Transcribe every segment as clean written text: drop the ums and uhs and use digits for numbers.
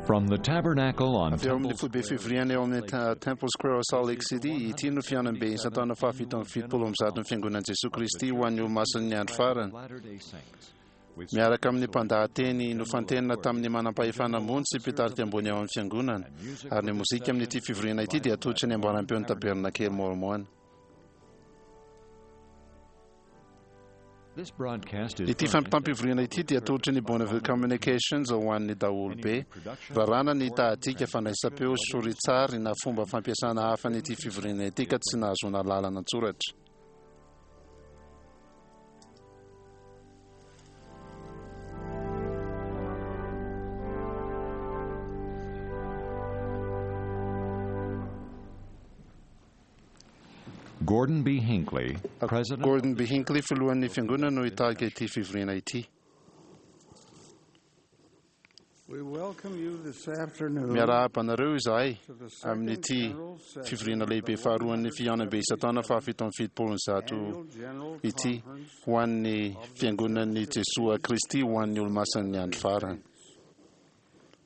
From the tabernacle on Avy eo amin'ny Temple foibe fivoriana eo amin'ny Temple Square ao Salt Lake City, ity no fihaonambe isan-taona faha-177 ny Fiangonan'i Jesoa Kristy ho an'ny Olomasin'ny Andro Farany. Latter-day Saints. With Miaraka amin'ny mpandahateny nofantenina tamin'ny manam-pahefana ambony sy mpitarika ambony ao amin'ny fiangonana. Ary ny mozika amin'ity fivoriana ity dia atolotry ny ambaram-peon'ny Tabernakely Mormon. This broadcast is Ity fampitam-pivoriana ity dia atolotry ny Bonneville Communications ho an'ny daholobe. Raràna ny tahadika fandraisam-peo soritsary na fomba fampiasana hafa an'ity fivoriana ity ka tsy nahazoana lalana an-tsoratra. Gordon B. Hinckley, President Gordon B. Hinckley, filohan'ny fiangonana no hitarika ity fivoriana ity. We welcome you this afternoon Miarahaba anareo izahay to the second amin'ity general session fivoriana of the lehibe faharoan'ny fihaonambe isan-taona faha-177 annual general ity conference ho an'ny fiangonan'i Jesoa Kristy ho an'ny Olomasin'ny Andro Farany.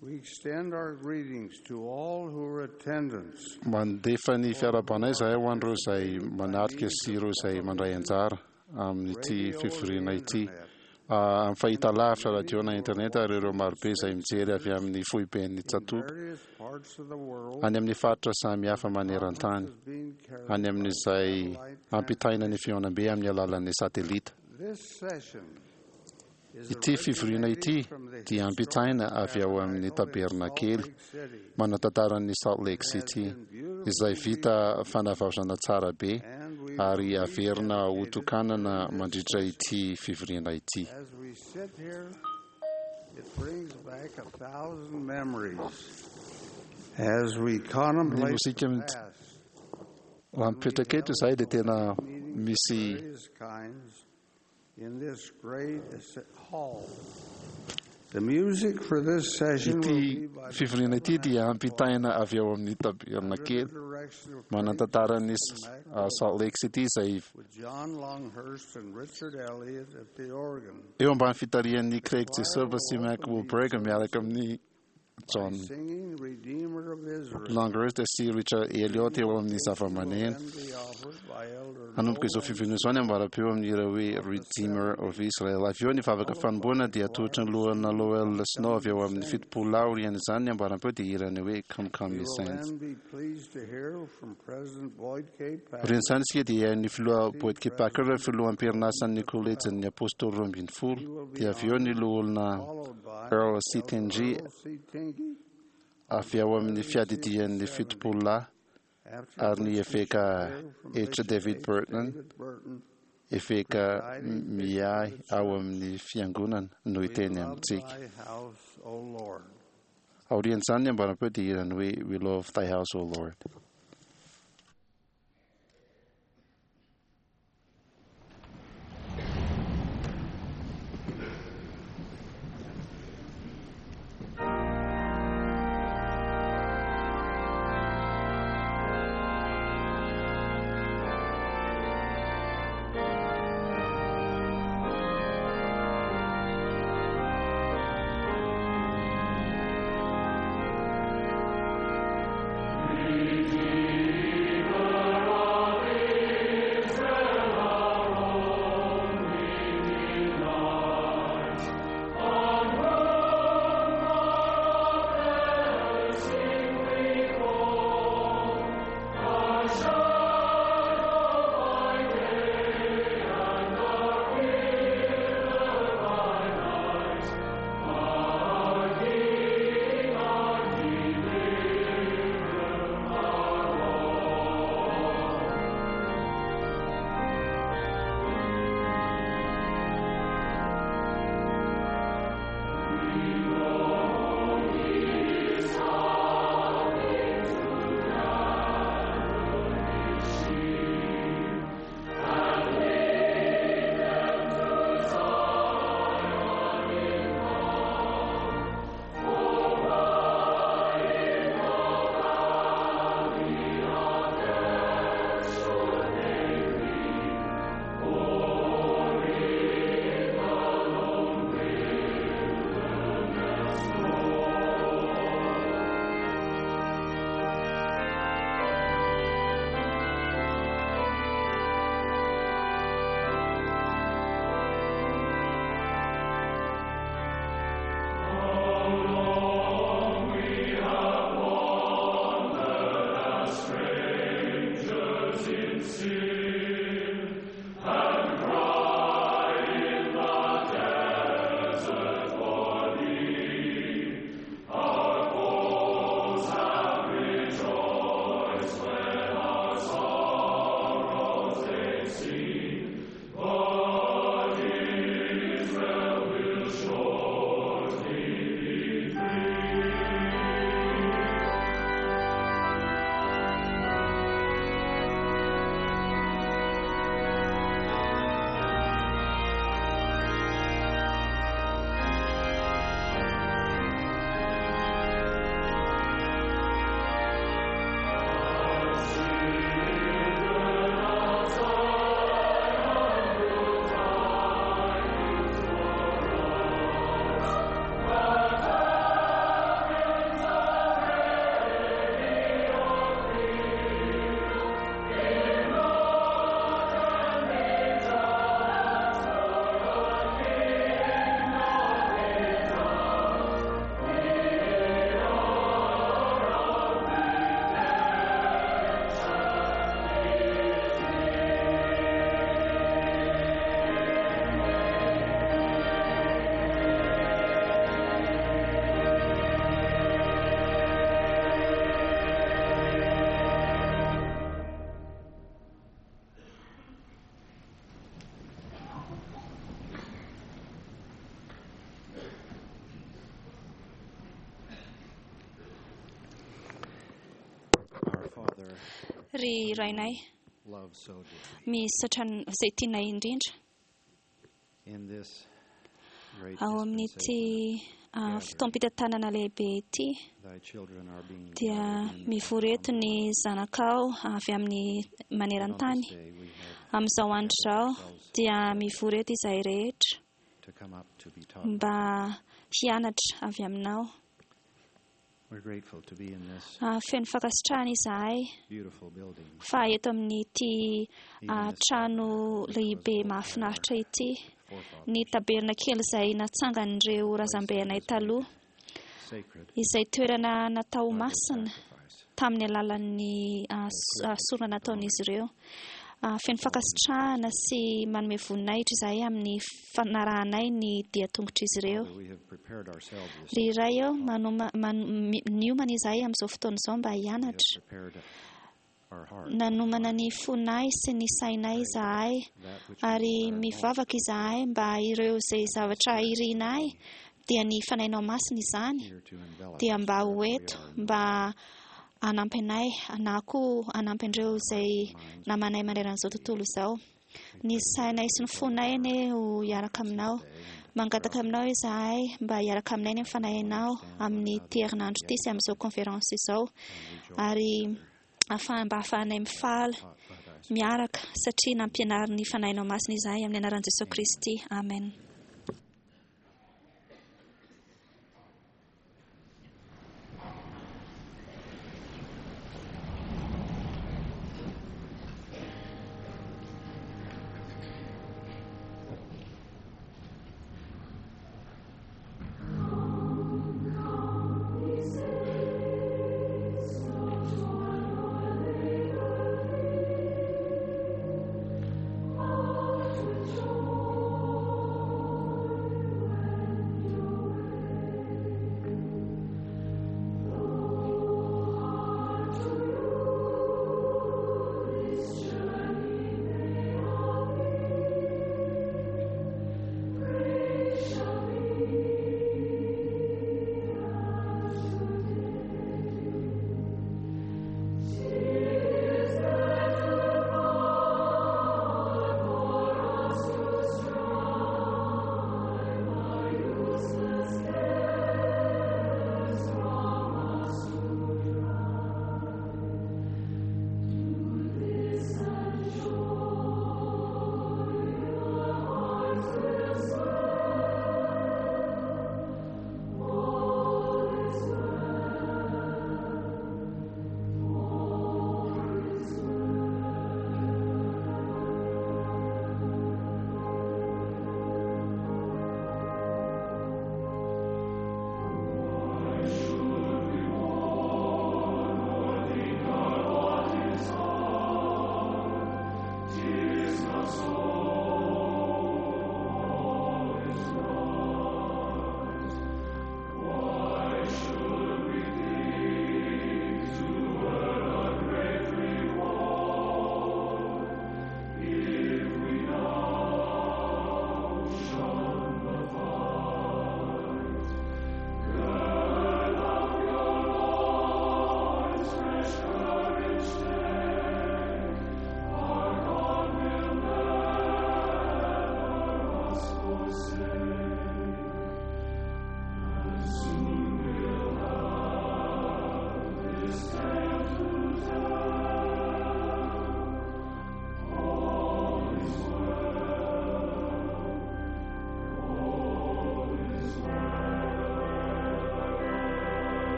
We extend our greetings to all who are attendants Mandefa ny fiarahabanay izahay ho an'ireo izay manatrika sy ireo izay mandray anjara amin'ity radio and fivoriana ity. internet. Amin'ny fahitalavitra radio na internet ary ireo marobe izay mijery avy amin'ny foiben'ny in tsatoka various parts of the world. any amin'ny faritra samihafa maneran-tany Conference is being carried any amin'izay satellite ampitaina ny fihaonambe amin'ny alalan'ny satelita. This session is Ity fivoriana ity originating from the dia ampitaina avy ao amin'ny historic tabernacle tabernakely in Salt Lake City manan-tantaran'ny Salt Lake City izay vita fanavaozana tsara be and we ary averina ho rededicated tokanana to this mandritra ity fivoriana ity. As we sit here, it brings back 1,000 memories as we contemplate Ny mozika the mit- past, Raha mipetraka eto izahay dia tena misy various kinds in this great hall. The music for this session will ity be by the fivoriana ity dia ampitaina avy ao amin'ny under the tabernakely direction of Craig manan-tantaran'ny Mack Salt Lake City izay with John Longhurst and Richard Elliott at the organ. eo ambany fitarihan'ny Craig Jessup sy Mac Wilberg miaraka amin'ny John Singing Redeemer of Israel. Longhurst sy Richard Elliott eo amin'ny zava-maneno. Will then be offered by Elder Hanomboka izao Noel fivoriana izao ny ambaram-peo amin'ny hira hoe Redeemer of Israel. Avy eo ny vavaka fanomboana dia atolotry ny loholona Lowell Snow avy eo amin'ny 70 lahy. Aorian'izany ny ambaram-peo dia hirany hoe Come Come We Ye will Saints. then be pleased to hear from President Boyd K. Packer, Aorian'izany isika dia ny filoha Boyd K. Packer, filoha am-perinasan'ny kolejin'ny Apôstôly 12, dia avy eo ny loholona followed by Earl C. Elder Tingy Earl C. Tingy, avy ao amin'ny fiadidian'ny 70 lahy after ary ny which we eveka shall hear from H. Bishop David H. Burton, David Burton, eveka miahy ao amin'ny fiangonana no We hiteny love amintsika. thy house, O Lord. Aorian'izany ny ambaram-peo dia hirany hoe We love thy house, O Lord. Redeemer Ry Rainay loved so dearly, misaotra izay tianay indrindra, in this great ao amin'ity dispensation, fotoam-pitantanana lehibe ity, thy children are being dia gathered in mivory eto ny zanakao avy amin'ny On this maneran-tany. day we have Amin'izao andro izao dia mivory eto izahay rehetra to come up to be taught. mba hianatra avy aminao. We're grateful to be in this Feno fankasitrahana izahay beautiful building. fa eto amin'ity Even this trano tabernacle which was lehibe built by mahafinaritra our ity, forefathers, ny taberna kely izay natsangan'ireo razambeanay taloha, sacred izay toerana natao by their masina sacrifice. tamin'ny alalan'ny sorona nataon'izy ireo. Feno fankasitrahana sy manome voninahitra izahay amin'ny fanarahanay ny dia-tongotr'izy ireo. Father, we have prepared ourselves this Ry Ray eo, niomana izahay amin'izao fotoana izao mba We have hianatra. prepared our heart, Nanomana ny fonay sy ny sainay izahay, that which we ary desire most mivavaka izahay mba ireo izay zavatra irinay dia ny fanahinao masina izany here to envelop dia us mba ho wherever we eto are in mba hanampy anay na koa hanampy an'ireo izay namanay maneran'izao tontolo izao. Ny sainay sy ny fonay anie ho hiaraka aminao. Mangataka aminao izahay mba hiaraka aminay ny fanahinao amin'ny ity herinandro ity sy amin'izao conférence izao, ary mba ahafahanay mifaly taught by thy Spirit. miaraka satria nampianarin'ny fanahinao masina izahay amin'ny anaran'i Jesosy Kristy. Amen.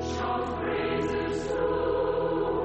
Shout praises to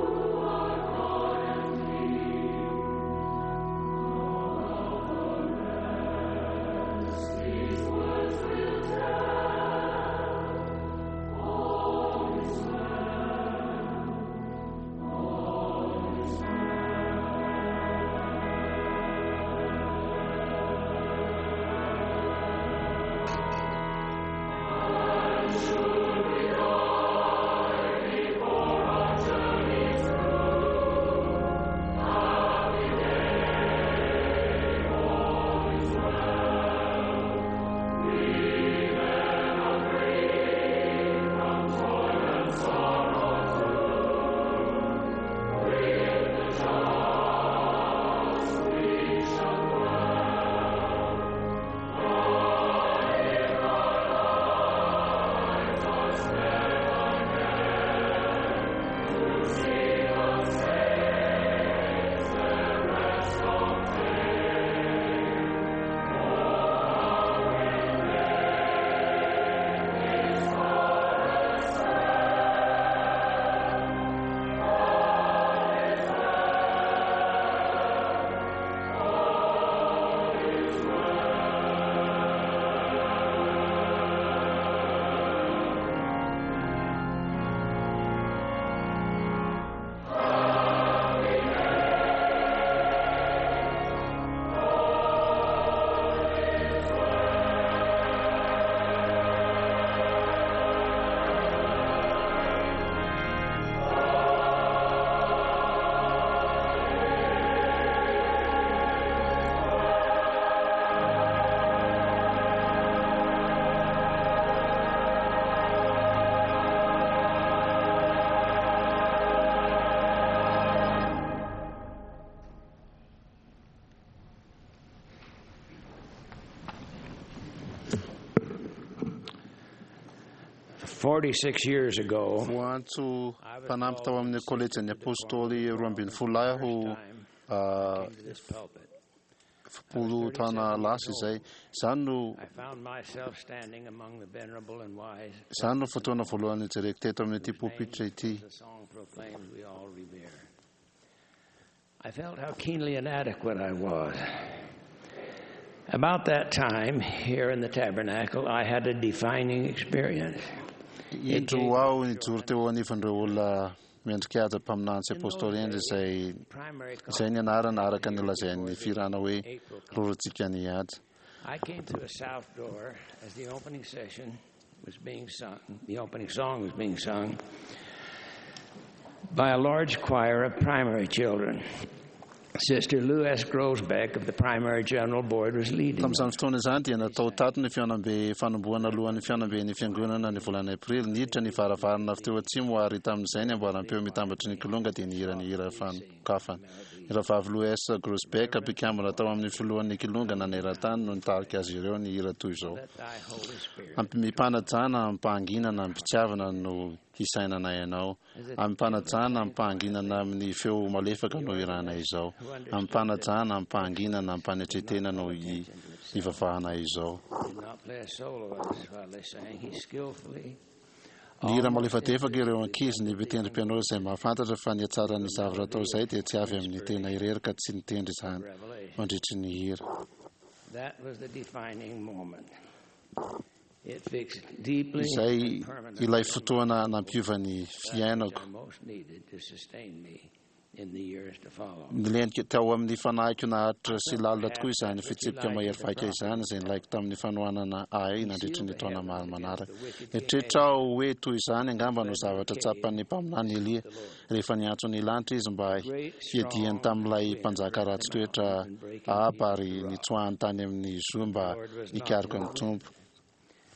46 years ago, Voantso mpanampy tao amin'ny kolejin'ny apôstôly 12 lahy aho came to this pulpit. 10 taona lasa izay. Izany no I found myself standing among the venerable and wise. izany no fotoana voalohany nijereko teto amin'ity pulpitra ity. The song proclaims we all revere. I felt how keenly inadequate I was. About that time, here in the tabernacle, I had a defining experience. Indro aho nijoro teo anivon'ireo olona miendrika haja mpaminany sy apôstôly hendry izay Primary izay ny anarana araka ny lazain'ny firana hoe rorotsika ny ady. I came through a south door as the opening session was being sung. The opening song was being sung by a large choir of primary children. Sister Lou S. Grosbeck of the Primary General Board was leading. them. Tamin'izany fotoana izany dia natao tato ny fihaonambe fanombohana alohan'ny fihaonambe ny fiangonana ny volana aprily. Niditra ny varavarana avy teo atsimo ary tamin'izay ny amboaram-peo mitambatry ny kilonga dia nihira ny hira fanokafana. Ny rahavavy Lou S. Grosbeck mpikambana tao amin'ny filohan'ny kilonga naneran-tany no nitarika azy ireo ny hira toy izao. Let thy Holy Spirit Amim-panajana, amim-pahanginana, amim-pitiavana no hisainana ianao. Amim-panajana, amim-pahanginana amin'ny feo malefaka no hirana izao. Amim-panajana, amim-pahanginana, amim-panetretena no hi- hivavahana izao. did not play a solo as while they sang. He skillfully Ny hira malefadefaka ireo ankizy ny mpitendry piano izay mahafantatra fa ny hatsaran'ny zavatra atao izay dia tsy avy amin'ny tena irery ka tsy nitendry izany revelation. mandritry ny hira. That was the defining moment. It fixed deeply Izay and permanently ilay fotoana nampiova ny fiainako. that which I most needed to sustain me in the years to follow. Nilentika tao amin'ny fanahiko naharitra sy lalina tokoa izany fitsipika mahery vaika izany izay nilaiko tamin'ny fanohanana ahy nandritry ny taona maro manaraka. Nieritreritra aho hoe toy izany angamba no zavatra tsapan'ny mpaminany Elia rehefa niantso ny lanitra izy mba hiadiany tamin'ilay mpanjaka ratsy toetra Ahaba ary nitsoahany tany amin'ny zo mba hikaroka ny Tompo.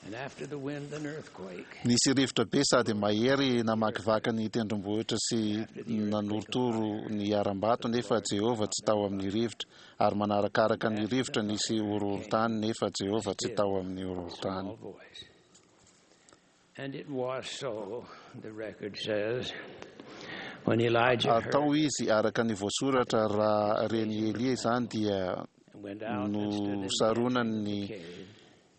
And after the wind, an earthquake. Nisy rivotra be sady mahery namakivaky ny tendrombohitra sy nanorotoro ny harambato nefa Jehovah tsy tao amin'ny rivotra, ary manarakaraka ny rivotra nisy horohorontany nefa Jehovah tsy tao amin'ny horohorontany. Small voice. And it was so, the record says, when Elijah Ary tao heard izy araka ny voasoratra raha reny Elia izany dia and went out and stood in the nosaronany ny entrance of the cave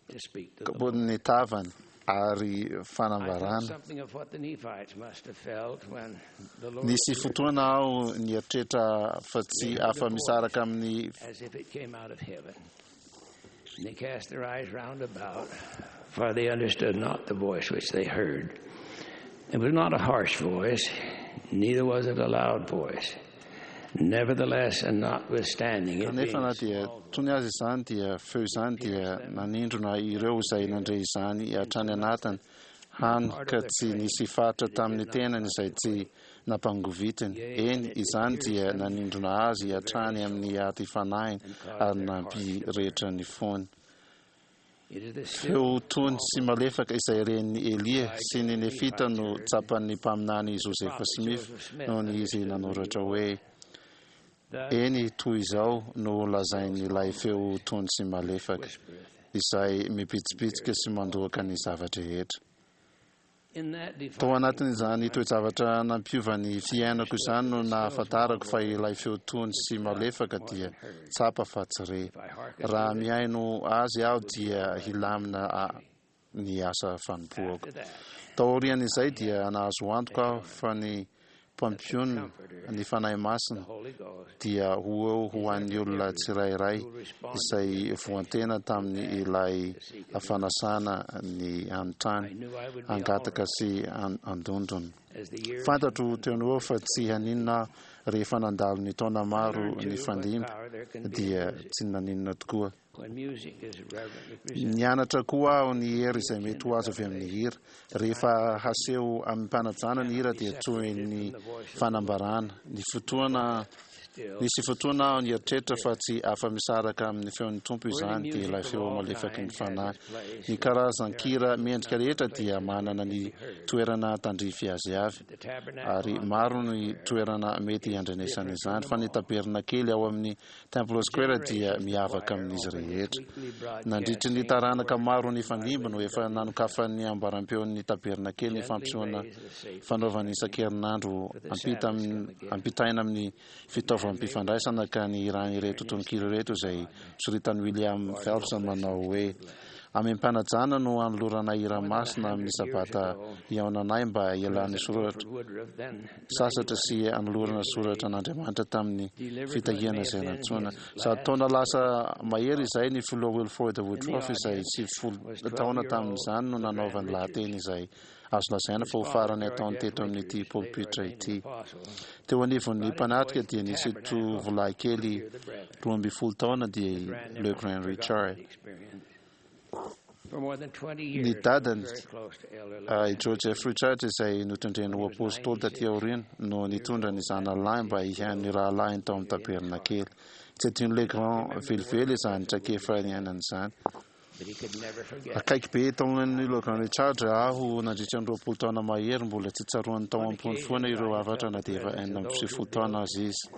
to speak to the Lord. ny tavany ary I felt fanambarana. something of what the Nephites must have felt when the Lord Nisy appeared fotoana aho nieritreritra fa tsy afa-misaraka amin'ny as if it came out of heaven. And they cast their eyes round about, for they understood not the voice which they heard. It was not a harsh voice, neither was it a loud voice. Nevertheless, and notwithstanding it being Kanefa na a dia small tony azy izany dia feo izany dia nanindrona ireo izay nandre izany hatrany anatiny hany ka tsy nisy faritra tamin'ny tenany izay tsy nampangovitiny. Eny, izany dia nanindrona azy hatrany amin'ny ady fanahiny ary nampirehetra ny fony. It is the still Feo tony sy malefaka izay ren'ny Elia sy ny Nefita no tsapan'ny mpaminany Joseph Smith noho ny izy nanoratra hoe that eny toy izao no lazain'ilay feo tony sy malefaka whispereth. izay mibitsibitsika sy mandoaka ny zavatra rehetra. In that Tao defining anatin'izany toe-javatra nampiova ny fiainako izany no nahafantarako fa ilay feo tony sy malefaka dia tsapa fa tsy re. if I hearken Raha to it, mihaino azy aho dia hilamina ny asa fanompoako. after that, Tao aorian'izay dia nahazo antoka aho fa ny mpampionona ny Fanahy Masina the Holy Ghost dia ho eo ho an'ny olona tsirairay izay voantena tamin'ny ilay fanasana ny anontany I knew I would be hangataka all sy andondrona. right as the years Fantatro teo no eo fa tsy haninona aho rehefa nandalo ny taona maro learned ny too what fandimby power there can be in dia music tsy naninona tokoa. when music is reverently presented. Nianatra koa aho ny hery izay mety ho azo avy amin'ny hira. Rehefa haseho amin'ny mpanajana ny hira dia toy ny fanambarana. Ny fotoana Nisy fotoana aho nieritreritra fa tsy afa-misaraka amin'ny feon'ny Tompo izany, dia ilay feo malefaky ny Fanahy. Ny karazan-kira mendrika rehetra dia manana ny toerana tandrify azy avy, ary maro ny toerana mety handrenesana izany, fa ny tabernakely ao amin'ny Temple Square dia miavaka amin'izy rehetra. Nandritry ny taranaka maro nifandimby no efa nanokafan'ny ambarampeon'ny tabernakely ny fampisehoana fanaovana isan-kerinandro ampitaina amin'ny fitaovam-pifandraisana ka nihirany ireto tononkira ireto izay soritan'i William Phelps manao hoe, Amim-panajana no anoloranay hira masina amin'ny Sabata hihaonanay mba hialan'ny soratra sasatra sy hanolorana soratra an'Andriamanitra tamin'ny fitahiana izay nantsoina. 100 taona lasa mahery izay ny filoha Wilford Woodruff izay 90 taona tamin'izany no nanaovany lahateny izay azo lazaina fa ho farany ataony teto amin'ity polpitra ity. Teo anivon'ny mpanatrika dia nisy tovolahy kely 12 taona dia i LeGrand Richard. Ny dadany, i Joseph Richard izay notendreny ho apostoly taty aoriana, no nitondra ny zanany lahy mba hihaino ny rahalahiny tao amin'ny tabernakely. Tsy adinon'i LeGrand velively izany traikefa niainany izany. Akaiky be tao amin'i Logan Richard aho nandritra ny 20 taona mahery, mbola tsy tsaroany tao am-pony foana ireo hafatra na dia efa 96 taona aza izy.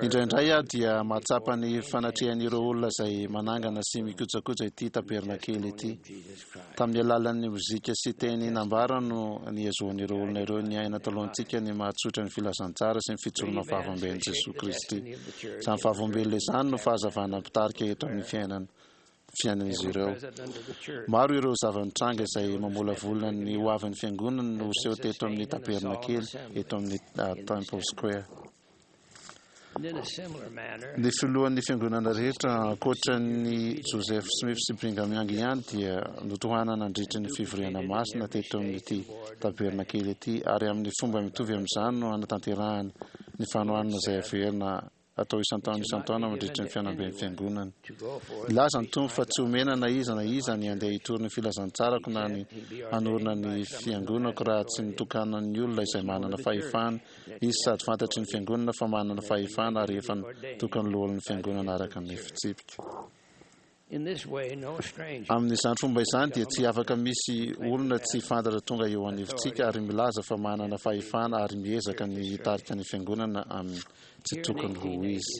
Indraindray aho dia mahatsapa ny fanatrehan'ireo olona izay manangana sy mikojakoja ity tabernakely ity. Tamin'ny alalan'ny mozika sy teny nambara no nihazoan'ireo olona ireo niaina talohantsika ny mahatsotra ny filazantsara sy ny fijoroana vavolombelon'i Jesoa Kristy. Izany vavolombelona izany no fahazavana mpitarika eto amin'ny fiainana fiainan'izy ireo. Maro ireo zava-nitranga izay mamolavola ny hoavin'ny Fiangonana no seho teto amin'ny tabernakely eto amin'ny Temple Square. Ny filohan'ny fiangonana rehetra ankoatra an'i Joseph Smith sy Brigham Young ihany dia notohanana nandritra ny fivoriana masina teto amin'ity tabernakely ity, ary amin'ny fomba mitovy amin'izany no hanatanterahana ny fanohanana izay averina atao isan-taona isan-taona mandritra ny fihaonamben'ny Fiangonana. Nilaza ny Tompo fa tsy homena na iza na iza ny handeha hitory ny filazantsarako na ny hanorina ny Fiangonako raha tsy nitokanan'ny olona izay manana fahefana izy sady fantatry ny Fiangonana fa manana fahefana ary efa nitokan'ny loholon'ny Fiangonana araka ny fitsipika. Amin'izany fomba izany dia tsy afaka misy olona tsy fantatra tonga eo anivontsika ary milaza fa manana fahefana ary miezaka ny hitarika ny Fiangonana amin'ny tsy tokony ho izy.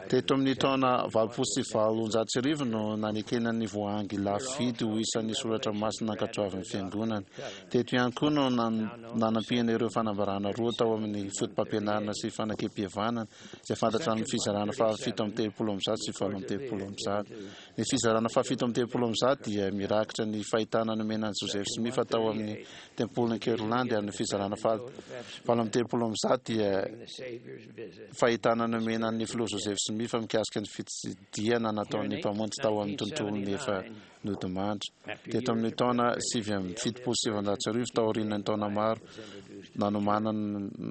Teto amin'ny taona 1880 no nanekena ny voahangy lafo vidy ho isan'ny soratra masina nankatoavin'ny Fiangonana. Teto ihany koa no nanampiana ireo fanambarana roa tao amin'ny Fotopampianarana sy Fanakempihavanana izay fantatra amin'ny fizarana faha 137 sy 138. Ny fizarana faha 137 dia mirakitra ny fahitana nomena an'i Joseph Smith tao amin'ny Tempolin'i Kirtland ary ny fizarana faha 138 dia fahitana nomena an'ny Filoha Joseph Smith mikasika ny fitsidihana nataon'ny Mpamonjy tao amin'ny tontolon'ny efa nodimandry. Teto amin'ny taona 1979, taorian'ny taona maro nanomanana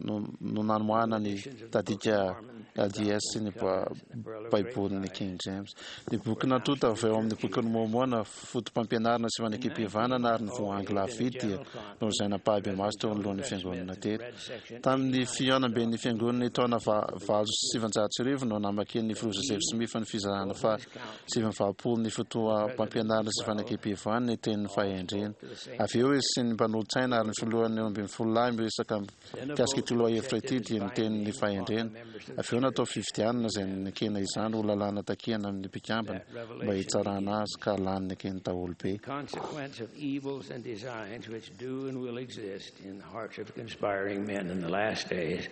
no nanomanana ny tadika LDS sy ny Baibolin'ny King James. Ny boky natonta avy ao amin'ny Bokin'i Môrmôna, Fotopampianarana sy Fanekempihavanana ary ny Voahangy Lafo Vidy dia nolazaina ampahibemaso teo anoloan'ny Fiangonana teto. Tamin'ny fihaonamben'ny Fiangonana ny taona 1908 no namakian'ny Filoha Joseph Smith ny fizarana faha 89 ny fotoam-pampianarana sy fanekempihavanana ny tenin'ny fahendrena. Avy eo izy sy ny mpanolotsaina ary ny filohan'ny 12 lahy miresaka mikasika ity lohahevitra ity dia ny tenin'ny fahendrena. Avy eo natao fifidianana izay nekena izany ho lalàna takiana amin'ny mpikambana mba hitsarana azy ka lany neken'ny daholobe. Consequence of evils and designs which do and will exist in the hearts of conspiring men in the last days,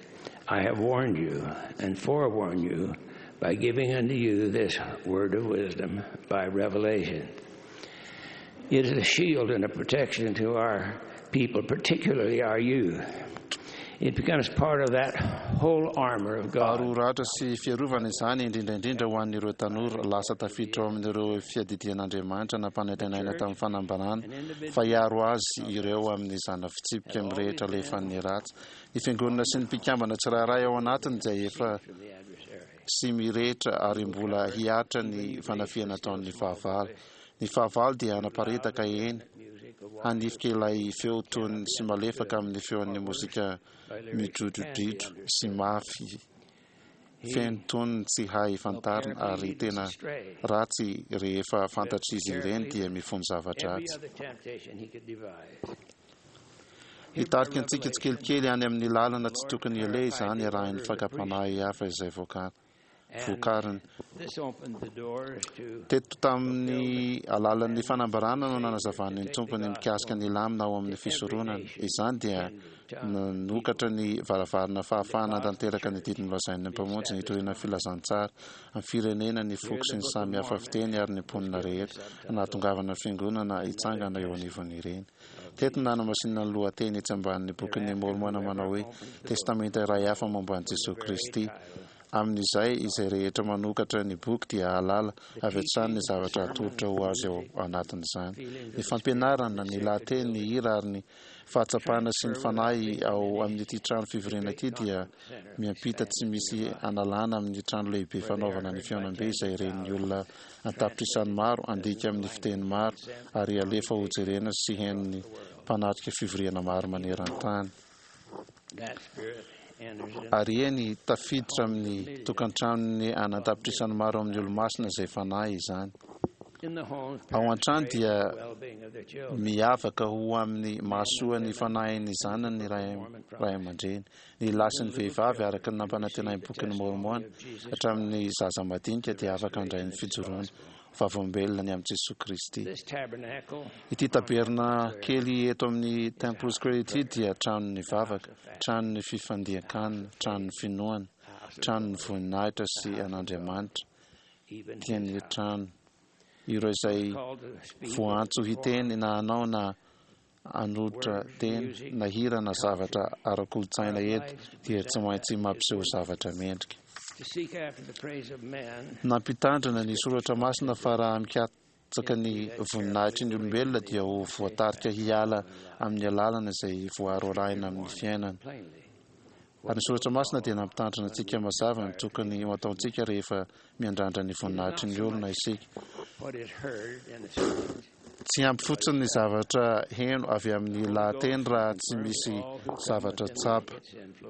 I have warned you and forewarned you by giving unto you this word of wisdom by revelation. It is a shield and a protection to our people, particularly our youth. It becomes part of that whole armor of God. Aro ratra sy fiarovana izany, indrindra indrindra ho an'ireo tanora lasa tafiditra ao amin'ireo fiadidian'Andriamanitra nampanantenaina tamin'ny fanambarana fa hiaro azy ireo amin'ny zana-fitsipika mirehitra alefan'ny ratsy. Ny fiangonana sy ny mpikambana tsirairay ao anatiny dia efa sy mirehitra ary mbola hihatra ny fanafihana ataon'ny fahavalo. Ny fahavalo dia hanaparitaka eny. hanifika ilay feo tony sy malefaka amin'ny feon'ny mozika midrodrodridro sy mafy feno tonony tsy hay fantarina ary tena ratsy rehefa fantatr'izy ireny dia mifono zava-dratsy. Hitarika antsika tsikelikely any amin'ny lalana tsy tokony aleha izany arahin'ny fakam-panahy hafa izay vokariny. Teto tamin'ny alalan'ny fanambarana no nanazavan'ny Tompo ny mikasika ny lamina ao amin'ny fisoronana. Izany dia nanokatra ny varavarana fahafahana hanatanteraka ny didy nolazain'ny Mpamonjy nitoriana ny filazantsara amin'ny firenena, ny foko sy ny samy hafa fiteny ary ny mponina rehetra, nahatongavana ny Fiangonana hitsangana eo anivon'ireny. Teto no nanamasinana ny lohateny etsy ambanin'ny Bokin'i Môrmôna manao hoe Testamenta iray hafa momba an'i Jesoa Kristy. Amin'izay, izay rehetra manokatra ny boky dia hahalala avy hatrany ny zavatra atolotra ho azy ao anatin'izany. Ny fampianarana, ny lahateny, ny hira ary ny fahatsapana sy ny fanahy ao amin'ity trano fivoriana ity dia miampita tsy misy analana amin'ny trano lehibe fanaovana ny fihaonambe izay ren'ny olona an-tapitrisany maro handika amin'ny fiteny maro ary alefa hojerena sy henon'ny mpanatrika fivoriana maro maneran-tany. Ary eny, tafiditra amin'ny tokantranon'ny an'an-tapitrisany maro amin'ny Olomasina izay fanahy izany. Ao an-trano dia miavaka ho amin'ny mahasoa ny fanahin'ny zanany ny ray aman-dreny, ny lahy sy ny vehivavy, araka ny nampanantenain'ny Bokin'i Môrmôna, hatramin'ny zaza madinika dia afaka handray ny fijoroana vavolombelona ny amin'i Jesoa Kristy. Ity tabernakely eto amin'ny Temple Square ity dia tranon'ny vavaka, tranon'ny fifandian-kanina, tranon'ny finoana, tranon'ny voninahitra sy an'Andriamanitra, dia ny trano. Ireo izay voaantso hiteny na hanao na hanolotra teny na hira na zavatra ara-kolontsaina eto dia tsy maintsy mampiseho zavatra mendrika. Nampitandrina ny Soratra Masina fa raha mikatsaka ny voninahitry ny olombelona dia ho voatarika hiala amin'ny alalana izay voaro arahina amin'ny fiainana. Ary ny Soratra Masina dia nampitandrina antsika mazava ny tokony ho ataontsika rehefa miandrandra ny voninahitry ny olona isika. Tsy ampy fotsiny ny zavatra heno avy amin'ny lahateny raha tsy misy zavatra tsapa.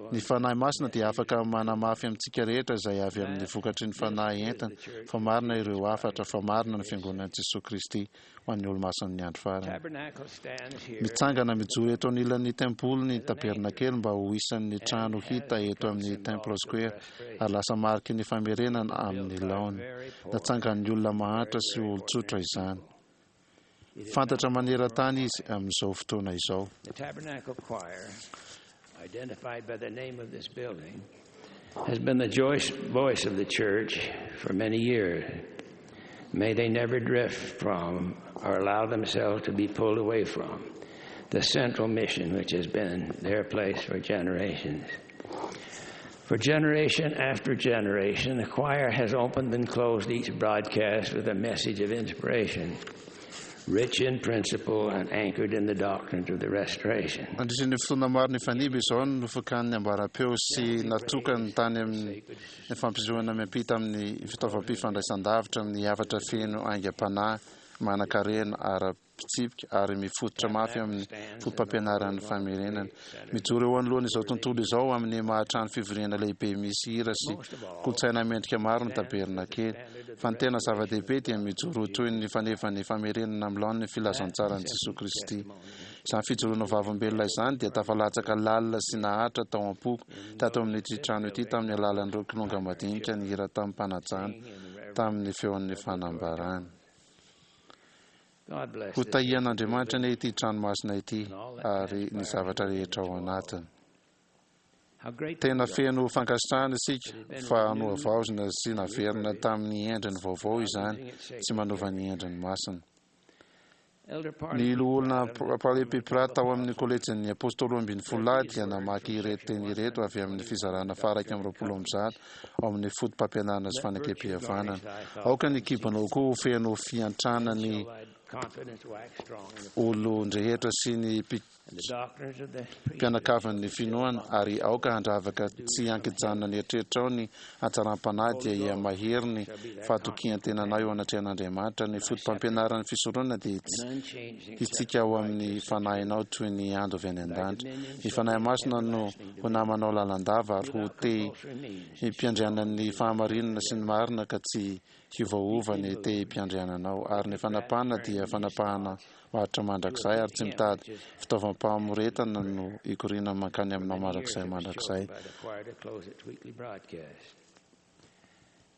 Ny Fanahy Masina dia afaka manamafy amintsika rehetra izay avy amin'ny vokatry ny Fanahy entiny fa marina ireo hafatra, fa marina ny Fiangonan'i Jesoa Kristy ho an'ny Olomasin'ny Andro Farany. Mitsangana mijoro eto anilan'ny tempoly ny tabernakely mba ho isan'ny trano hita eto amin'ny Temple Square ary lasa mariky ny famerenana amin'ny laoniny. Natsangan'ny olona mahantra sy olon-tsotra izany. Fantatra maneran-tany izy amin'izao fotoana izao. The Tabernacle Choir, identified by the name of this building, has been the voice of the church for many years. May they never drift from or allow themselves to be pulled away from the central mission which has been their place for generations. For generation after generation, the choir has opened and closed each broadcast with a message of inspiration, rich in principle and anchored in the doctrines of the Restoration. Nandritra ny fotoana maro nifanimby izao no nofakan'ny ambaram-peo sy natokany tany amin'ny fampisehoana miampita amin'ny fitaovam-pifandraisan-davitra amin'ny hafatra feno aingam-panahy manan-karena ara fitsipika ary mifototra mafy amin'ny fotopampianaran'ny famerenana. Mijoro eo anoloan'izao tontolo izao amin'ny maha trano fivoriana lehibe misy hira sy kolontsaina mendrika maro ny tabernakely. Fa ny tena zava-dehibe dia mijoro ho toy ny fanevan'ny famerenana amin'ny laoniny ny filazantsaran'i Jesoa Kristy. Izany fijoroana ho vavolombelona izany dia tafalatsaka lalina sy naharitra tao am-poko tato amin'ity trano ity tamin'ny alalan'ireo kilonga madinika nihira tamim-panajana tamin'ny feon'ny fanambarana. Ho tahian'Andriamanitra anie ity trano masina ity ary ny zavatra rehetra ao anatiny. Tena feno fankasitrahana isika fa nohavaozina sy naverina tamin'ny endriny vaovao izany, tsy manova ny endriny masina. Ny Loholona Parley P. Pratt tao amin'ny Kolejin'ny Apôstôly Roambinifolo Lahy dia namaky ireto teny ireto avy amin'ny fizarana faha-121 ao amin'ny Fotopampianarana sy Fanekempihavanana. Aoka ny kibonao koa ho feno fiantrana ny olon-drehetra sy ny. Mpianakavin'ny finoana, ary aoka handravaka tsy ankijanona ny eritreritrao ny hatsaram-panahy dia hihamahery ny fahatokian-tenanao eo anatrehan'Andriamanitra. Ny fotopampianaran'ny fisoronana dia hitsika ao amin'ny fanahinao toy ny ando avy any an-danitra. Ny Fanahy Masina no ho namanao lalandava ary ho te himpiandrianan'ny fahamarinana sy ny marina ka tsy hiovaova ny tehim-piandriananao, ary ny fanapahana dia fanapahana maharitra mandrakizay, ary tsy mitady fitaovam-pamoretana no hikoriana mankany aminao mandrakizay mandrakizay.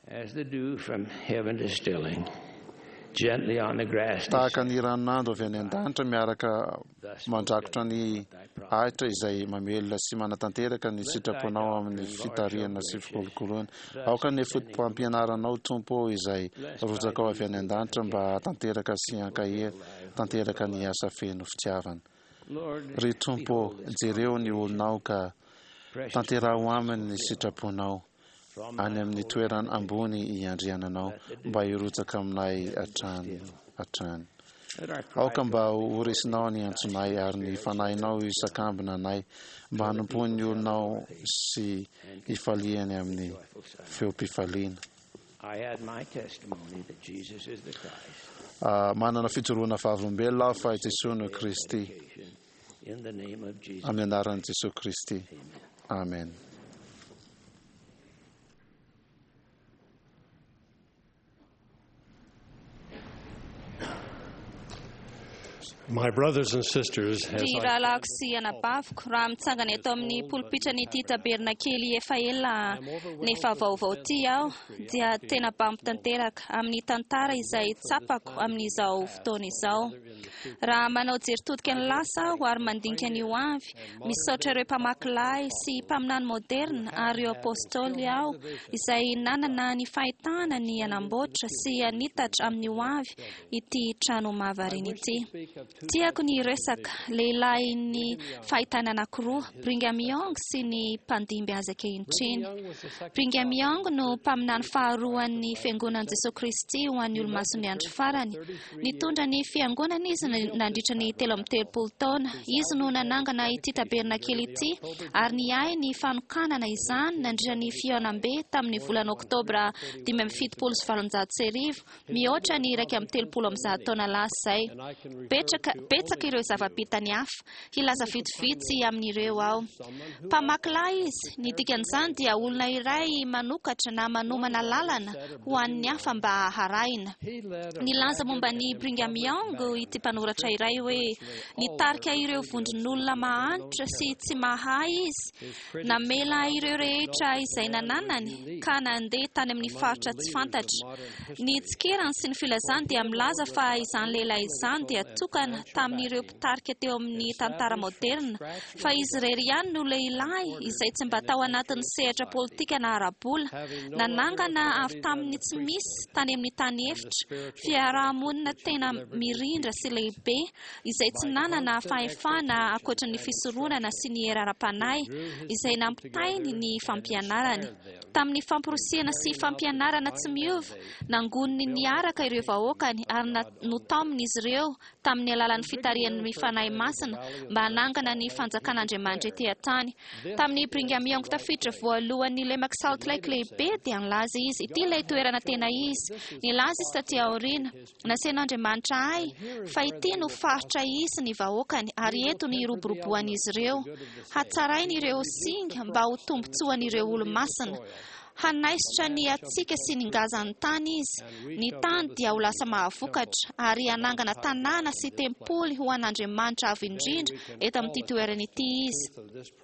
As the dew from heaven distilling gently on the grass. Tahaka ny ranon'ando avy any an-danitra miaraka mandrakotra ny ahitra izay mamelona sy manatanteraka ny sitraponao amin'ny fitarihana sy fikolokoloana. Aoka ny fotopampianaranao, Tompo ô, izay arotsakao avy any an-danitra mba hahatanteraka sy hankahery tanteraka ny asa feno fitiavana. Ry Tompo ô, jereo ny olonao ka tanteraho aminy ny sitraponao any amin'ny toerana ambony iandriananao mba hirotsaka aminay hatrany hatrany. Aoka mba ho resinao ny antsonay ary ny Fanahinao hisakambina anay mba hanompoan'ny olonao sy hifaliany amin'ny feom-pifaliana. Manana fijoroana vavolombelona aho fa i Jesoa no Kristy. Amin'ny anaran'i Jesoa Kristy. Amen. My brothers and sisters, as Ry I rahalahiko sy anabaviko, raha mitsangana eto amin'ny polipitran'ity tabernakely efa ela nefa vaovao ity aho, dia tena bambo tanteraka amin'ny tantara izay tsapako amin'izao fotoana izao. Raha manao jery todika ny lasa aho ary mandinika ny ho avy, misaotra ireo mpamaky lay sy mpaminany moderina ary ireo apostoly aho izay nanana ny fahitana ny hanamboatra sy hanitatra amin'ny ho avy ity trano mahavariana ity. Tiako ny hiresaka lehilahin'ny fahitana anankiroa, Brigham Young sy ny mpandimby azy ankehitriny. Brigham Young no mpaminany faharoan'ny Fiangonan'i Jesoa Kristy ho an'ny Olomasin'ny Andro Farany. Nitondra ny Fiangonana izy nandritra ny 33 taona. Izy no nanangana ity tabernakely ity ary niahy ny fanokanana izany nandritra ny fihaonambe tamin'ny volana Oktobra 1875, mihoatra ny 131 taona lasa izay. Betsaka, betsaka ireo zava-bitany hafa. Hilaza vitsivitsy amin'ireo aho. Mpamaky lay izy. Ny dikan'izany dia olona iray manokatra na manomana lalana ho an'ny hafa mba harahina. Nilaza momba an'i Brigham Young ity mpanoratra iray hoe, Nitarika ireo vondron'olona mahantra sy tsy mahay izy, namela ireo rehetra izay nananany ka nandeha tany amin'ny faritra tsy fantatra. Ny tsikerany sy ny filazany dia milaza fa izany lehilahy izany dia tokana tamin'ireo mpitarika teo amin'ny tantara maoderina, fa izy irery ihany no lehilahy izay tsy mba tao anatin'ny sehatra politika na ara-bola, nanangana avy tamin'ny tsy misy tany amin'ny tany efitra, fiaraha-monina tena mirindra sy lehibe izay tsy nanana fahefana ankoatra ny fisoronana sy ny hery ara-panahy izay nampitainy ny fampianarany. Tamin'ny famporisihana sy fampianarana tsy miova, nangoniny niaraka ireo vahoakany ary notaominy izy ireo tamin'ny alalan'ny fitarihan'ny Fanahy Masina mba hanangana ny fanjakan'Andriamanitra ety an-tany. Tamin'ny Brigham Young tafiditra voalohan'ny lemak'i Salt Lake lehibe dia nilaza izy, Ity ilay toerana tena izy. Nilaza izy taty aoriana, Nasain'Andriamanitra ahy fa ity no faritra hisy ny vahoakany ary eto ny hiroboroboan'izy ireo. Hatsarainy ireo singa mba ho tombontsoan'ireo olo-masina. Hanaisotra ny hatsiaka sy ny ngazan'ny tany izy. Ny tany dia ho lasa mahavokatra, ary hanangana tanàna sy tempoly ho an'Andriamanitra Avo Indrindra eto amin'ity toerana ity izy.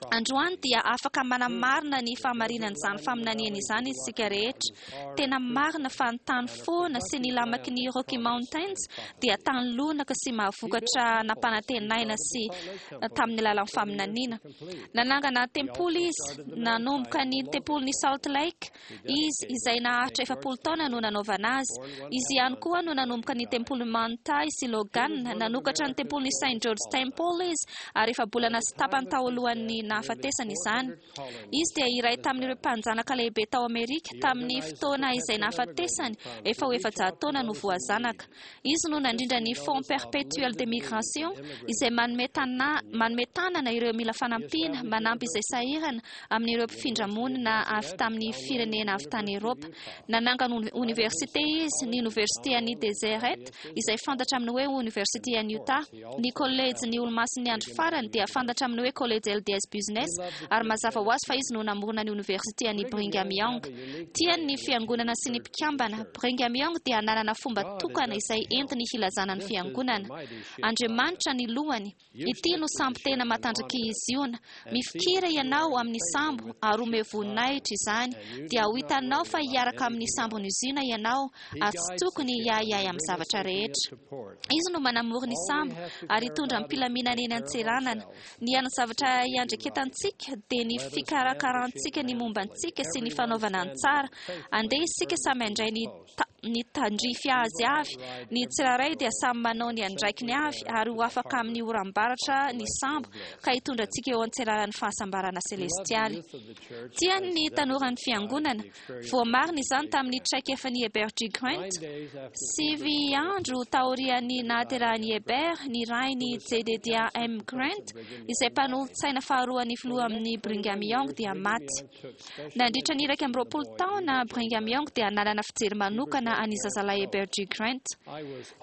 Androany dia afaka manamarina ny fahamarinan'izany faminaniana izany isika rehetra. Tena marina fa ny tany foana sy ny lamaky ny Rocky Mountains dia tany lonaka sy mahavokatra nampanantenaina sy tamin'ny alalan'ny faminaniana. Nanangana tempoly izy, nanomboka ny tempolin'i Salt Lake. Lake izy, izay naharitra 40 taona no nanaovana azy. Izy ihany koa no nanomboka ny tempolin'i Manti sy Logan. Nanokatra ny tempolin'i Saint George Temple izy, ary efa-bolana sy tapany tao alohan'ny nahafatesany izany. Izy dia iray tamin'ireo mpanjanaka lehibe tao Amerika tamin'ny fotoana izay nahafatesany, efa ho 400 taona no voazanaka. Izy no nandrindra ny Fonds Perpétuel de Migration, izay manome tanana ireo mila fanampiana, manampy izay sahirana amin'ireo mpifindra-monina avy tamin'ny firenena avy tany Eropa. Nanangana oniversite izy, ny Oniversite an'i Deseret, izay fantatra amin'ny hoe Oniversite an'i Utah. Ny kolejy ny Olomasin'ny Andro Farany dia fantatra amin'ny hoe Kolejy LDS Business, ary mazava ho azy fa izy no namorona ny Oniversite an'i Brigham Young. Tiany ny fiangonana sy ny mpikambana. Brigham Young dia nanana fomba tokana izay entiny hilazana ny fiangonana. Andriamanitra ny lohany. Ity no sambo tena matanjaka Ziona. Mifikira ianao amin'ny sambo ary omeo voninahitra izany, dia ho hitanao fa hiaraka amin'ny sambon'i Ziona ianao ary tsy tokony hiahiahy amin'ny zavatra rehetra. Izy no manamory ny sambo ary hitondra am-pilaminana eny an-tseranana. Ny hany zavatra iandraiketantsika dia ny fikarakarantsika ny momba antsika sy ny fanaovana ny tsara. Andeha isika samy handray ny ny tandrify azy avy. Ny tsirairay dia samy manao ny andraikiny avy ary ho afaka amin'ny oram-baratra ny sambo ka hitondra antsika eo an-tseranan'ny fahasambarana selestialy. Tiany ny tanoran'ny fiangonana. Voamarina izany tamin'ny traikefan'i Heber G. Grant. 9 andro taorian'ny nahaterahan'i Heber, ny rainy Jedediah M. Grant, izay mpanolotsaina faharoan'ny filoha amin'ny Brigham Young, dia maty. Nandritra ny 21 taona, Brigham Young dia nanana fijery manokana an'i zazalahy Heber G. Grant.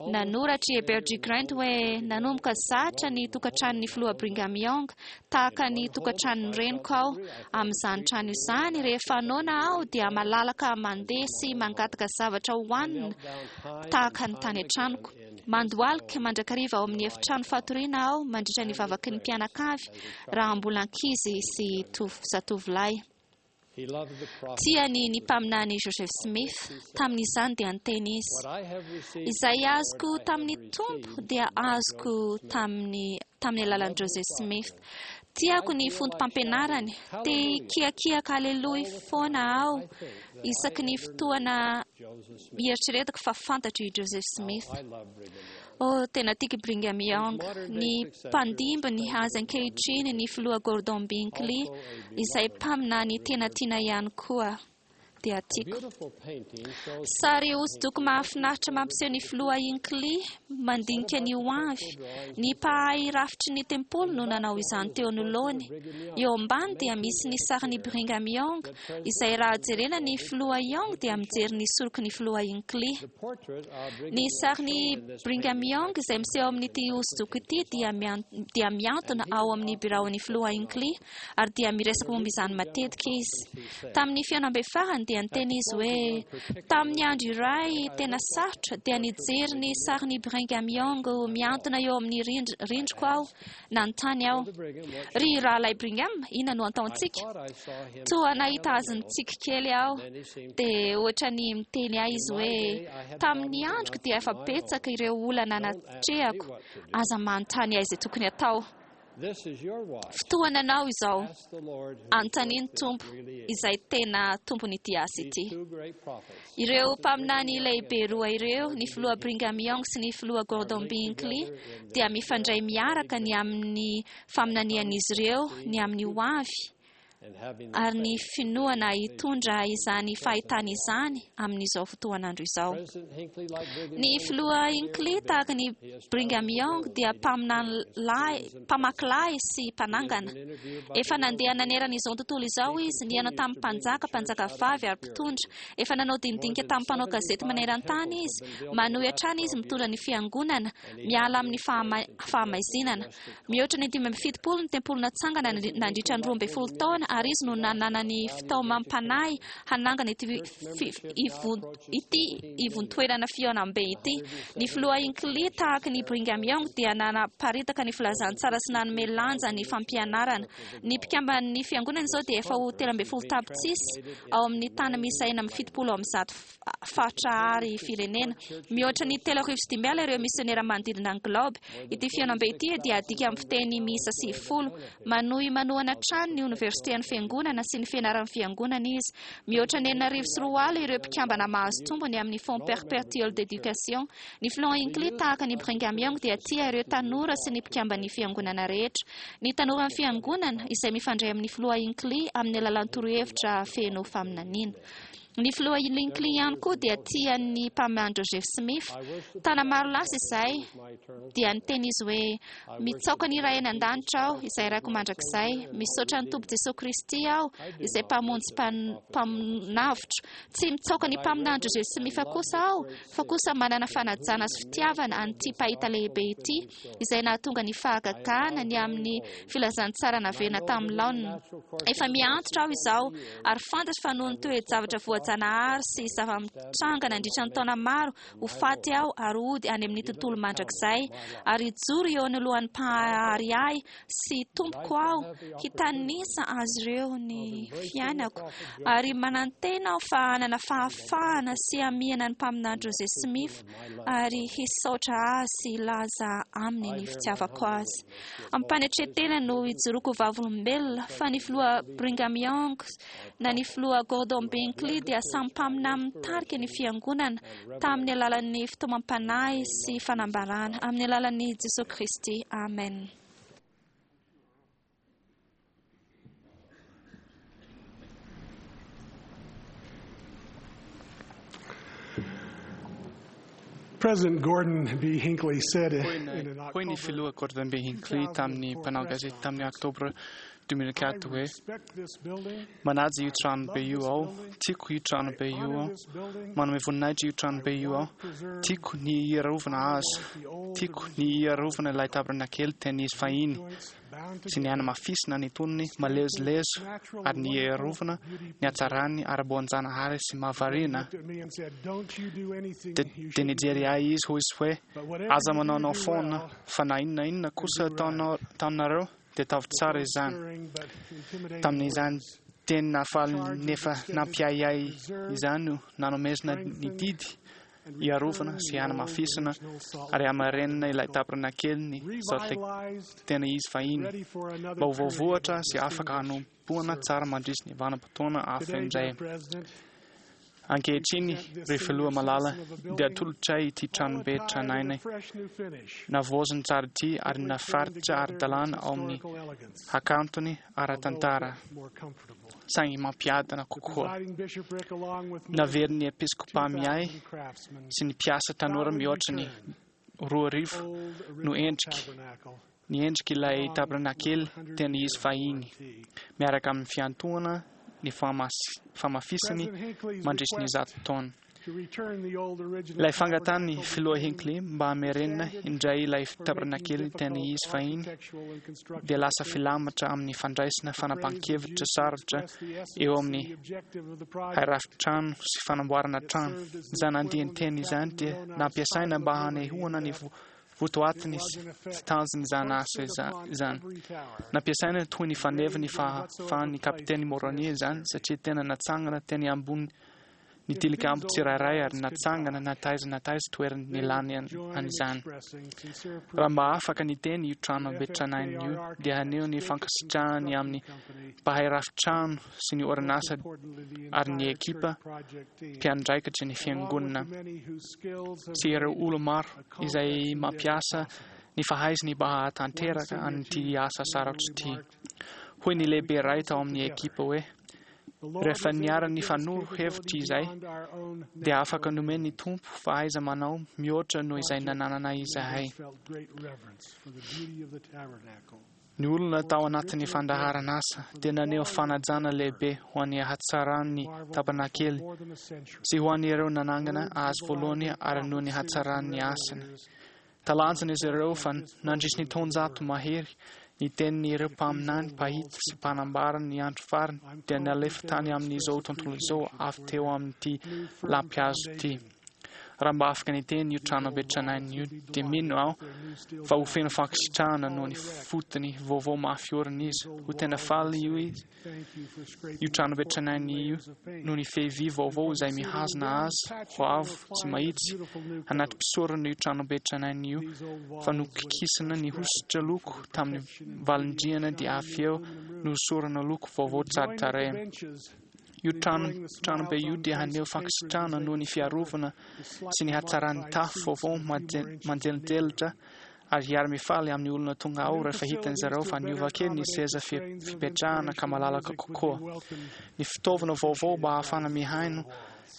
Nanoratra i Heber G. Grant hoe nanomboka zatra ny tokantranon'ny filoha Brigham Young tahaka ny tokantranon'ny reniko aho. Amin'izany trano izany, rehefa noana aho dia malalaka mandeha sy mangataka zavatra hohanina tahaka ny tany an-tranoko. Mandohalika mandrakariva ao amin'ny efitrano fatoriana aho mandritra ny vavaky ny mpianakavy raha mbola ankizy sy zatovolahy. Tiany ny mpaminany Joseph Smith. Tamin'izany dia niteny izy: Izay azoko tamin'ny Tompo dia azoko tamin'ny alalan'i Joseph Smith. Tiako ny foto-pampianarany. Te hikiakiaka aleloia foana aho isaky ny fotoana hieritreretako fa fantatro i Joseph Smith. Oh, tena tiako Brigham Young. Ny mpandimbiny azy ankehitriny, ny filoha Gordon B. Hinckley, izay mpaminany tena tiana ihany koa, dia tiako. Sary hosodoko mahafinaritra mampiseho ny filoha Hinckley mandinika ny ho avy. Ny mpahay rafitry ny tempoly no nanao izany teo anoloany. Eo ambany dia misy ny sarin'i Brigham Young, izay raha jerena ny filoha Young dia mijery ny soroky ny filoha Hinckley. Ny sarin'i Brigham Young izay miseho amin'ity hosodoko ity dia miantona ao amin'ny biraon'ny filoha Hinckley, ary dia miresaka momba izany matetika izy. Tamin'ny fihaonambe farany dia niteny izy hoe tamin'ny andro iray tena sarotra dia nijery ny sarin'i Brigham Young miantona eo amin'ny rindriko aho. Nanontany aho: Ry rahalahy Brigham, inona no ataontsika? Toa nahita azy nitsiky kely aho. Dia ohatra ny miteny ahy izy hoe tamin'ny androko dia efa betsaka ireo olana natrehako. Aza manontany ahy izay tokony atao. Fotoana anao izao. Anontania ny Tompo izay tena tompon'ity asa ity. Ireo mpaminany lehibe roa ireo, ny filoha Brigham Young sy ny filoha Gordon B. Hinckley, dia mifandray miaraka ny amin'ny faminanian'izy ireo ny amin'ny ho avy ary ny finoana hitondra izany fahitana izany amin'izao fotoan'andro izao. Ny filoha Hinckley tahaka ny Brigham Young dia mpamaky lahy sy mpanangana. Efa nandeha nanerana izao tontolo izao izy, nihaona tamin'ny mpanjaka, mpanjaka vavy ary mpitondra. Efa nanao dinidinika tamin'ny mpanao gazety maneran-tany izy. Manohy hatrany izy mitondra ny fiangonana miala amin'ny fahamaizinana. Mihoatra ny 75 ny tempoly natsangana nandritra ny 12 taona, ary izy no nanana ny fitaomam-panahy hanangana ity ivontoerana fihaonambe ity. Ny filoha Hinckley tahaka ny Brigham Young dia nanaparitaka ny filazantsara sy nanome lanja ny fampianarana. Ny mpikamban'ny fiangonana izao dia efa ho 13 tapitrisa ao amin'ny tany miisa 376 faritra ary firenena. Mihoatra ny 3500 ireo misionera manodidina ny globe. Ity fihaonambe ity dia adika amin'ny fiteny miisa 90. Manohy manohana hatrany ny oniversite fitarihan'ny fiangonana sy ny fianaran'ny fiangonana izy. Mihoatra ny 2006 ireo mpikambana mahazo tombony amin'ny Fonds Perpétuel d'Éducation. Ny filoha Hinckley, tahaka an'i Brigham Young, dia tia ireo tanora sy ny mpikamban'ny fiangonana rehetra. Ny tanoran'ny fiangonana, izay mifandray amin'ny filoha Hinckley amin'ny alalan'ny torohevitra feno faminaniana. Ny filoha Hinckley ihany koa dia tia ny mpaminany Joseph Smith. Taona maro lasa izay, dia niteny izy hoe, Mitsaoka ny Ray any An-danitra aho, izay Raiko mandrakizay. Misaotra ny Tompo Jesoa Kristy aho, izay Mpamonjy Mpanavotra. Tsy mitsaoka ny mpaminany Joseph Smith kosa aho, fa kosa manana fanajana sy fitiavana an'ity mpahita lehibe ity, izay nahatonga ny fahagagana ny amin'ny filazantsara naverina tamin'ny laoniny. Efa miha-antitra aho izao, ary fantatro fa noho ny toe-javatra voajanahary sy zava-mitranga nandritra ny taona maro, ho faty aho ary hody any amin'ny tontolo mandrakizay, ary hijoro eo anoloan'ny Mpahary ahy sy Tompoko aho, hitanisa azy ireo ny fiainako, ary manantena aho fa hanana fahafahana sy hamihana ny Mpaminany Joseph Smith ary hisaotra azy sy hilaza aminy ny fitiavako azy. Am-panetren-tena no hijoroako ho vavolombelona fa ny Filoha Brigham Young na ny Filoha Gordon Binkley dia samy mpaminany mitarika ny Fiangonana tamin'ny alalan'ny fitaomam-panahy sy fanambarana amin'ny alalan'i Jesoa Kristy. Amen. President Gordon B. Hinckley said in an Hoy ny filoha Gordon B. Hinckley tamin'ny mpanao gazety tamin'ny Oktobra 2004 hoe, Manaja io tranobe io aho, tiako io tranobe io aho, manome voninahitra io tranobe io aho, tiako ny hiarovana azy, tiako ny hiarovana ilay tabernakely tena izy fahiny, sy ny hanamafisina ny tonony malezolezo ary ny hiarovana ny hatsarany ara-boajanahary sy mahavariana. Dia nijery ahy izy hoy izy hoe, Aza manaonao foana, fa na inona inona kosa ataonareo dia ataovy tsara izany. Tamin'izany teny nahafaly nefa nampiahiahy izany no nanomezana ny didy hiarovana sy hanamafisana ary hamarenina ilay tabernakeliny Salt Lake tena izy fahiny, mba ho voavoatra sy afaka hanompoana tsara mandritry ny vanim-potoana hafa indray. Ankehitriny, ry Filoha malala, dia atolotray ity tranobe tranainy navaoziny tsara ity ary nafaritra ara-dalàna ao amin'ny hakantony ara-tantara, saingy mampiadana kokoa. Naverin'ny Episkopa miahy sy ny mpiasa tanora mihoatra ny 2000 no endriky ny endrik'ilay tabernakely tena izy fahiny, miaraka amin'ny fiantohana ny famafisany mandritry ny 100 taona. Ilay fangatahan'ny Filoha Hinckley mba hamerenana indray ilay tabernakely tena izy fahiny dia lasa filamatra amin'ny fandraisana fanapahan-kevitra sarotra eo amin'ny hairafitrano sy fanamboarana trano. Izany andian-teny izany dia nampiasaina mba hanehoana ny votoatiny sy tanjon'izany asa izany. Nampiasaina toy ny faneva ny fahafahan'ny Kapiteny Moroni izany satria tena natsangana teny ambony ny tilikambo tsirairay ary natsangana na taiza na taiza toerana nilany an'izany. Raha mba afaka niteny io trano be tranainy io dia haneho ny fankasitrahany amin'ny mpahay rafitrano sy ny orinasa ary ny ekipa mpiandraikitry ny fiangonana sy ireo olo-maro izay mampiasa ny fahaizany mba hahatanteraka an'ity asa sarotra ity. Hoy ny lehibe iray tao amin'ny ekipa hoe, Rehefa niara-nifanoro hevitra izay, dia afaka nomen'ny Tompo fahaiza-manao mihoatra noho izay nananana izahay. Ny olona tao anatin'ny fandaharan'asa dia naneho fanajana lehibe ho an'ny hatsaran'ny tabernakely sy ho an'ireo nanangana azy voalohany ary noho ny hatsaran'ny asany. Talanjona izy ireo fa nandritry ny taonjato mahery, ny tenin'ireo mpaminany, mpahita sy mpanambara ny andro farany dia nalefa tany amin'izao tontolo izao avy teo amin'ity lampihazo ity. Raha mba afaka niteny io tranobe tranainy io, dia mino aho fa ho feno fankasitrahana noho ny fotony vaovao mafy orina izy. Ho tena faly io izy, io tranobe tranainy io, noho ny fehy vy vaovao izay mihazona azy ho avo sy mahitsy. Anaty mpisorona io tranobe tranainy io fa nokikisana ny hosotra loko tamin'ny valindrihana, dia avy eo nohosorana loko vaovao tsara tarehy. Io trano tranobe io dia haneho fankasitrahana noho ny fiarovana sy ny hatsaran'ny tafo vaovao manjelojelitra, ary hiara-mifaly amin'ny olona tonga ao rehefa hitan'izy ireo fa niova kely ny seza fipetrahana ka malalaka kokoa. Ny fitaovana vaovao mba hahafahana mihaino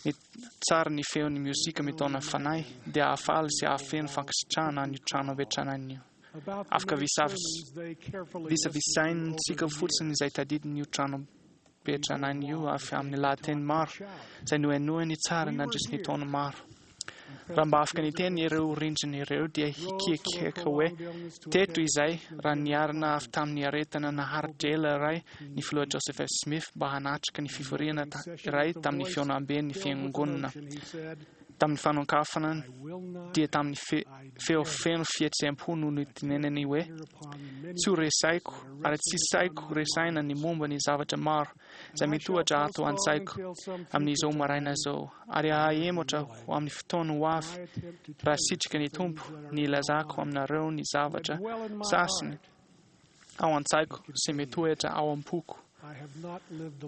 ny tsara ny feon'ny miozika mitaona fanahy dia hahafaly sy hahafeno fankasitrahana an'io tranobe tranainy io. Afaka visavisaintsika fotsiny izay tadidin'io tranobe tranainy io avy amin'ny lahateny maro izay nohenoiny tsara nandritry ny taona maro. Raha mba afaka niteny ireo rindrina ireo, dia hikiakiaka hoe teto izay raha niarina avy tamin'ny aretina naharitra ela iray ny filoha Joseph F. Smith mba hanatrika ny fivoriana iray tamin'ny fihaonamben'ny fiangonana. Tamin'ny fanokafana dia tamin'ny feo feno fihetseham-po no nitenenany hoe: "Tsy ho resaiko ary tsy saiko resaina ny momba ny zavatra maro izay mitohatra ato an-tsaiko amin'izao maraina izao, ary hahemotra ho amin'ny fotoana ho avy, raha sitraka ny Tompo, ny ilazako aminareo ny zavatra sasany ao an-tsaiko sy mitoetra ao am-poko."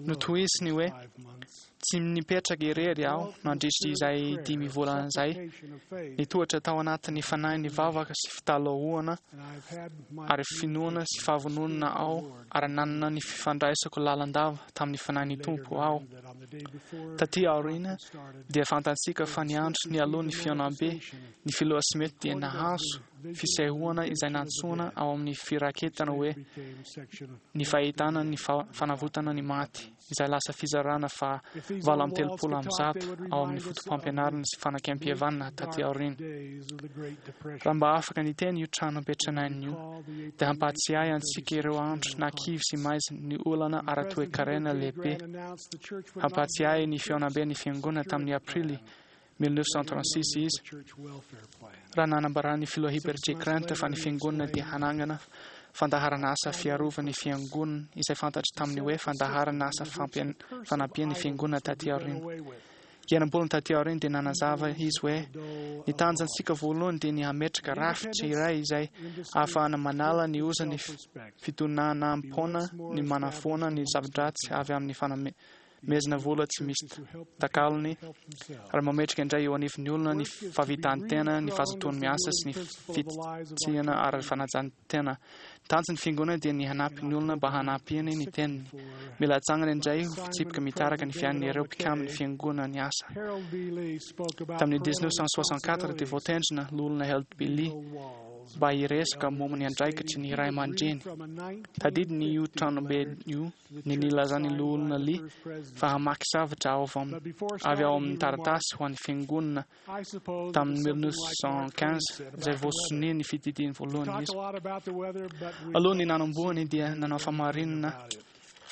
Notohiziny hoe: "Tsy nipetraka irery aho nandritra izay 5 volana izay. Nitohatra tao anatin'ny fanahy ny vavaka sy fitalahoana ary finoana sy fahavononana aho, ary nanana ny fifandraisako lalandava tamin'ny fanahin'ny Tompo aho." Taty aoriana dia fantatsika fa ny andro nialoha ny fihaonambe, ny filoha Smith dia nahazo fisehoana izay nantsoina ao amin'ny firaketana hoe ny fahitana ny fanavotana ny maty, izay lasa fizarana fa 338 ao amin'ny foto-pampianarana sy fanekempihavanana taty aoriana. Raha mba afaka niteny io tranobe tranainy io, dia hampahatsiahy antsika ireo andro nakivy sy maizina ny olana ara-toekarena lehibe. Hampahatsiahy ny fihaonambe ny fiangonana tamin'ny Aprily 1936 izy, raha nanambaran'ny filoha Heber J. Grant fa ny fiangonana dia hanangana fandaharana asa fiarovan'ny fiangonana izay fantatry tamin'ny hoe fandaharana asa fanampian'ny fiangonana taty aoriana. Enam-bolana taty aoriana dia nanazava izy hoe ny tanjontsika voalohany dia ny hametraka rafitra iray izay ahafahana manala ny ozan'ny fitonanam-poana, ny manafoana ny zava-dratsy avy amin'ny fanomezana vola tsy misy takalony, ary mametraka indray eo anivon'ny olona ny fahavitan-tena, ny fahazotoany miasa sy ny fitsiana ary fanajan-tena. Tanjon'ny fiangonana dia ny hanampy ny olona mba hanampiany ny teniny. Mila atsangana indray ho fitsipika mitaraka ny fiainan'ireo mpikamin'ny fiangonana ny asa. Tamin'ny 1964 dia voatendrina loholona Harold B. Lee mba hiresaka momba ny andraikitry ny ray aman-dreny. Tadidiny io tranobe io ny nilazan'ny loholona Lee fa hamaky zavatra avy ao amin'ny taratasy ho an'ny fiangonana tamin'ny 1915 izay voasonia ny fitidiny voalohany izy. Alohan'ny nanombohany dia nanao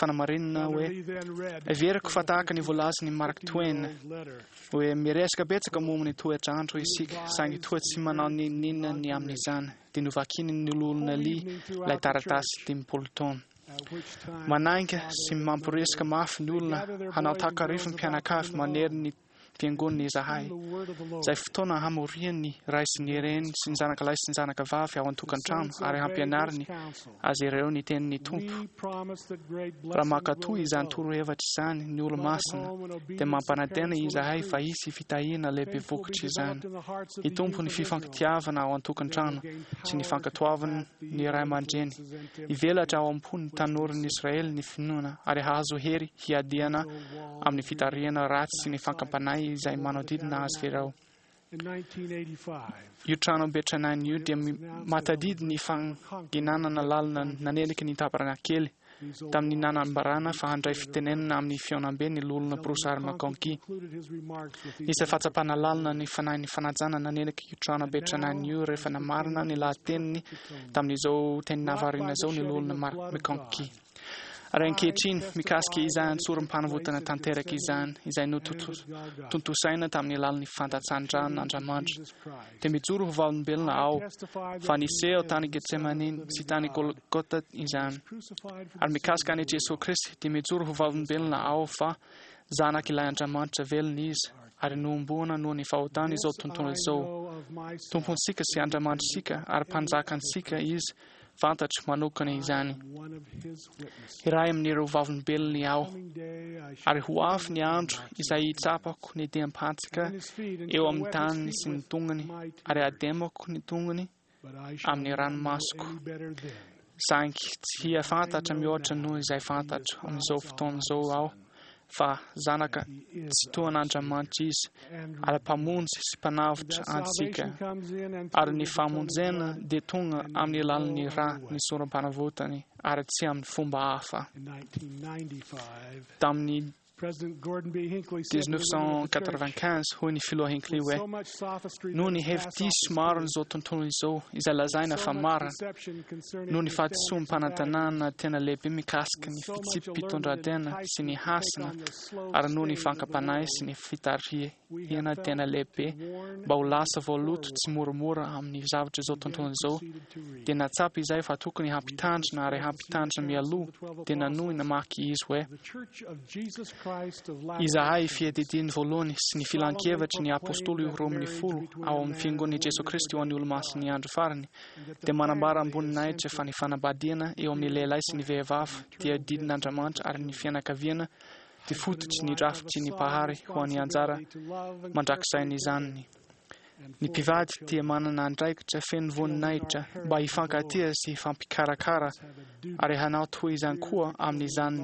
fanamarinana hoe: "Heveriko fa tahaka ny voalazan'i Mark Twain hoe miresaka betsaka momba ny toetr'andro isika, saingy toa tsy manao n'inon'inona ny amin'izany." Dia novakiny ny loholona Lee ilay taratasy 50 taona. Manainga sy mamporisika mafy ny olona hanao takarifo mpianakavy manery ny fiangonana izahay, izay fotoana hamorian'ny ray sy ny reny sy ny zanaka lahy sy ny zanaka vavy ao an-tokantrano ary hampianariny azy ireo ny tenin'ny Tompo. Raha mankatò izany torohevitra izany ny olo-masina, dia mampanantena izahay fa hisy fitahiana lehibe vokatry izany. Hitombo ny fifankatiavana ao an-tokantrano sy ny fankatoavana ny ray aman-dreny. Hivelatra ao am-pon'ny tanoran'ny Israely ny finoana ary hahazo hery hiadiana amin'ny fitarihana ratsy sy ny fankam-panahy izay manodidina azy ireo. Io tranobe tranainy io dia mahatadidy ny fanginanana lalina naneliky ny tabernakely tamin'ny nanambarana fa handray fitenenana amin'ny fihaonambe ny loholona Bruce R. McConkie. Nisy fahatsapana lalina ny fanahin'ny fanajana naneliky io tranobe tranainy io rehefa namarina ny lahateniny tamin'izao teny navarina izao ny loholona Mark McConkie. Ary ankehitriny, mikasika izany sorom-panavotana tanteraka izany, izay notontosaina tamin'ny alalan'ny fandatsahan-dran'Andriamanitra, dia mijoro ho vavolombelona aho fa niseho tany Getsemane sy tany Golgota izany. Ary mikasika an'i Jesoa Kristy, dia mijoro ho vavolombelona aho fa Zanak'ilay Andriamanitra velona Izy, ary nohomboana noho ny fahotany izao tontolo izao. Tompontsika sy Andriamanitritsika ary Mpanjakantsika Izy, fantatro manokana izany. Iray amin'ireo vavolombelony aho, ary ho avy ny andro izay hitsapako ny diam-pantsika eo amin'ny tanany sy ny tongony, ary hademako ny tongony amin'ny ranomasoko. Saingy tsy hahafantatra mihoatra noho izay fantatro amin'izao fotoana izao aho fa Zanaka Tsitohan'Andriamanitra Izy, ary Mpamonjy sy Mpanavotra antsika. Ary ny famonjena dia tonga amin'ny alalan'ny ra ny sorom-panavotany, ary tsy amin'ny fomba hafa. Tamin'ny 1995, hoy ny filoha Hinckley hoe, Noho ny hevi-diso maron'izao tontolo izao izay lazaina fa marina, noho ny fahadisoam-panantenana tena lehibe mikasika ny fitsipi-pitondran-tena sy ny hasina, ary noho ny fankam-panahy sy ny fitarihana tena lehibe mba ho lasa voaloto tsimoramora amin'ny zavatra izao tontolo izao, dia nahatsapa izahay fa tokony hampitandrina ary hampitandrina mialoha, dia nanohy namaky izy hoe, Izahay, Fiadidiany Voalohany sy ny Filankevitry ny Apostoly 12 ao amin'ny Fiangonan'i Jesoa Kristy ho an'ny Olomasin'ny Andro Farany, dia manambara am-boninahitra fa ny fanambadiana eo amin'ny lehilahy sy ny vehivavy dia didin'Andriamanitra ary ny fianakaviana dia fototry ny drafitry ny Mpahary ho an'ny anjara mandrakizain'izany. Ny mpivady dia manana andraikitra feno voninahitra mba hifankatia sy hifampikarakara ary hanao toy izany koa amin'izany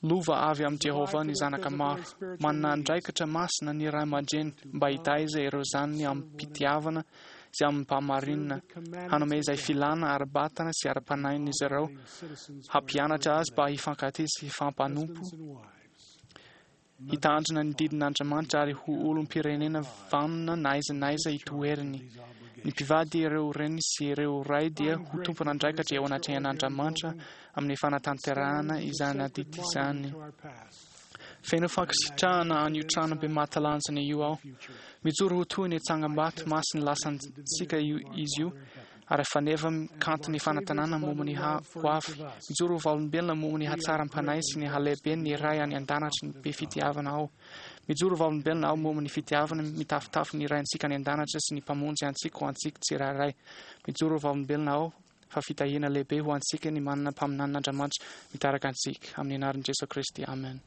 lova avy amin'i Jehovah ny zanaka maro. Manana andraikitra masina ny ray aman-dreny mba hitaiza ireo zanany amim-pitiavana sy amim-pahamarinana, hanome izay filana ara-batana sy ara-panahin'izy ireo, hampianatra azy mba hifankatia sy hifampanompo, Hitandrina ny didin'Andriamanitra ary ho olom-pirenena vanona na aiza na aiza itoeriny. Ny mpivady, ireo reny sy ireo ray dia ho tompon'andraikitra eo anatrehan'Andriamanitra amin'ny fanatanterahana izany adidy izany. Feno fankasitrahana an'io trano be mahatalanjona io aho. Mijoro ho toy ny tsangambato masin'ny lasantsika izy io ary faneva kanto ny fanantenana momba ny ho avy. Mijoro ho vavolombelona momba ny hatsaram-panahy sy ny halehiben'ny Ray any an-danitra ny be fitiavana aho. Mijoro ho vavolombelona aho momba ny fitiavana mitafotafo ny Raintsika any an-danitra sy ny Mpamonjy antsika ho antsika tsirairay. Mijoro ho vavolombelona aho fa fitahiana lehibe ho antsika ny manana mpaminanin'Andriamanitra mitarika antsika. Amin'ny anaran'i Jesoa Kristy, amen.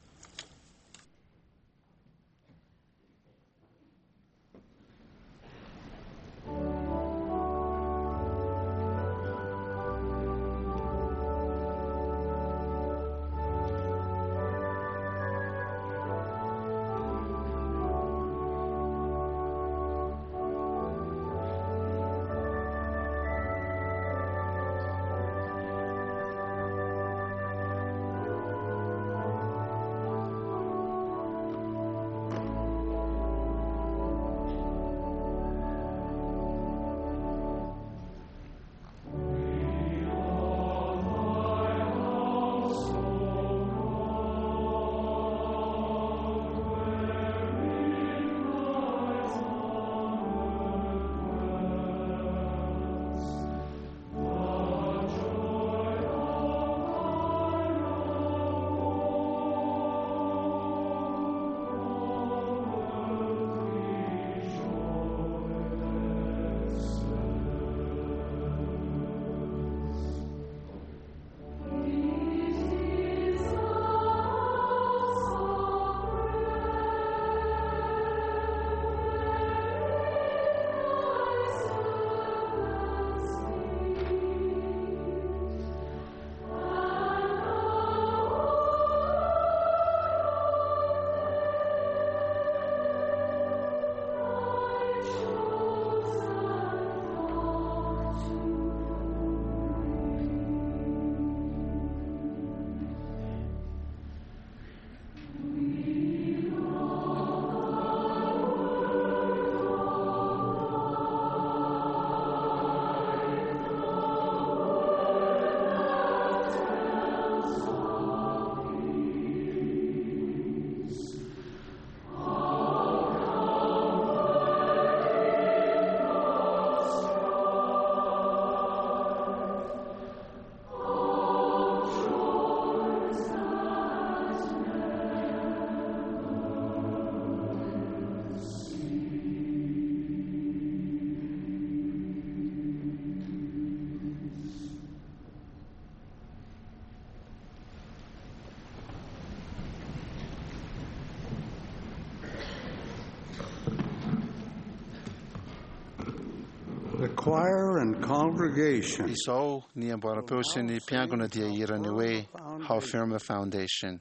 choir and congregation Izao ny amboaram-peo sy ny mpiangona dia hihira ny hoe How Firm a Foundation.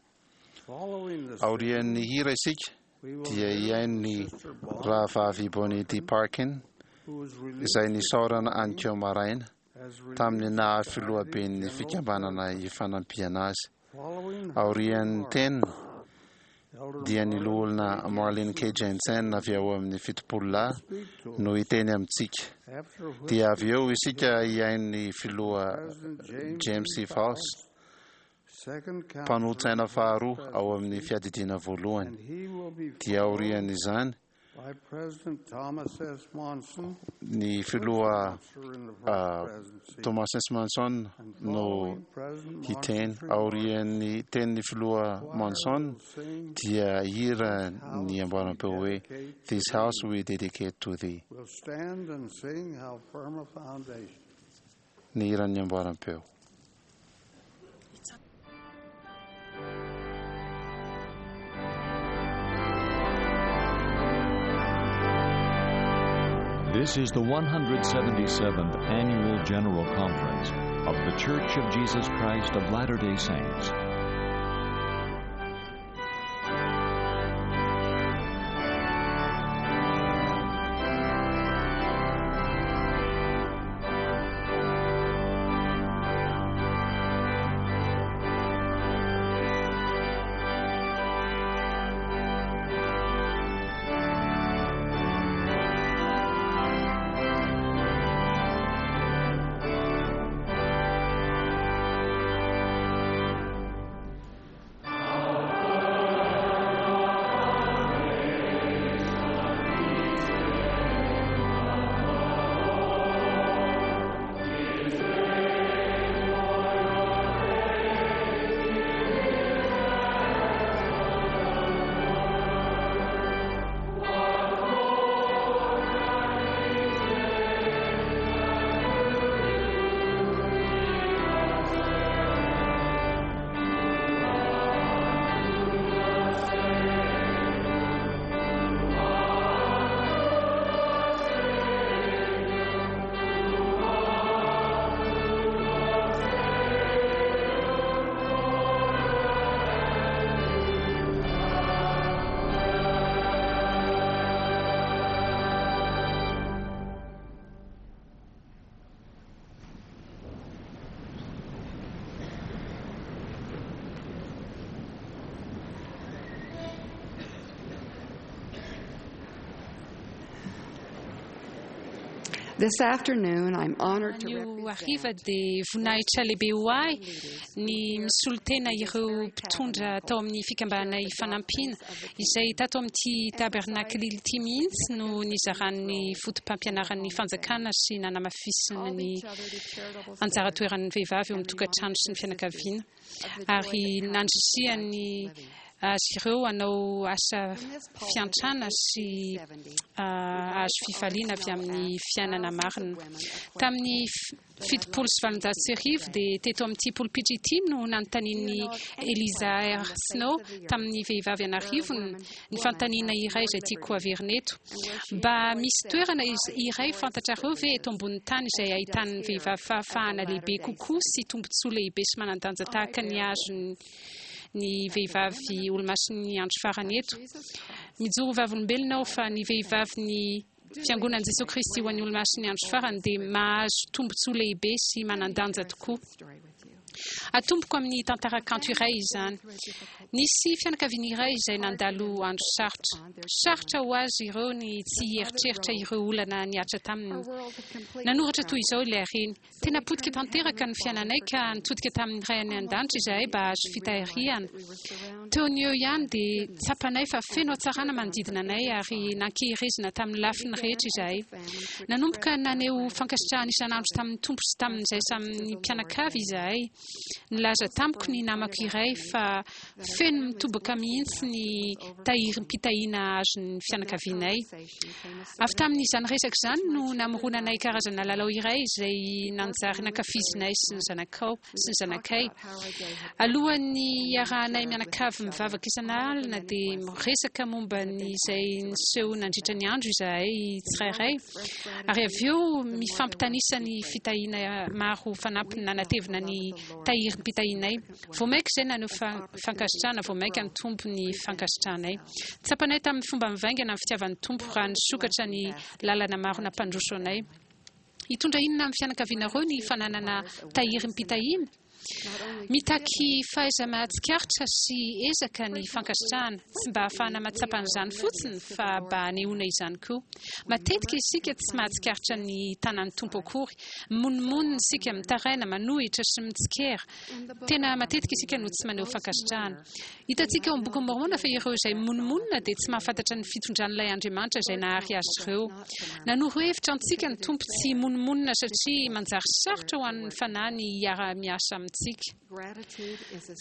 Following the Aorian'ny hira isika we will dia hear hihaino ny Sister Bonnie, rahavavy Bonnie D. Parkin who was released izay nisaorana anikeo maraina as Relief tamin'ny naha Society filohaben'ny General fikambanana ifanampiana azy. Following her Aorian'ny remarks, teniny Elder dia ny Marlene loholona Marlene K. Jensen avy ao amin'ny 70 lahy speak to no hiteny amintsika. after which Dia avy eo isika hihaino ny filoha President James James E. E. Faust, second counselor mpanolotsaina faharoa ao amin'ny fiadidiana voalohany. and he will be Dia followed aorian'izany by President Thomas S. Monson, ny filoha counselor in the first presidency, Thomas S. Monson and no following President hiteny. Monson's remarks, Aorian'ny tenin'ny filoha choir Monson will sing dia hira ny amboaram-peo hoe This house we dedicate to thee. will stand and sing How Firm a Foundation. Ny hiran'ny amboaram-peo. This is the 177th Annual General Conference of The Church of Jesus Christ of Latter-day Saints. This afternoon, I'm honored to Anio represent hariva dia voninahitra lehibe ho ahy ny misolo tena ireo mpitondra tao amin'ny fikambanana ifanampiana izay tato amin'ity tabernakle ity mihitsy no nizaran'ny foto-pampianaran'ny fanjakana sy nanamafisina ny anjara toeran'ny vehivavy eo amin'ny tokantrano sy ny fianakaviana ary nandrisihan'ny azy ireo hanao asa fiantrana sy azo fifaliana avy amin'ny fiainana marina. Tamin'ny 1870 dia teto amin'ity polipitra ity no nanontanian'i Eliza R. Snow tamin'ny vehivavy an'arivony ny fanontaniana iray izay tiako averina eto. Mba misy toerana iray fantatrareo ve eto ambonin'ny tany izay ahitan'ny vehivavy fahafahana lehibe kokoa sy tombontsoa lehibe sy manan-danja tahaka ny azony ny vehivavy olomasin'ny andro farany eto? Mijoro vavolombelona aho fa ny vehivavy ny fiangonan'i Jesosy Kristy ho an'ny olomasin'ny andro farany dia mahazo tombontsoa lehibe sy manan-danja tokoa. Atomboko amin'ny tantara kanto iray izany. Nisy fianakaviana iray izay nandalo andro sarotra. Sarotra ho azy ireo ny tsy hieritreritra ireo olana nihatra taminy. Nanoratra toy izao ilay reny: Tena potika tanteraka ny fiainanay ka nitodika tamin'ny Ray any an-danitra izahay mba hahazo fitahiana. Teo no eo ihany dia tsapanay fa feno hatsarana manodidina anay ary nankeherezina tamin'ny lafiny rehetra izahay. Nanomboka naneho fankasitrahana isan'andro tamin'ny Tompo sy tamin'izay samy mpianakavy izahay. Nilaza tamiko ny namako iray fa feno mitobaka mihitsy ny tahirim-pitahiana azon'ny fianakavianay. Avy tamin'izany resaka izany no namoronanay karazana lalao iray izay nanjary nankafizinay sy ny zanakao sy ny zanakay. Alohan'ny hiarahanay mianakavy mivavaka isan'alina dia miresaka momba ny izay niseho nandritra ny andro izahay tsirairay ary avy eo mifampitanisa ny fitahiana maro fanampiny nanatevina ny tahirim-pitahianay. Vao mainka izay naneho fankasitrahana, vao mainka nitombo ny fankasitrahanay. Tsapanay tamin'ny fomba mivaingana ny fitiavan'ny Tompo raha nisokatra ny lalana maro nampandroso anay. Hitondra inona amin'ny fianakavianareo ny fananana tahirim-pitahiana? Mitaky fahaiza-mahatsikaritra sy ezaka ny fankasitrahana, tsy mba hahafahana mahatsapa an'izany fotsiny fa mba hanehoana izany koa. Matetika isika tsy mahatsikaritra ny tanan'ny Tompo akory. Mimonomonona isika, mitaraina, manohitra sy mitsikera. Tena matetika isika no tsy maneho fankasitrahana. Hitantsika ao amin'ny Bokin'i Môrmôna fa ireo izay mimonomonona dia tsy mahafantatra ny fitondran'ilay Andriamanitra izay nahary azy ireo. Nanoro hevitra antsika ny Tompo tsy himonomonona satria manjary sarotra ho an'ny Fanahy ny hiara-miasa amintsika.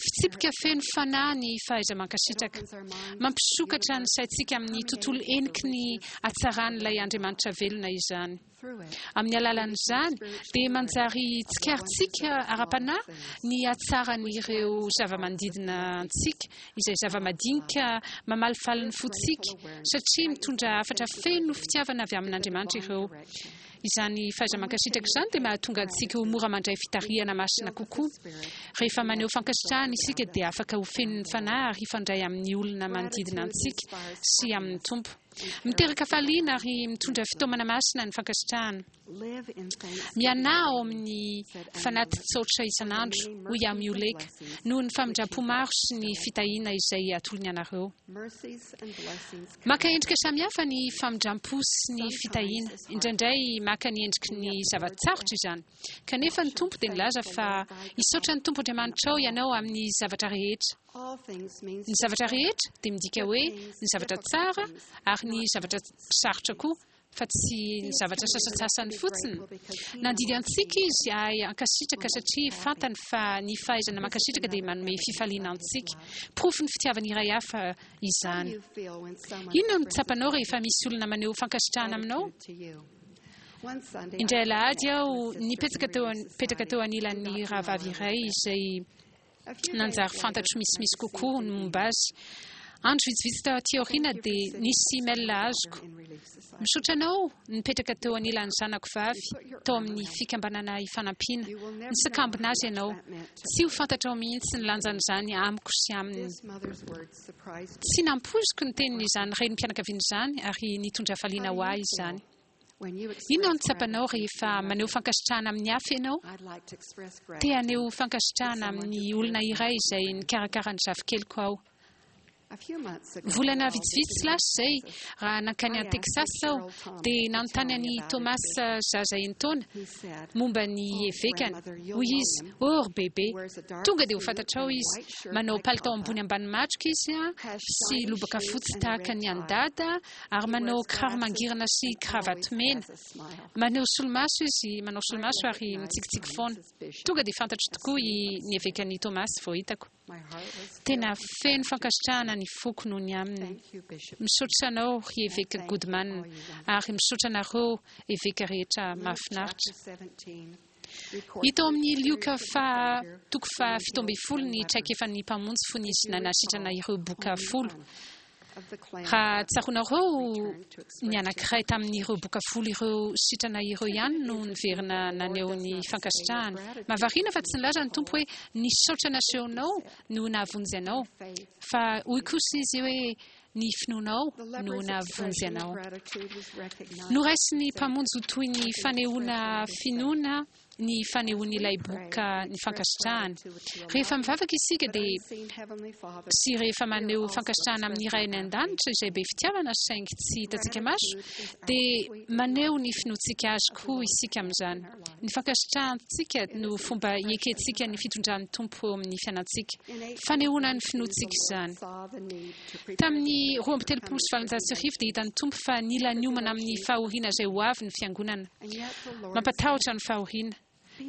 Fitsipika feno fanahy ny fahaiza-mankasitraka. Mampisokatra ny saintsika amin'ny tontolo heniky ny hatsaran'ilay Andriamanitra velona izany. Amin'ny alalan'izany dia manjary tsikaritsika ara-panahy ny hatsaran'ireo zava-manodidina antsika, izay zava-madinika mamalifaly ny fontsika, satria mitondra hafatra feno fitiavana avy amin'Andriamanitra ireo. Izany fahaiza-mankasitraka izany dia mahatonga antsika ho mora mandray fitarihana masina kokoa. Rehefa maneho fankasitrahana isika dia afaka ho feno ny Fanahy ary hifandray amin'ny olona manodidina antsika sy amin'ny Tompo. Miteraka hafaliana ary mitondra fitaomana masina ny fankasitrahana. Mianaha ao amin'ny fanati-tsaotra isan'andro, hoy Amioleka, noho ny famindram-po maro sy ny fitahiana izay atolony anareo. Maka endrika samihafa ny famindram-po sy ny fitahiana. Indraindray maka ny endriky ny zava-tsarotra izany. Kanefa ny Tompo dia nilaza fa hisaotra ny Tompo Andriamanitrao ianao amin'ny zavatra rehetra. Ny zavatra rehetra dia midika hoe ny zavatra tsara ary ny zavatra sarotra koa, fa tsy ny zavatra sasantsasany fotsiny. Nandidy antsika Izy hahay hankasitraka satria fantany fa ny fahaizana mankasitraka dia manome fifaliana antsika. Porofon'ny fitiavany iray hafa izany. Inona no tsapanao rehefa misy olona maneho fankasitrahana aminao? Indray alahady aho nipetraka teo nipetraka teo anilan'ny rahavavy iray izay nanjary fantatro misimisy kokoa ny momba azy. Andro vitsivitsy taty aoriana dia nisy email azoko. Misaotra anao nipetraka teo anilan'ny zanako vavy tao amin'ny fikambanana Ifanampiana. Nisakambina azy ianao. Tsy ho fantatrao mihitsy ny lanjan'izany amiko sy aminy. Tsy nampoiziko ny tenin'izany renim-pianakaviana izany ary nitondra hafaliana ho ahy izany. Inona no tsapanao rehefa maneho fankasitrahana amin'ny hafa ianao? Te haneho fankasitrahana amin'ny olona iray izay nikarakara ny zafikeliko aho. Volana vitsivitsy lasa izay, raha nankany Texas aho, dia nanontany an'i Thomas zaza enin-taona momba ny evekany. Hoy izy, Oh, ry bebe, tonga dia ho fantatrao izy. Manao palitao ambony ambany matroka izy sy lobaka fotsy tahaka ny an'i Dada, ary manao kiraro mangirana sy kravaty mena. Maneho solomaso izy, manao solomaso ary mitsikitsiky foana. Tonga dia fantatro tokoa i ny evekan'i Thomas vao hitako. Tena feno fankasitrahana ny foko noho ny aminy. Misaotra anao ry eveka Goodman ary misaotra anareo eveka rehetra mahafinaritra. Hita ao amin'ny Lioka faha toko faha 17 ny traikefan'ny Mpamonjy fony izy nanasitrana ireo boka folo. Raha tsaroanareo, ny anankiray tamin'ireo boka folo ireo sitrana ireo ihany no niverina naneho ny fankasitrahany. Mahavariana fa tsy nilaza ny Tompo hoe, Ny saotra nasehonao no nahavonjy anao, fa hoy kosa Izy hoe, Ny finoanao no nahavonjy anao. Noraisin'ny Mpamonjy ho toy ny fanehoana finoana ny fanehoan'ilay boka ny fankasitrahany. Rehefa mivavaka isika dia sy rehefa maneho fankasitrahana amin'ny Ray any An-danitra izay be fitiavana saingy tsy hitantsika maso, dia maneho ny finoantsika Azy koa isika amin'izany. Ny fankasitrahantsika no fomba iekentsika ny fitondran'ny Tompo eo amin'ny fiainantsika. Fanehoana ny finoantsika izany. Tamin'ny 1832 dia hitan'ny Tompo fa nila niomana amin'ny fahoriana izay ho avy ny Fiangonana. Mampatahotra ny fahoriana.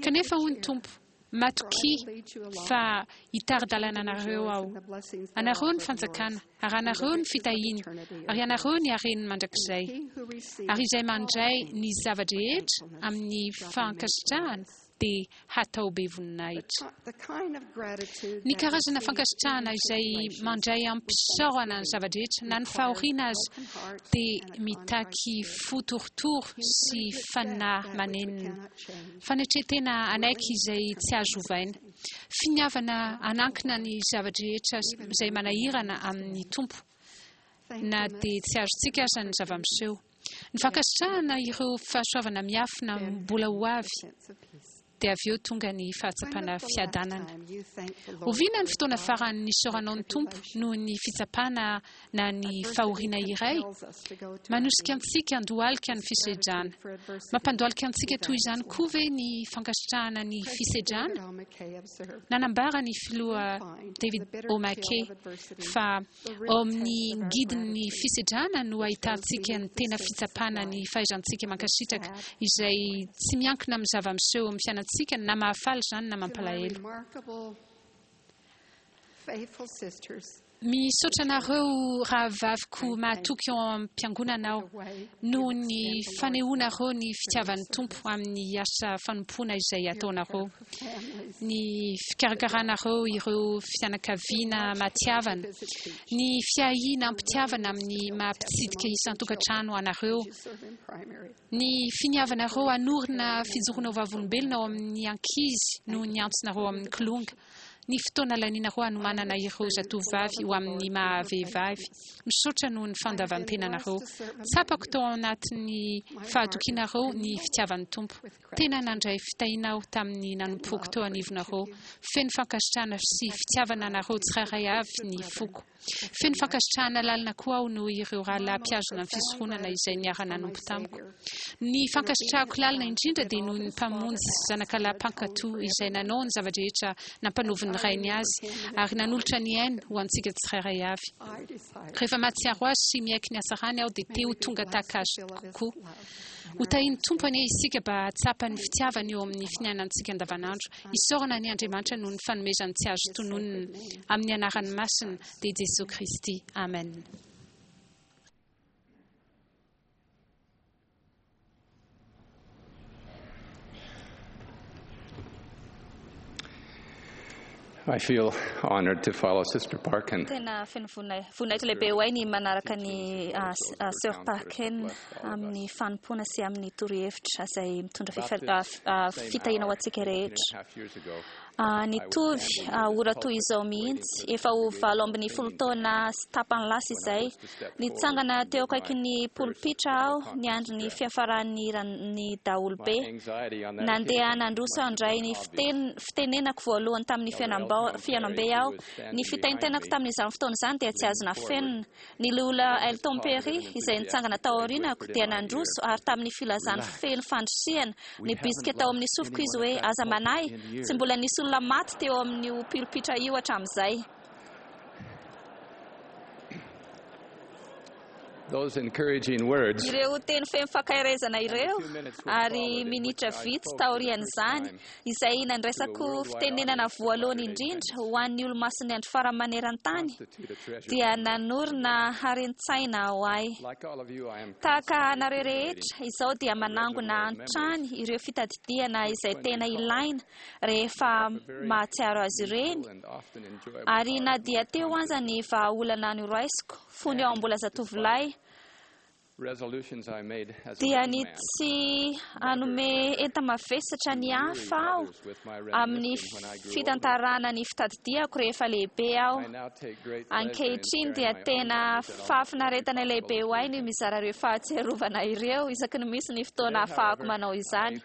Kanefa hoy ny Tompo, Matokia fa hitari-dalana anareo Aho. Anareo ny fanjakana, ary anareo ny fitahiana, ary anareo ny haren'ny mandrakizay. Ary izay mandray ny zava-drehetra amin'ny fankasitrahana dia hatao be voninahitra. Ny karazana fankasitrahana izay mandray amim-pisaorana ny zava-drehetra na ny fahoriana aza dia mitaky fo torotoro sy fanahy manenina. Fanetren-tena hanaiky izay tsy azo ovaina. Finiavana hanankina ny zava-drehetra izay manahirana amin'ny Tompo na dia tsy azontsika aza ny zava-miseho. Ny fankasitrahana ireo fahasoavana miafina mbola ho avy dia avy eo tonga ny fahatsapana fiadanana. Oviana ny fotoana farany nisaoranao ny Tompo noho ny fitsapana na ny fahoriana iray? Manosika antsika handohalika ny fisedrana. Mampandohalika antsika toy izany koa ve ny fankasitrahana ny fisedrana? Nanambara ny Filoha David O. McKay fa ao amin'ny ngidin'ny fisedrana no ahitantsika ny tena fitsapana ny fahaizantsika mankasitraka, izay tsy miankina amin'ny zava-miseho eo amin'ny fiainantsika, na mahafaly izany na mampalahelo. Misaotra anareo rahavaviko mahatoky ao am-piangonana aho noho ny fanehoanareo ny fitiavan'ny Tompo amin'ny asa fanompoana izay ataonareo, ny fikarakaranareo ireo fianakaviana matihavana, ny fiahiana am-pitiavana amin'ny maha-mpitsidika isan-tokantrano anareo, ny finiavanareo hanorina fijoroana ho vavolombelona ao amin'ny ankizy noho ny antsonareo amin'ny kilonga. ny fotoana lanianareo hanomanana ireo zatovovavy ho amin'ny maha vehivavy. Misaotra noho ny fandavan-tenanareo. Tsapako tao anatin'ny fahatokianareo ny fitiavan'ny Tompo. Tena nandray fitahiana aho tamin'ny nanompoako teo anivonareo. Feno fankasitrahana sy fitiavana anareo tsirairay avy ny foko. Feno fankasitrahana lalina koa aho noho ireo rahalahy mpihazona ny fisoronana izay niara-nanompo tamiko. Ny fankasitrahako lalina indrindra dia noho ny Mpamonjy zanakalahy mpankatò izay nanao ny zava-drehetra nampanovin'ny Rainy azy ary nanolotra ny ainy ho antsika tsirairay avy. Rehefa mahatsiaro azy sy miaiky ny hatsarany aho dia te ho tonga tahaka azy kokoa. Ho tahin'ny Tompo anie isika mba hahatsapa ny fitiavany eo amin'ny finianantsika andavanandro. Isaorana anie Andriamanitra noho ny fanomezany tsy azo tononina. Amin'ny anarany masina, dia Jesoa Kristy. Amen. I feel honored to follow Sister Parkin. Tena feno voninahitra lehibe ho ahy ny manaraka ny Sœur Parkin amin'ny fanompoana sy amin'ny torohevitra izay mitondra fitahiana ho antsika rehetra. Nitovy ora toy izao mihitsy, efa ho 18 taona sy tapany lasa izay, nitsangana teo akaikin'ny polipitra aho niandry ny fiafaran'ny hiran'ny daholobe. Nandeha nandroso handray ny fitenenako voalohany tamin'ny fihaonambe aho. Ny fitaintainako tamin'izany fotoana izany dia tsy azo nafenina. Ny Loholona Elton Perry, izay nitsangana tao aorianako, dia nandroso ary tamin'ny filazany feno fandrisihana, nibitsika tao amin'ny sofiko izy hoe, Aza manahy, tsy mbola nisy olona maty teo amin'io pilopitra io hatramin'izay. Ireo teny feno fankaherezana ireo, ary minitra vitsy taorian'izany, izay nandraisako fitenenana voalohany indrindra ho an'ny Olomasin'ny Andro Farany maneran-tany, dia nanorina haren-tsaina ho ahy. Tahaka anareo rehetra, izao dia manangona hatrany ireo fitadidiana izay tena ilaina rehefa mahatsiaro azy ireny, ary na dia teo aza ny vahaolana noraisiko fony aho mbola zatovolahy, dia ny tsy hanome enta-mavesatra ny hafa aho amin'ny fitantarana ny fitadidiako rehefa lehibe aho. Ankehitriny dia tena fahafinaretana lehibe ho ahy ny mizara ireo fahatsiarovana ireo isaky ny misy ny fotoana ahafahako manao izany.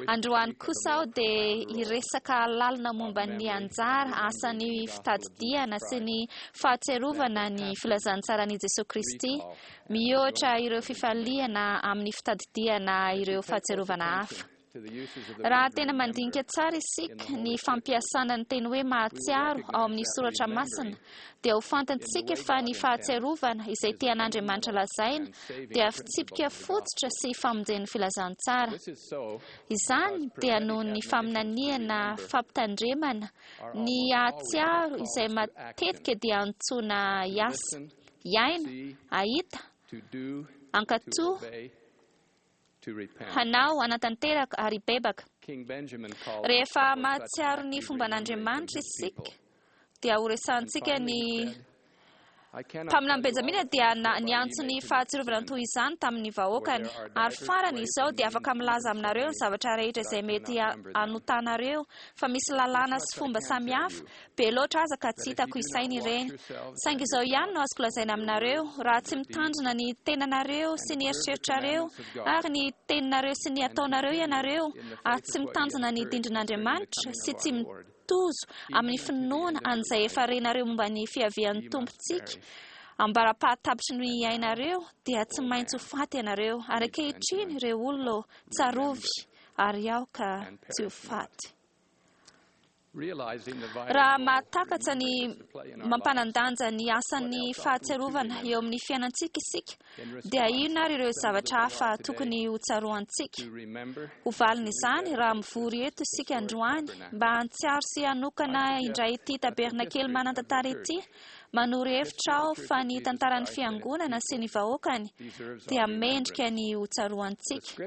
Androany kosa aho dia hiresaka lalina momba ny anjara asan'ny fitadidiana sy ny fahatsiarovana ny filazantsaran'i Jesoa Kristy, mihoatra ireo fifaliana amin'ny fitadidiana ireo fahatsiarovana hafa. Raha tena mandinika tsara isika ny fampiasana ny teny hoe mahatsiaro ao amin'ny soratra masina, dia ho fantatsika fa ny fahatsiarovana izay tian'Andriamanitra lazaina dia fitsipika fototra sy famonjen'ny filazantsara. Izany dia noho ny faminaniana fampitandremana ny hahatsiaro izay matetika dia antsoina hiasa, hiaina, hahita, hankatò, hanao, hanatanteraka ary hibebaka. Rehefa mahatsiaro ny fomban'Andriamanitra isika, dia horesahantsika ny Mpaminany Benjamina dia niantso ny fahatsiarovana toy izany tamin'ny vahoakany. Ary farany izao dia afaka milaza aminareo ny zavatra rehetra izay mety hanotanareo, fa misy lalàna sy fomba samihafa, be loatra aza ka tsy hitako isaina ireny. Saingy izao ihany no azoko lazaina aminareo, raha tsy mitandrina ny tenanareo sy ny eritreritrareo ary ny teninareo sy ny ataonareo ianareo, ary tsy mitandrina ny dindrin'Andriamanitra sy tsy tozo amin'ny finoana an'izay efa renareo momba ny fiavian'ny Tompontsika, ambara-pahatapitry ny ainareo, dia tsy maintsy ho faty ianareo. Ary ankehitriny, ireo olona ô, tsarovy, ary aoka tsy ho faty. Raha mahatakatra ny mampanan-danja ny asan'ny fahatsiarovana eo amin'ny fiainantsika isika, dia inona ary ireo zavatra hafa tokony hotsaroantsika? Ho valin'izany, raha mivory eto isika androany mba hantsiaro sy hanokana indray ity tabernakely manan-tantara ity, manoro hevitra aho fa ny tantaran'ny Fiangonana sy ny vahoakany dia mendrika ny hotsaroantsika.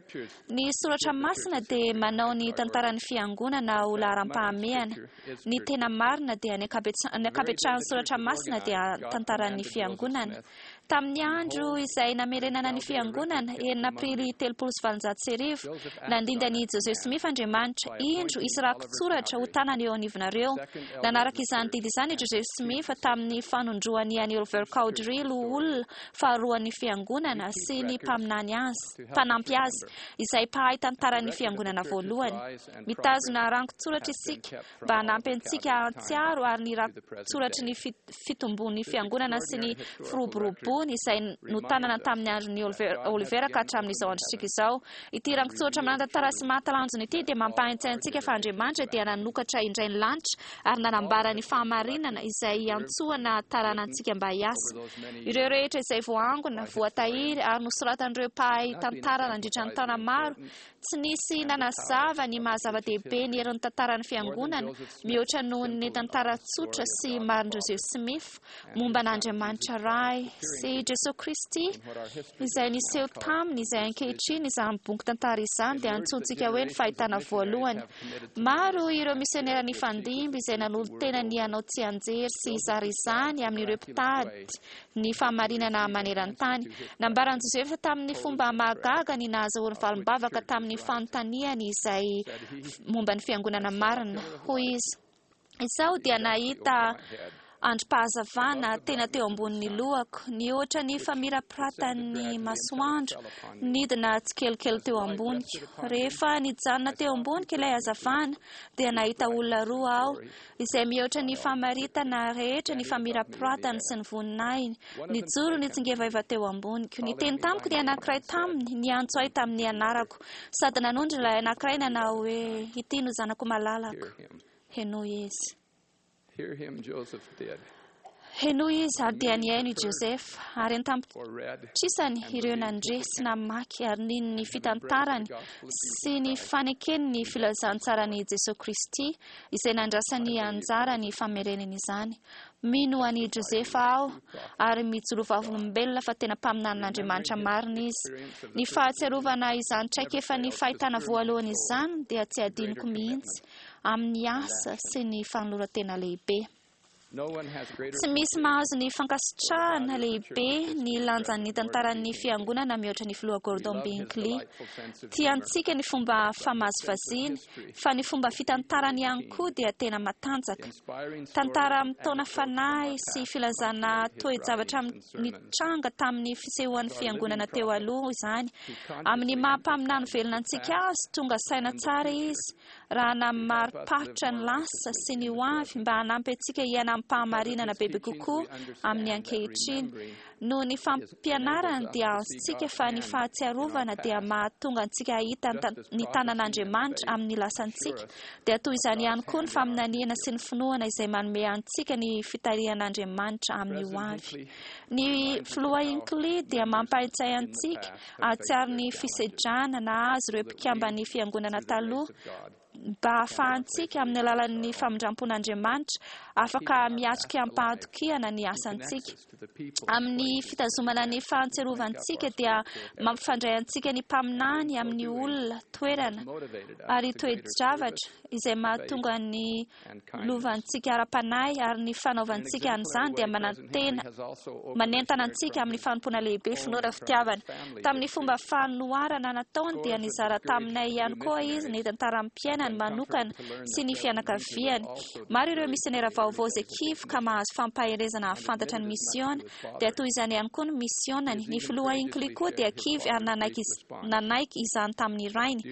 Ny soratra masina dia manao ny tantaran'ny Fiangonana ho laharam-pahamehana. Ny tena marina dia ny ankabetsahan'ny soratra masina dia tantaran'ny Fiangonana. Tamin'ny andro izay namerenana ny Fiangonana, 6 Aprily 1830, nandinda an'i Joseph Smith Andriamanitra, Indro, hisy rakitsoratra ho tanana eo anivonareo. Nanaraka izany didy izany i Joseph Smith tamin'ny fanondroany an'i Oliver Cowdery loholona faharoan'ny Fiangonana sy ny mpaminany azy, mpanampy azy, izay mpahay tantaran'ny Fiangonana voalohany. Mitazona rangon-tsoratra isika mba hanampy antsika hahatsiaro ary ny rakitsoratry ny fitombon'ny Fiangonana sy ny firoborobony izay notanana tamin'ny andron'i Oliver ka hatramin'izao androntsika izao. Ity rakitsoratra manan-tantara sy mahatalanjona ity dia mampahaintsaina antsika fa Andriamanitra dia nanokatra indray ny lanitra ary nanambara ny fahamarinana izay hiantsoana taranantsika mba hiasa. Ireo rehetra izay voaangona, voatahiry ary nosoratan'ireo mpahay tantara nandritra ny taona maro Tsy nisy nanazava ny maha-zava-dehibe ny herin'ny tantaran'ny Fiangonana mihoatra noho ny tantara tsotra sy marin'i Joseph Smith momba an'Andriamanitra Ray sy Jesoa Kristy izay niseho taminy, izay ankehitriny izany boky tantara izany dia antsointsika hoe ny Fahitana Voalohany. Maro ireo misionera nifandimby izay nanolo-tena ny hanao tsianjery sy hizara izany amin'ireo mpitady ny fahamarinana maneran-tany. Nambaran'i Josefa tamin'ny fomba mahagaga ny nahazahoany valim-bavaka tamin'ny fanontaniany izay momba ny fiangonana marina. Hoy izy, Izaho dia nahita andrim-pahazavana tena teo ambonin'ny lohako, nihoatra ny famirapiratan'ny masoandro, nidina tsikelikely teo amboniko. Rehefa nijanona teo amboniko ilay hazavana, dia nahita olona roa aho, izay mihoatra ny famaritana rehetra ny famirapiratany sy ny voninahiny, nijoro nitsingevaiva teo amboniko. Niteny tamiko ny anankiray taminy, niantso ahy tamin'ny anarako, sady nanondro ilay anankiray nanao hoe, Ity no zanako malalako, henoy izy. Henoy izy, ary dia nihaino i Josefa, ary an-tapitrisany ireo nandre sy namaky ary nino ny fitantarany sy ny fanekeny ny filazantsaran'i Jesoa Kristy, izay nandrasany anjara ny famerenany izany. Mino an'i Josefa aho ary mijoro vavolombelona fa tena mpaminanin'Andriamanitra marina izy. Ny fahatsiarovana izany traikefan'ny fahitana voalohany izany dia tsy adinoko mihitsy amin'ny asa sy ny fanoloran-tena lehibe. Tsy misy mahazo ny fankasitrahana lehibe ny lanjan'ny tantaran'ny Fiangonana mihoatra ny Filoha Gordon B. Hinckley. Tiantsika ny fomba famazivaziany, fa ny fomba fitantarany ihany koa dia tena matanjaka. Tantara mitaona fanahy sy filazana toe-javatra nitranga tamin'ny fisehoan'ny Fiangonana teo aloha izany. Amin'ny maha mpaminany velona antsika azy, tonga saina tsara izy raha namariparitra ny lasa sy ny ho avy mba hanampy antsika hiaina amim-pahamarinana bebe kokoa amin'ny ankehitriny. Noho ny fampianarany dia azontsika fa ny fahatsiarovana dia mahatonga antsika hahita ny tanan'Andriamanitra amin'ny lasantsika. Dia toy izany ihany koa ny faminaniana sy ny finoana izay manome antsika ny fitarihan'Andriamanitra amin'ny ho avy. Ny Filoha Hinckley dia mampahatsiahy antsika hahatsiaro ny fisedrana nahazo ireo mpikamban'ny Fiangonana taloha, mba hahafahantsika, amin'ny alalan'ny famindram-pon'Andriamanitra, afaka miatrika amim-pahatokiana ny asantsika. Amin'ny fitazomana ny fahatsiarovantsika dia mampifandray antsika ny mpaminany amin'ny olona, toerana, ary toe-javatra izay mahatonga ny lovantsika ara-panahy, ary ny fanaovantsika an'izany dia manantena, manentana antsika amin'ny fanompoana lehibe, finoana, fitiavana. Tamin'ny fomba fanoharana nataony dia nizara taminay ihany koa izy ny tantaram-piainany manokana sy ny fianakaviany. Maro ireo misionera vaovao izay kivy ka mahazo fampaherezana hahafantatra ny misiona. Dia toy izany ihany koa ny misionany. Ny Filoha Hinckley koa dia kivy ary nanaiky nanaiky izany tamin'ny rainy.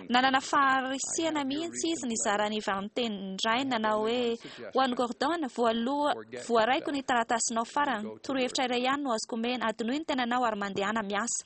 Nanana faharisihana mihitsy izy nizara ny valintenin-drainy nanao hoe, Ho an'i Gordon, voaloha, voaraiko ny taratasinao farany. Torohevitra iray ihany no azoko omena, adinoy ny tenanao ary mandehana miasa.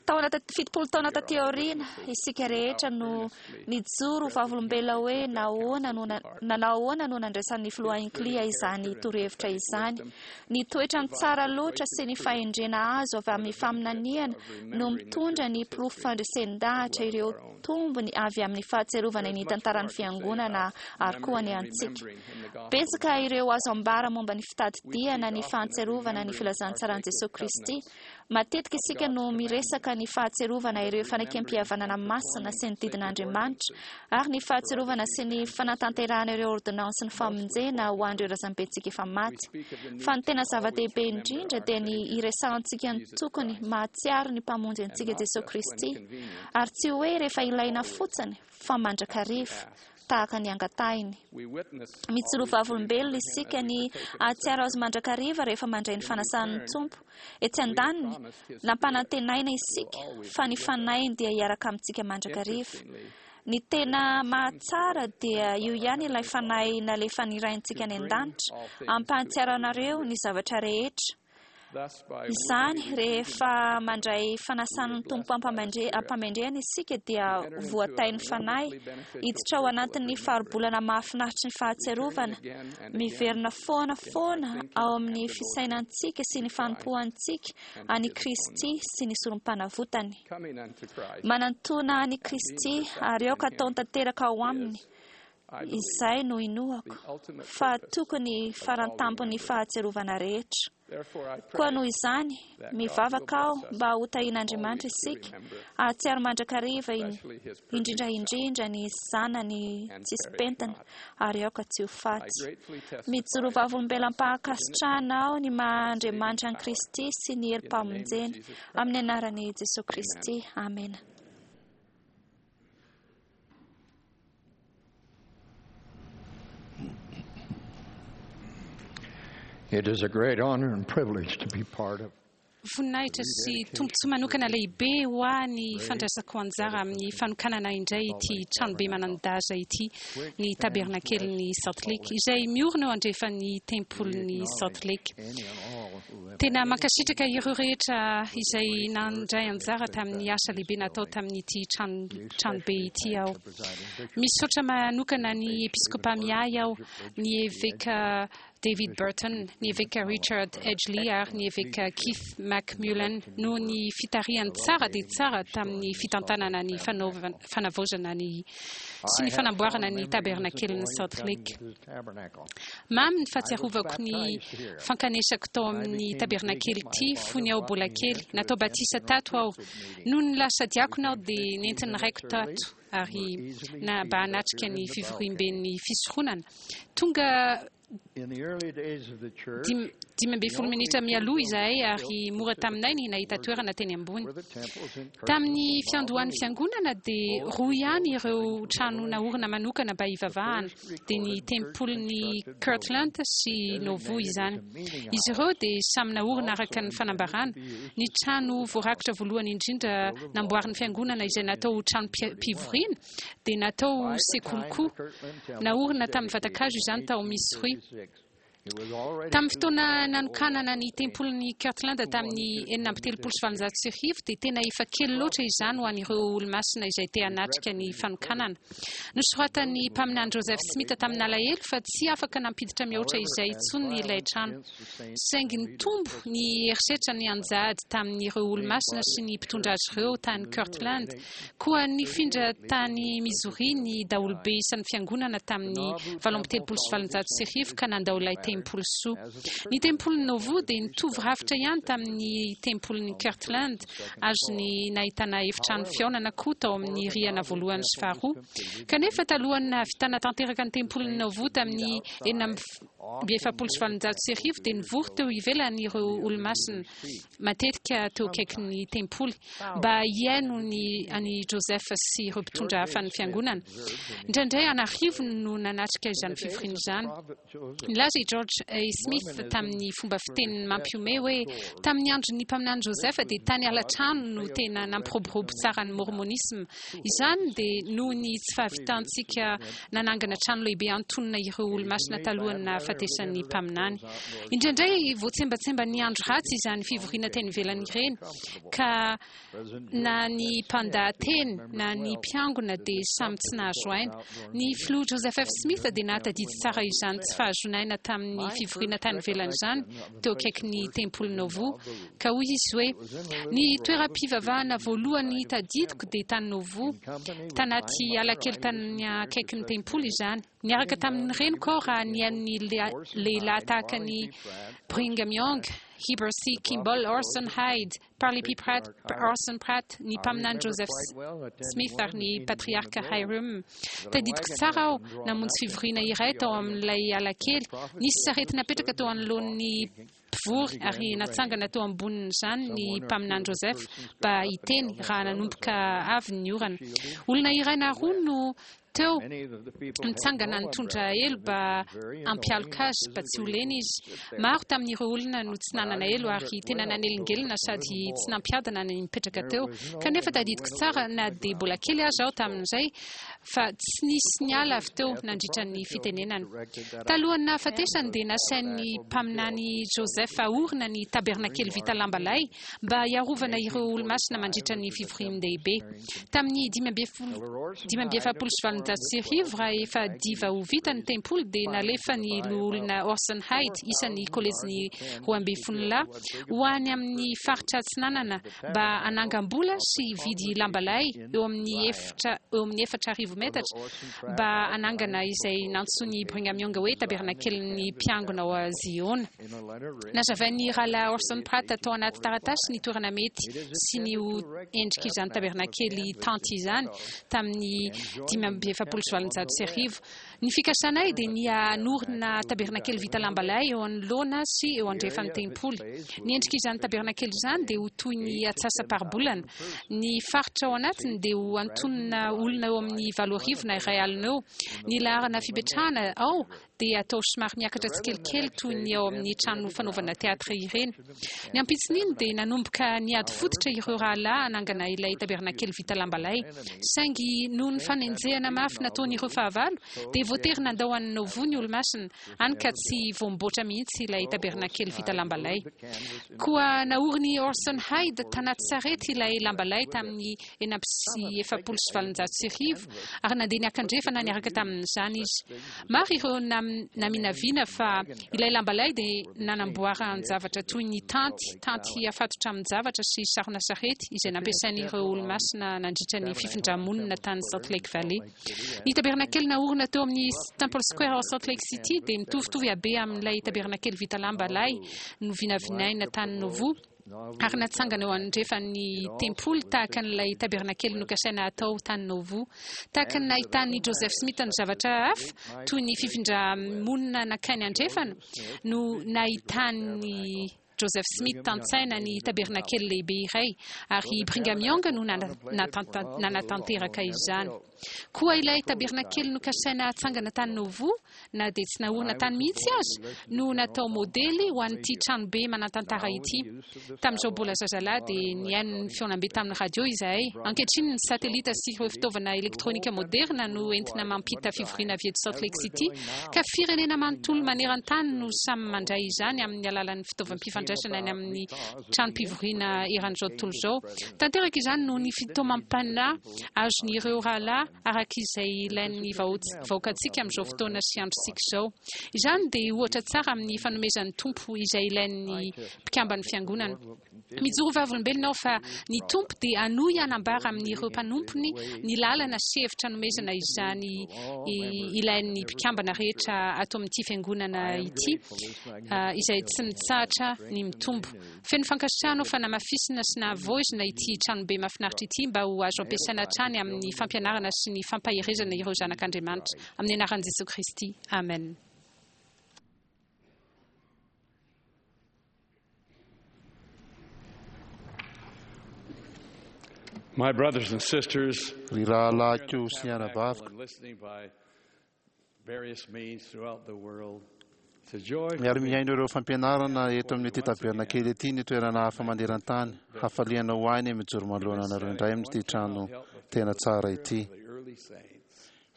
Taona, 70 taona taty aoriana, isika rehetra no nijoro ho vavolombelona hoe nahoana no, nanao ahoana no nandraisan'ny Filoha Hinckley izany torohevitra izany. Ny toetrany tsara loatra sy ny fahendrena azo avy amin'ny faminaniana no mitondra ny porofo fandresen-dahatra ireo tombony avy amin'ny fahatsiarovana ny tantaran'ny Fiangonana ary koa ny antsika. Betsaka ireo azo ambara momba ny fitadidiana ny fahatsiarovana ny filazantsaran'i Jesoa Kristy. Matetika isika no miresaka ny fahatsiarovana ireo fanekempihavanana masina sy ny didin'Andriamanitra, ary ny fahatsiarovana sy ny fanatanterahana ireo ôrdônansin'ny famonjena ho an'ireo razambentsika efa maty. Fa ny tena zava-dehibe indrindra dia ny hiresahantsika ny tokony mahatsiaro ny Mpamonjy antsika Jesoa Kristy, ary tsy hoe rehefa ilaina fotsiny fa mandrakariva. tahaka ny angatahiny. Mijoro vavolombelona isika ny hahatsiaro Azy mandrakariva rehefa mandray ny fanasan'ny Tompo. Etsy andaniny, nampanantenaina isika fa ny Fanahiny dia hiaraka amintsika mandrakariva. Ny tena mahatsara dia io ihany ilay Fanahy nalefan'ny Raintsika any An-danitra hampahatsiaro anareo ny zavatra rehetra. Izany, rehefa mandray fanasan'ny Tompo am-pamendrehana isika dia voatahin'ny Fanahy hiditra ao anatin'ny faribolana mahafinaritry ny fahatsiarovana, miverina foana foana ao amin'ny fisainantsika sy ny fanompoantsika an'i Kristy sy ny Sorompanavotany. Manantona an'i Kristy ary aoka atao tanteraka ao Aminy Izay no inoako fa tokony farantampon'ny fahatsiarovana rehetra. Koa noho izany, mivavaka aho mba ho tahian'Andriamanitra isika hahatsiaro mandrakariva indrindra indrindra ny Zanany tsisy pentina ary aoka tsy ho faty. Mijoro vavolombelona am-pahakasitrahana aho ny maha Andriamanitra an'i Kristy sy ny herim-pamonjeny. Amin'ny anaran'i Jesoa Kristy. Amena. It is a great honor and privilege to be part of Voninahitra sy tombontsoa manokana lehibe ho ahy ny fandraisako anjara amin'ny fanokanana indray ity tranobe manan-daza ity, ny Tabernakelin'i Salt Lake, izay miorina eo andrefan'ny Tempolin'i Salt Lake. Tena mankasitraka ireo rehetra izay nandray anjara tamin'ny asa lehibe natao tamin'ity tranobe ity aho. Misaotra manokana ny Episkopa miahy aho, ny Eveka David Burton, ny Eveka Richard Edgley ary ny Eveka Keith McMullen noho ny fitarihany tsara dia tsara tamin'ny fitantanana ny fanavaozana ny sy ny fanamboarana ny Tabernakelin'i Salt Lake. Mamy ny fahatsiarovako ny fankanesako tao amin'ny tabernakely ity fony aho mbola kely. Natao batisa tato aho. Nony lasa diakona aho dia nentin'ny raiko tato ary na mba hanatrika ny fivoriamben'ny fisoronana. Tonga. 15 minitra mialoha izahay ary mora taminay ny nahita toerana teny ambony. Tamin'ny fiandohan'ny fiangonana dia roa ihany ireo trano naorina manokana mba hivavahana, dia ny tempolin'i Kirtland sy Nauvoo izany. Izy ireo dia samy naorina araka ny fanambarana. Ny trano voarakitra voalohany indrindra namboarin'ny fiangonana izay natao ho tranom-pivoriana dia natao ho sekoly koa. Naorina tamin'ny vatan-kazo izany tao Missouri. Tamin'ny fotoana nanokanana ny tempolin'i Kirtland tamin'ny 1836 dia tena efa kely loatra izany ho an'ireo olomasina izay te hanatrika ny fanokanana. Nosoratan'ny mpaminany Joseph Smith tamin'alahelo fa tsy afaka nampiditra mihoatra izay intsony ilay trano. Saingy nitombo ny herisetra nianjady tamin'ireo olomasina sy ny mpitondra azy ireo tany Kirtland. Koa nifindra tany Missouri ny daholobe isan'ny fiangonana tamin'ny 1838 ka nandao ilay tempoly soa. Ny tempolin'i Nauvoo dia nitovy rafitra ihany tamin'ny tempolin'i Kirtland, azony nahitana efitrano fihaonana koa tao amin'ny rihana voalohany sy faharoa. Kanefa talohan'ny nahavitana tanteraka ny tempolin'i Nauvoo tamin'ny 1846 dia nivory teo ivelany ireo Olomasina, matetika teo akaikin'ny tempoly, mba hihaino ny an'i Joseph sy ireo mpitondra hafa ny Fiangonana. Indraindray an'arivony no nanatrika izany fivoriana izany. Nilaza i George A. Smith tamin'ny fomba fiteniny mampihomehy hoe, Tamin'ny andron'ny mpaminany Joseph dia tany ala-trano no tena nampiroborobo tsara ny Môrmônisma. Izany dia noho ny tsy fahavitantsika nanangana trano lehibe antonona ireo Olomasina talohan'ny nahafatesan'ny mpaminany. Indraindray voatsembatsemban'ny andro ratsy izany fivoriana teny ivelany ireny, ka na ny mpandahateny na ny mpiangona dia samy tsy nahazo aina. Ny Filoha Joseph F. Smith dia nahatadidy tsara izany tsy fahazoana aina tamin'ny fivoriana tany ivelany izany teo akaikin'ny Tempoly Nauvoo, ka hoy izy hoe, Ny toeram-pivavahana voalohany tadidiko dia tany Nauvoo. Tanaty ala kely tany akaikin'ny tempoly izany. Niaraka tamin'ny reniko aho raha nihaino ny lehilahy tahaka an'i Brigham Young, Heber C. Kimball, Orson Hyde, Parley P. Pratt, Orson Pratt, ny mpaminany Joseph Smith ary ny patriarka Hyrum. Tadidiko tsara aho namonjy fivoriana iray tao amin'ilay ala kely. Nisy sarety napetraka teo anoloan'ny mpivory ary natsangana teo ambonin'izany ny mpaminany Joseph mba hiteny raha nanomboka avy ny orana. Olona iray na roa no teo nitsangana nitondra elo mba hampialoka azy mba tsy ho lena izy. Maro tamin'ireo olona no tsy nanana elo ary tena nanelingelina sady tsy nampiadana ny nipetraka teo. Kanefa tadidiko tsara na dia mbola kely aza aho tamin'izay fa tsy nisy niala avy teo nandritra ny fitenenana. Talohan'ny nahafatesany dia nasain'ny mpaminany Joseph ahorina ny tabernakely vita lamba lay mba hiarovana ireo Olomasina mandritra ny fivorian-dehibe. Tamin'ny 1845, raha efa diva ho vita ny tempoly, dia nalefa ny Loholona Orson Hyde, isan'ny Kolejin'ny Roambinifololahy, ho any amin'ny faritra atsinanana mba hanangam-bola sy hividy lamba lay eo amin'ny efitra eo amin'ny 4000 metatra mba hanangana izay nantsoin'i Brigham Young hoe tabernakelin'ny mpiangona ao Ziona. Nazavain'ny Rahalahy Orson Pratt tao anaty taratasy ny toerana mety sy ny ho endrik'izany tabernakely tanty izany tamin'ny 1845. Ny fikasanay dia ny hanorina tabernakely vita lamba lay eo anoloana sy eo andrefan'ny tempoly. Ny endrik'izany tabernakely izany dia ho toy ny atsasa-paribolana. Ny faritra ao anatiny dia ho antonona olona eo amin'ny 8000 na 1000 eo. Ny laharana fipetrahana ao dia atao somary miakatra tsikelikely toy ny ao amin'ny trano fanaovana teatra ireny. Ny ampitson'iny dia nanomboka niady fototra ireo rahalahy hanangana ilay tabernakely vita lamba lay. Saingy noho ny fanenjehana mafy nataon'ireo fahavalo dia voatery nandao an'i Nauvoo ny Olomasina, hany ka tsy voamboatra mihitsy ilay tabernakely vita lamba lay. Koa naorin'i Orson Hyde tanaty sarety ilay lamba lay tamin'ny 1846 ary nandeha niakandrefana niaraka tamin'izany izy. Maro ireo naminavina fa ilay lamba lay dia nanamboaran-javatra toy ny tanty, tanty afatotra amin-javatra sy sarona sarety izay nampiasain'ireo Olomasina nandritra ny fifindra-monina tany Salt Lake Valley. Ny tabernakely naorina teo amin'ny Temple Square ao Salt Lake City dia mitovitovy habe amin'ilay tabernakely vita lamba lay novinavinaina tany Nauvoo. ary natsangana eo andrefan'ny tempoly tahaka an'ilay tabernakely nokasaina hatao tany Nauvoo. Tahaka ny nahitan'i Joseph Smith ny zavatra hafa, toy ny fifindra-monina nankany andrefana, no nahitan'i Joseph Smith tan-tsaina ny tabernakely lehibe iray, ary i Brigham Young no nanatanteraka izany. Koa ilay tabernakely nokasaina hatsangana tany Nauvoo, na dia tsy naorina tany mihitsy aza, no natao modely ho an'ity tranobe manan-tantara ity. Tamin'izaho mbola zazalahy dia nihaino ny fihaonambe tamin'ny radio izahay. Ankehitriny ny satelita sy ireo fitaovana elektronika moderina no entina mampita fivoriana avy eto Salt Lake City, ka firenena manontolo maneran-tany no samy mandray izany amin'ny alalan'ny fitaovam-pifandraisana any amin'ny tranom-pivoriana eran'izao tontolo izao. Tanteraka izany noho ny fitaomam-panahy azon'ireo rahalahy araka izay ilain'ny vahoakantsika amin'izao fotoana sy androntsika izao. Izany dia ohatra tsara amin'ny fanomezan'ny Tompo izay ilain'ny mpikamban'ny Fiangonana. Mijoro vavolombelona aho fa ny Tompo dia hanohy hanambara amin'ireo mpanompony ny lalana sy hevitra hanomezana izany ilain'ny mpikambana rehetra ato amin'ity Fiangonana ity izay tsy mitsahatra ny mitombo. Feno fankasitrahana aho fa namafisina sy nahavoizina ity tranobe mahafinaritra ity mba ho azo ampiasaina hatrany amin'ny fampianarana sy ny fampaherezana ireo zanak'Andriamanitra. Amin'ny anaran'i Jesoa Kristy, amen. My brothers and sisters, Ry rahalahiko sy anabaviko, Miara-mihaino ireo fampianarana eto amin'ity tabernakely ity ny toerana hafa maneran-tany. Hafaliana ho ahy ny mijoro manoloana anareo indray amin'ity trano tena tsara ity.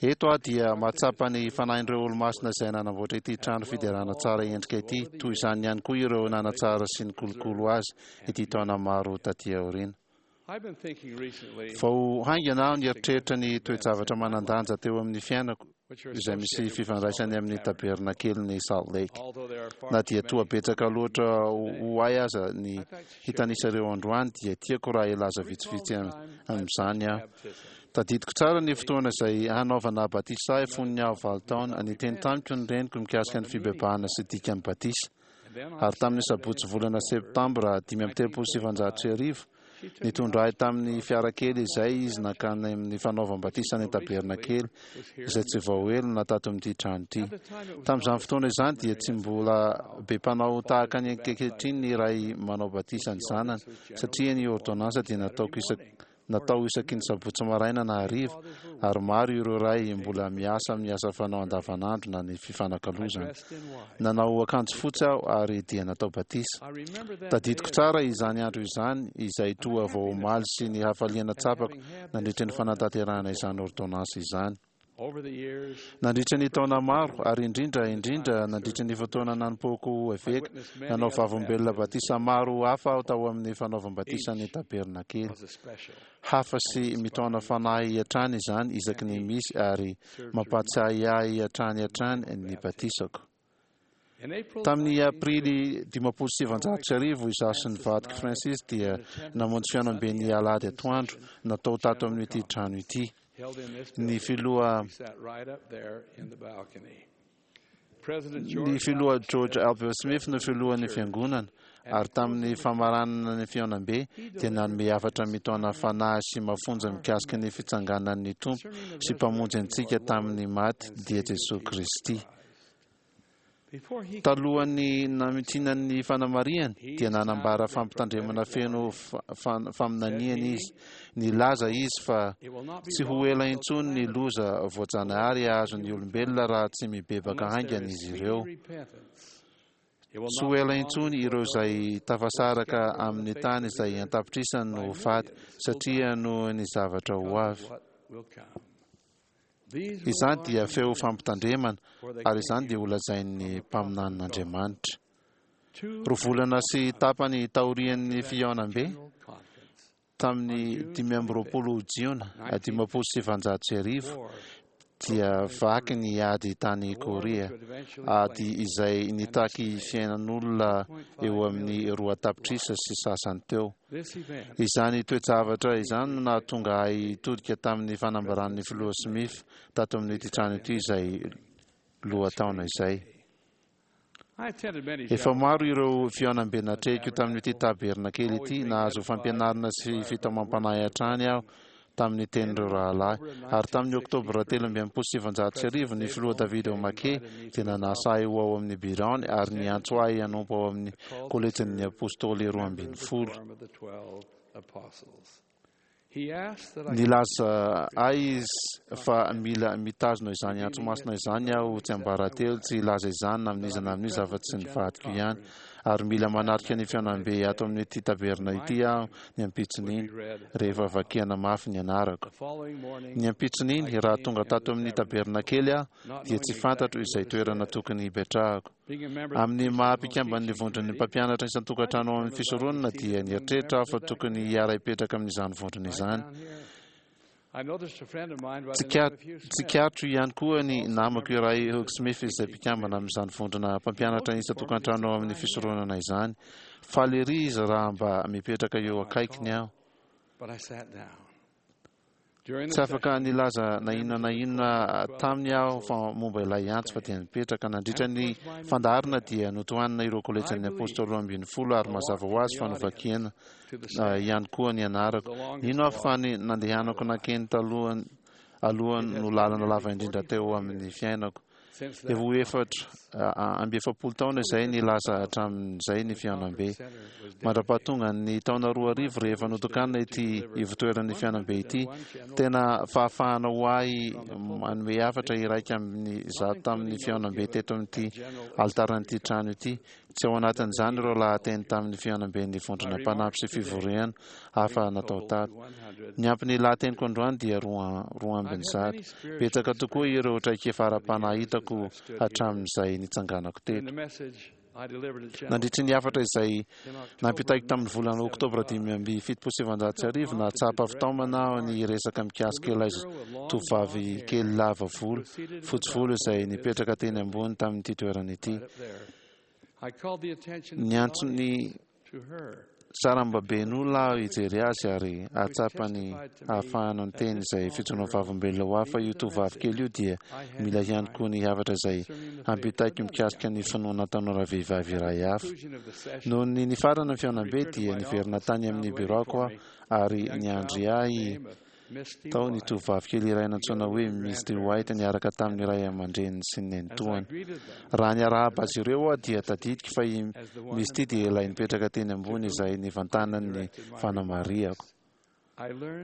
Eto aho dia mahatsapa ny fanahin'ireo olomasina izay nanamboatra ity trano fiderana tsara endrika ity, toy izany ihany koa ireo nanatsara sy nikolokolo azy ity taona maro taty aoriana. Vao haingana aho nieritreritra ny toe-javatra manan-danja teo amin'ny fiainako izay misy fifandraisany amin'ny tabernakelin'i Salt Lake. Na dia toa betsaka loatra ho ahy aza ny hitanisa ireo androany dia tiako raha hilaza vitsivitsy amin'izany aho. Tadidiko tsara ny fotoana izay hanaovana batisa ahy fony aho valo taona. Niteny tamiko ny reniko mikasika ny fibebahana sy dikan'ny batisa. Ary tamin'ny sabotsy volana septambra 1935, nitondra ahy tamin'ny fiara kely izay izy nankany amin'ny fanaovam-batisa ny tabernakely, izay tsy vao ela na tato amin'ity trano ity. Tamin'izany fotoana izany dia tsy mbola be mpanao tahaka ny ankehitriny ny ray manao batisa ny zanany, satria ny ôrdônansa dia nataoko isak Natao isaky ny sabotsy maraina na hariva, ary maro ireo ray mbola miasa amin'ny asa fanao andavanandro na ny fifanakalozana. Nanao akanjo fotsy aho ary dia natao batisa. Tadidiko tsara izany andro izany, izay toa vao omaly sy ny hafaliana tsapako nandritra ny fanatanterahana izany ôrdônansy izany. Nandritra ny taona maro, ary indrindra indrindra nandritra ny fotoana nanompoako ho eveka, nanao vavolombelona batisa maro hafa aho tao amin'ny fanaovam-batisa ny tabernakely. Hafa sy mitaona fanahy hatrany izany isaky ny misy ary mampahatsiahy ahy hatrany hatrany ny batisako. Tamin'ny Aprily 1950, izaho sy ny vadiko Francis dia namonjy fihaonamben'ny alahady atoandro natao tato amin'ity trano ity. Ny filoha Ny filoha George Albert Smith no filohan'ny fiangonana, ary tamin'ny famaranana ny fihaonambe dia nanome hafatra mitaona fanahy sy mafonja mikasika ny fitsanganan'ny Tompo sy Mpamonjy antsika tamin'ny maty, dia Jesoa Kristy. Talohan'ny namintinany ny fanamarihany, dia nanambara fampitandremana feno faminaniana izy. Nilaza izy fa tsy ho ela intsony ny loza voajanahary hahazo ny olombelona raha tsy mibebaka haingana izy ireo. Tsy ho ela intsony ireo izay tafasaraka amin'ny tany izay an-tapitrisany no ho faty, satria noho ny zavatra ho avy. Izany dia feo fampitandremana, ary izany dia holazain'ny mpaminanin'Andriamanitra. Roa volana sy tapany taorian'ny fihaonambe, tamin'ny 25 Jiona 1950, dia vaky ny ady tany Korea, ady izay nitaky fiainan'olona eo amin'ny roa tapitrisa sy sasany teo. Izany toe-javatra izany no nahatonga ahy hitodika tamin'ny fanambaran'ny Filoha Smith tato amin'ity trano ity izay lohataona izay. Efa maro ireo fihaonambe natrehiko tamin'ity tabernakely ity. Nahazo fampianarana sy fitaomam-panahy hatrany aho tamin'ny tenin'ireo rahalahy. Ary tamin'ny Oktobra 1963, ny Filoha David O. McKay dia nanasa ahy ho ao amin'ny biraony ary niantso ahy hanompo ao amin'ny Kolejin'ny Apostoly Roambinifolo. Nilaza ahy izy fa mila mitazona izany antso masina izany aho tsiambaratelo, tsy hilaza izany na amin'iza na amin'iza afa-tsy ny vadiko ihany, ary mila manatrika ny fihaonambe ato amin'ity taverina ity aho ny ampitson'iny, rehefa vakiana mafy ny anarako. Ny ampitson'iny, raha tonga tato amin'ny tabernakely aho, dia tsy fantatro izay toerana tokony hipetrahako. Amin'ny maha mpikamban'ny vondron'ny mpampianatra isan-tokantrano ao amin'ny fisoronana dia nieritreritra aho fa tokony hiara-hipetraka amin'izany vondrona izany. Tsikaritro ihany koa ny namako iray Hugh Smith izay mpikambana amin'izany vondrona mpampianatra isan-tokantrano ao amin'ny fisoronana izany. Faly ery izy raha mba mipetraka eo akaikiny aho. Tsy afaka nilaza na inona na inona taminy aho fa momba ilay antso fa dia nipetraka. Nandritra ny fandaharana dia notohanina ireo kolejin'ny Apôstôly 12 ary mazava ho azy fa novakiana ihany koa ny anarako. Nino aho fa ny nandehanako nankeny talohan aloha no lalana lava indrindra teo amin'ny fiainako. Efa ho 44 taona izay ny lasa hatramin'izay ny fihaonambe. Mandra-pahatongan'ny taona 2000 rehefa notokanina ity ivotoeran'ny fihaonambe ity, tena fahafahana ho ahy manome hafatra 101 tamin'ny fihaonambe teto amin'ity alitaran'ity trano ity. Tsy ao anatin'izany ireo lahateny tamin'ny fihaonamben'ny vondrona mpanampy sy fivoriana hafa natao tato. Ny ampy ny lahateniko androany dia 102. Betsaka tokoa ireo traikefa ara-panahy hitako hatramin'izay nitsanganako teto. Nandritry ny hafatra izay nampitaiko tamin'ny volana Oktobra 1975, nahatsapa fitaomana aho ny hiresaka mikasika ilay tovovavy kely lava volo, fotsy volo izay nipetraka teny ambony tamin'ity toerana ity. Niantso ny sarambaben'olona aho hijery azy ary hahatsapa ny hahafahana niteny izay fijoroana vavolombelona ho ahy fa io tovovavy kely io dia mila ihany koa ny hafatra izay hampitaiko mikasika ny finoana tanora vehivavy iray hafa. Noho ny nifarana ny fihaonambe dia niverina tany amin'ny biraoko aho ary niandry ahy Tao ny tovovavy kely iray nantsoina hoe Misty White niaraka tamin'ny ray aman-dreniny sy ny nenitoany. Raha niarahaba azy ireo aho dia tadidiko fa i Misty dia ilay nipetraka teny ambony izay nivantanan'ny fanamarihako.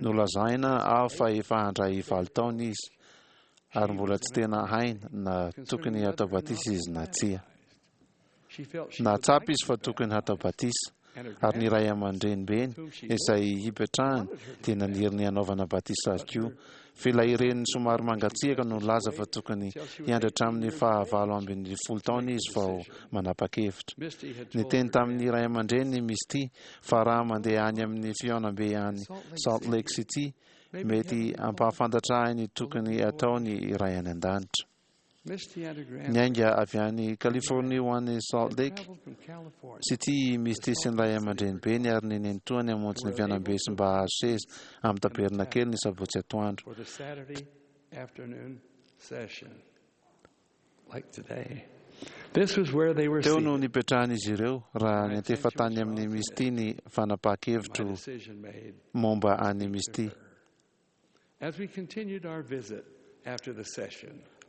Nolazaina aho fa efa handray valo taona izy ary mbola tsy tena hainy na tokony hatao batisa izy na tsia. Nahatsapa izy fa tokony hatao batisa, ary ny ray aman-drenibeny, izay hipetrahany, dia naniry ny hanaovana batisa azy koa. Fa ilay reniny somary mangatsiaka no nilaza fa tokony hiandry hatramin'ny faha-18 taona izy vao manapa-kevitra. Niteny tamin'ny ray aman-dreniny i Misty fa raha mandeha any amin'ny fihaonambe any Salt Lake City, mety hampahafantatra ahy ny tokony hatao ny Ray any An-danitra. Niainga avy any Californie ho any Salt Lake City i Misty sy ny ray aman-drenibeny ary ny nenitoany hamonjy ny fianambe sy mba hahazo seza amin'ny tabernakely ny sabotsy atoandro. Teo no nipetrahan'izy ireo raha niantefa tany amin'i Misty ny fanapahan-kevitro momba an'i Misty.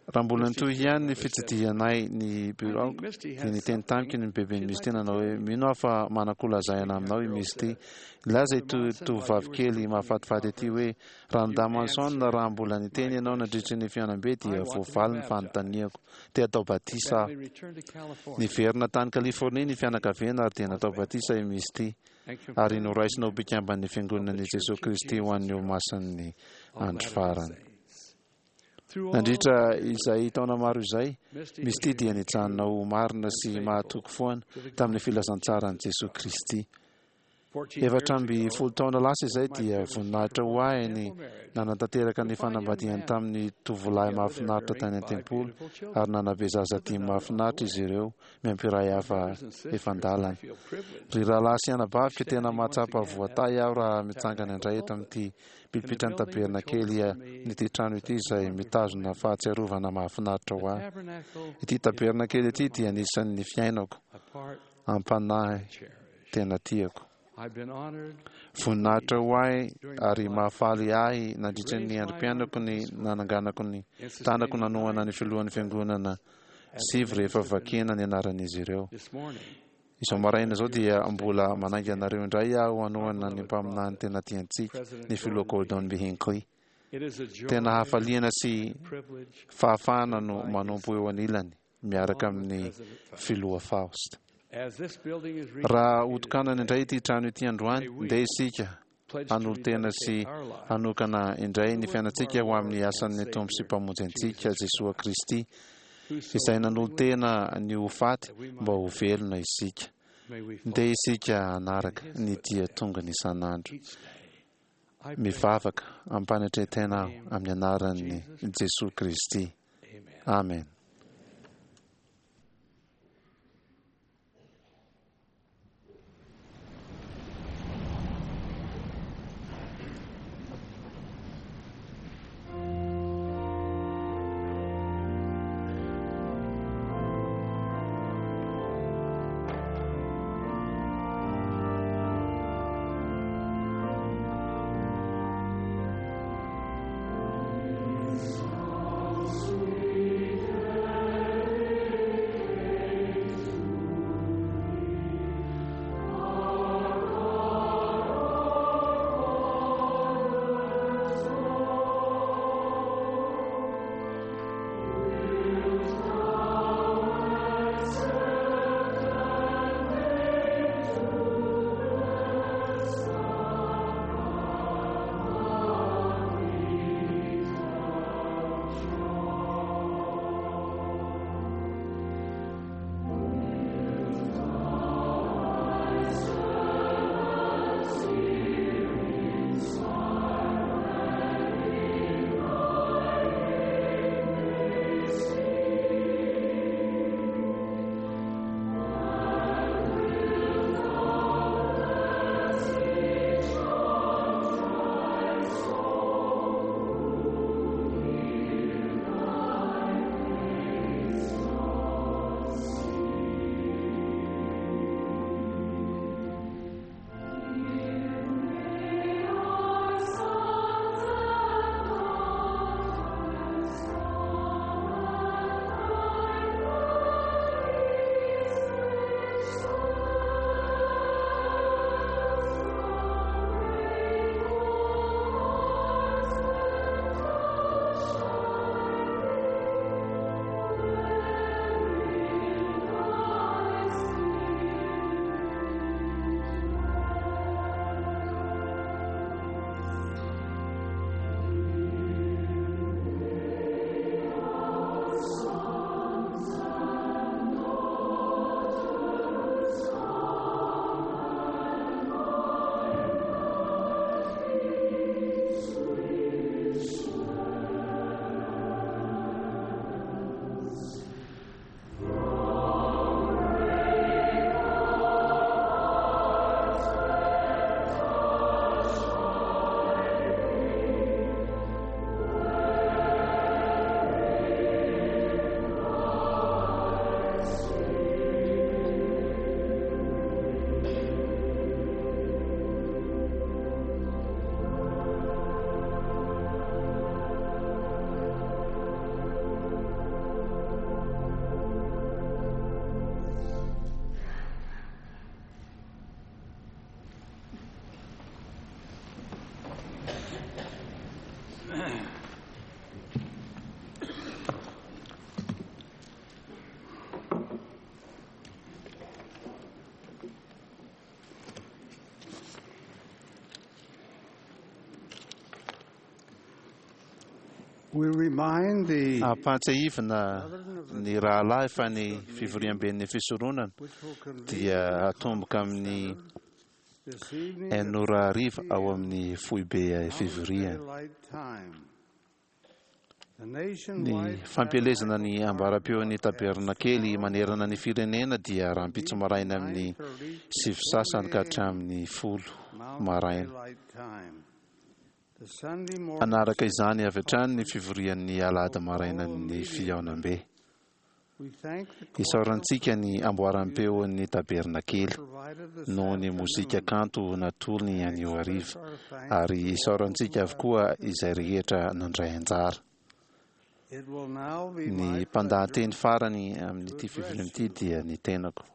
Raha mbola nitohy ihany ny fitsidihanay ny biraoko, dia niteny tamiko ny beben'i Misty nanao hoe, Mino aho fa manan-kolazaina aminao i Misty. Nilaza ity tovovavy kely mahafatifaty ity hoe, Ranadahy Manson, raha mbola niteny ianao nandritry ny fihaonambe dia voavaly ny fanontaniako. Te hatao batisa aho. Niverina tany Californie ny fianakaviana ary dia natao batisa i Misty. ary noraisina ho mpikamban'ny Fiangonan'i Jesoa Kristy ho an'ny Olomasin'ny Andro Farany. Nandritra izay taona maro izay, Misty dia nijanona ho marina sy mahatoky foana tamin'ny filazantsaran'i Jesoa Kristy. 14 taona lasa izay dia voninahitra ho ahy ny nanatanteraka ny fanambadiany tamin'ny tovolahy mahafinaritra tany an-tempoly, ary nanabe zaza dimy mahafinaritra izy ireo, miampy iray hafa efa an-dalana. Ry rahalahy sy anabaviko, tena mahatsapa voatahy aho raha mitsangana indray eto amin'ity pilipitran'ny tabernakely an'ity trano ity izay mitazona fahatsiarovana mahafinaritra ho ahy. Ity tabernakely ity dia anisan'ny fiainako am-panahy tena tiako. Voninahitra ho ahy ary mahafaly ahy nandritra ny androm-piainako ny nananganako ny tanako nanohana ny filohan'ny fiangonana sivy rehefa vakiana ny anaran'izy ireo. Izao maraina izao dia mbola manainga anareo indray aho hanohana ny mpaminany tena tiantsika, ny Filoha Gordon B. Hinckley. Tena hafaliana sy fahafahana no manompo eo anilany miaraka amin'ny Filoha Faust. Raha hotokanana indray ity trano ity androany, ndeha isika hanolo-tena sy hanokana indray ny fiainantsika ho amin'ny asan'ny Tompo sy Mpamonjy antsika, Jesoa Kristy, izay nanolo-tena ny ho faty mba ho velona isika. Ndeha isika hanaraka ny dia tongony isan'andro. Mivavaka am-panetren-tena aho amin'ny anaran'i Jesoa Kristy. Amen. Ampahatsiahivina ny rahalahy fa ny fivoriamben'ny fisoronana dia hatomboka amin'ny. Enina ora hariva ao amin'ny foibe fivoriana. Ny fampielezana ny ambaram-peon'ny tabernakely manerana ny firenena dia rahampitso maraina amin'ny 9:30 ka hatramin'ny 10 maraina. Hanaraka izany avy hatrany ny fivorian'ny alahady marainan'ny fihaonambe. Isaorantsika ny amboaram-peon'ny tabernakely noho ny mozika kanto natolony anio hariva, ary isaorantsika avokoa izay rehetra nandray anjara. Ny mpandahateny farany amin'ity fivoriana ity dia ny tenako.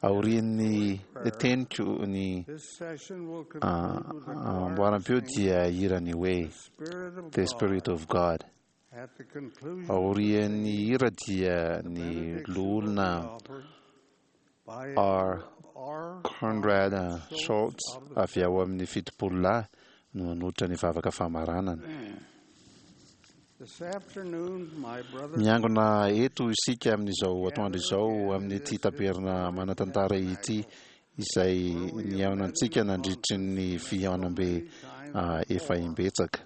Aorian'ny teniko ny amboaram-peo dia hira ny hoe The Spirit of God. Aorian'ny hira dia ny Loholona R. Conrad Schultz avy ao amin'ny Fitopololahy no hanolotra ny vavaka famaranana. Miangona eto isika amin'izao atoandro izao amin'ity taberna manan-tantara ity izay nihaonantsika nandritry ny fihaonambe efa imbetsaka.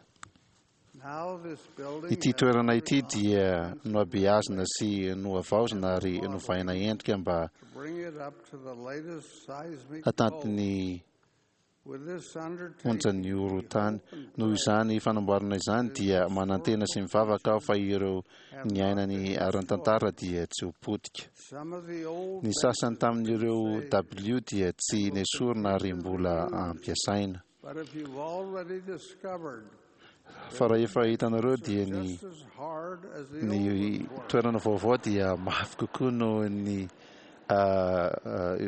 Ity toerana ity dia nohabeazina sy nohavaozina ary novaina endrika mba hatanty ny onjan'ny horohorontany. Noho izany fanamboarana izany dia manantena sy mivavaka aho fa ireo niaina ny ara-tantara dia tsy ho potika. Ny sasany tamin'ireo dabilio dia tsy nesorina ary mbola ampiasaina. Fa raha efa hitanareo dia ny ny toerana vaovao dia mafy kokoa noho ny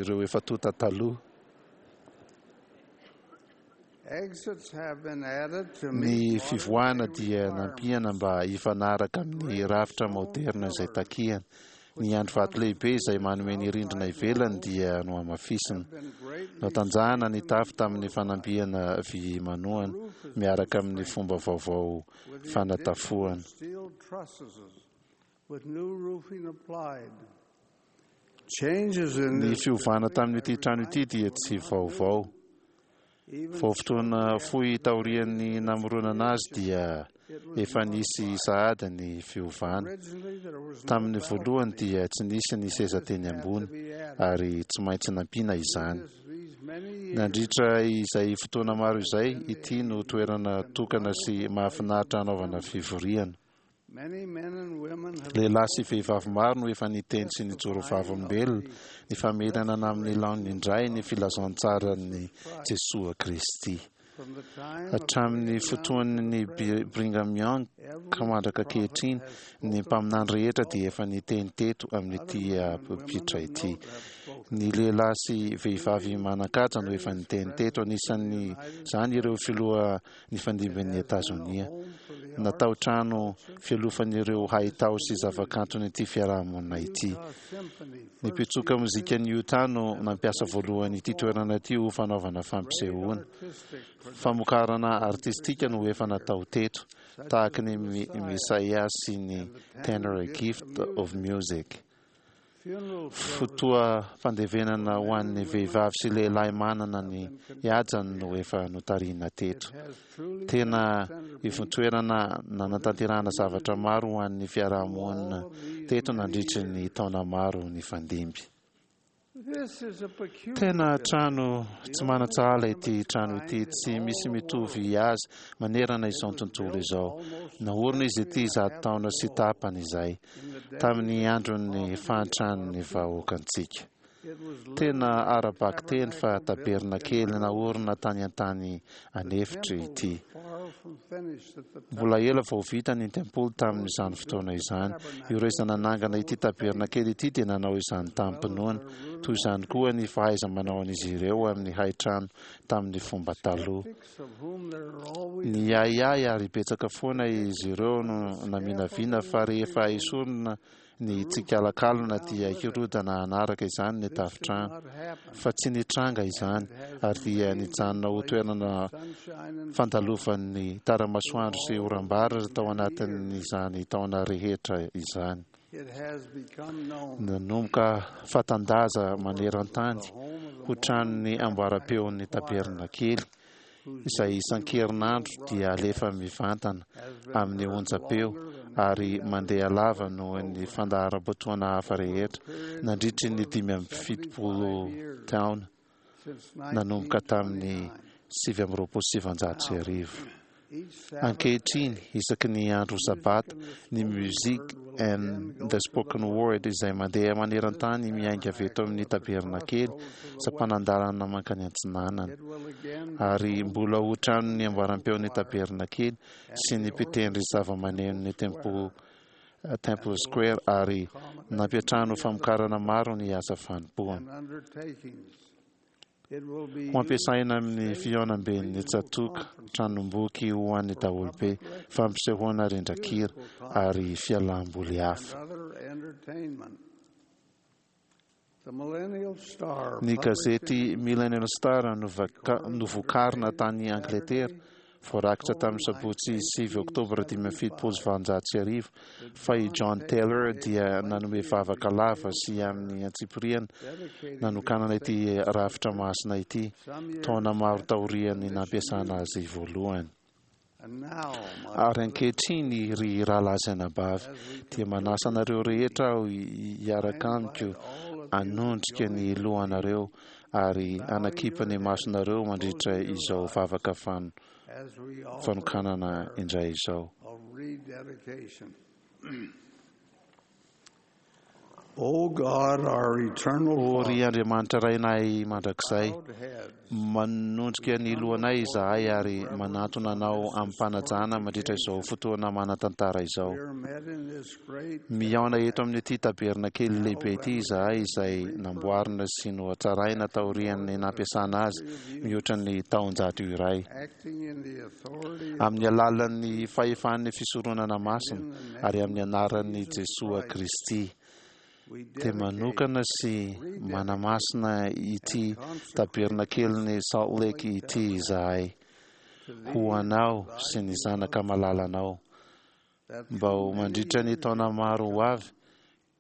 ireo efa tonta taloha. Ny fivoahana dia nampiana mba hifanaraka amin'ny rafitra maoderina izay takiana. Ny andry vato lehibe izay manome ny rindrina ivelany dia nohamafisina. Notanjahana ny tafo tamin'ny fanampiana vy manohana miaraka amin'ny fomba vaovao fanatafoana. Ny fiovana tamin'ity trano ity dia tsy vaovao. Vao fotoana fohy taorian'ny namoronana azy dia efa nisy sahady ny fiovana. Tamin'ny voalohany dia tsy nisy ny seza teny ambony ary tsy maintsy nampiana izany. Nandritra izay fotoana maro izay, ity no toerana tokana sy mahafinaritra hanaovana fivoriana. Lehilahy sy vehivavy maro no efa niteny sy nijoro vavolombelona ny famerenana amin'ny laoniny indray ny filazantsaran'i Jesoa Kristy. Hatramin'ny fotoan'ny Brigham Young ka mandraka ankehitriny, ny mpaminany rehetra dia efa niteny teto amin'ity polpitra ity. Ny lehilahy sy vehivavy manan-kaja no efa niteny teto, anisan'izany ireo filoha nifandimbin'i Etazonia. Natao trano fialofan'ireo haitao sy zavakanton'ity fiarahamonina ity. Ny mpitsoka mozikan'i Utah no nampiasa voalohany ity toerana ity ho fanaovana fampisehoana. Famokarana artistika no efa natao teto, tahaka ny Messiah sy ny Tenor Gift of Music. Fotoam-pandevenana ho an'ny vehivavy sy lehilahy manana ny hajany no efa notarihina teto. Tena ivontoerana nanatanterahana zavatra maro ho an'ny fiarahamonina teto nandritry ny taona maro nifandimby. Tena trano tsy manan-tsahala ity trano ity, tsy misy mitovy azy manerana izao tontolo izao. Naorina izy ity 100 taona sy tapany izay, tamin'ny andron'ny fahantran'ny vahoakantsika. Tena ara-bakiteny fa tabernakely naorina tany an-tany an'efitra ity. Mbola ela vao vita ny tempoly tamin'izany fotoana izany. Ireo izay nanangana ity tabernakely ity dia nanao izany tamim-pinoana. Toy izany koa ny fahaiza-manaon'izy ireo amin'ny haitrano tamin'ny fomba taloha. Niahiahy ary betsaka foana izy ireo no naminavina fa rehefa esorina ny tsikalakalana dia hirodana hanaraka izany ny tafontrano. Fa tsy nitranga izany, ary dia nijanona ho toerana fandalovan'ny tara-masoandro sy oram-baratra tao anatin'izany taona rehetra izany. Nanomboka fatan-daza maneran-tany ho tranon'ny amboaram-peon'ny tabernakely, izay isan-kerinandro dia alefa mivantana amin'ny onjam-peo ary mandeha lava noho ny fandaharam-potoana hafa rehetra nandritry ny 75 taona nanomboka tamin'ny 1929. Ankehitriny, isaky ny andro Sabata, ny Music and the Spoken Word izay mandeha maneran-tany miainga avy eto amin'ny tabernakely, sampanan-dalana mankany antsinanana. Ary mbola ho tranon'ny amboaram-peon'ny tabernakely sy ny mpitendry zavamanenon'ny Temple Temple Square ary nampiantrano famokarana maro ny asa fanompoana. Ho ampiasaina amin'ny fihaonamben'ny tsatòka, tranomboky ho an'ny daholobe, fampisehoana rindran-kira, ary fialam-boly hafa. Ny gazety Millennial Star novokarina tany Angletera Voarakitra tamin'ny sabotsy 9 oktobra 1875 fa i John Taylor dia nanome vavaka lava sy amin'ny antsipiriany nanokanana ity rafitra masina ity, taona maro taorian'ny nampiasana azy voalohany. Ary ankehitriny, ry rahalahy sy anabavy, dia manasa anareo rehetra aho hiaraka amiko hanondrika ny lohanareo ary hanakipy ny masonareo mandritra izao vavaka fanokanana indray izao. O God, our eternal O ry Father, Andriamanitra Rainay mandrakizay, manondrika ny lohanay izahay ary manantona Anao amim-panajana mandritra izao fotoana manan-tantara izao. we are met in this great Mihaona eto amin'ity tabernakely lehibe ity izahay izay namboarina sy nohatsaraina taorian'ny nampiasana azy mihoatra ny taonjato iray. acting in the authority Amin'ny alalan'ny fahefan'ny fisoronana masina ary amin'ny anaran'i Jesoa Kristy, dia manokana sy manamasina ity tabernakelin'i Salt Lake ity izahay ho Anao sy ny Zanaka malalanao. Mba ho mandritra ny taona maro ho avy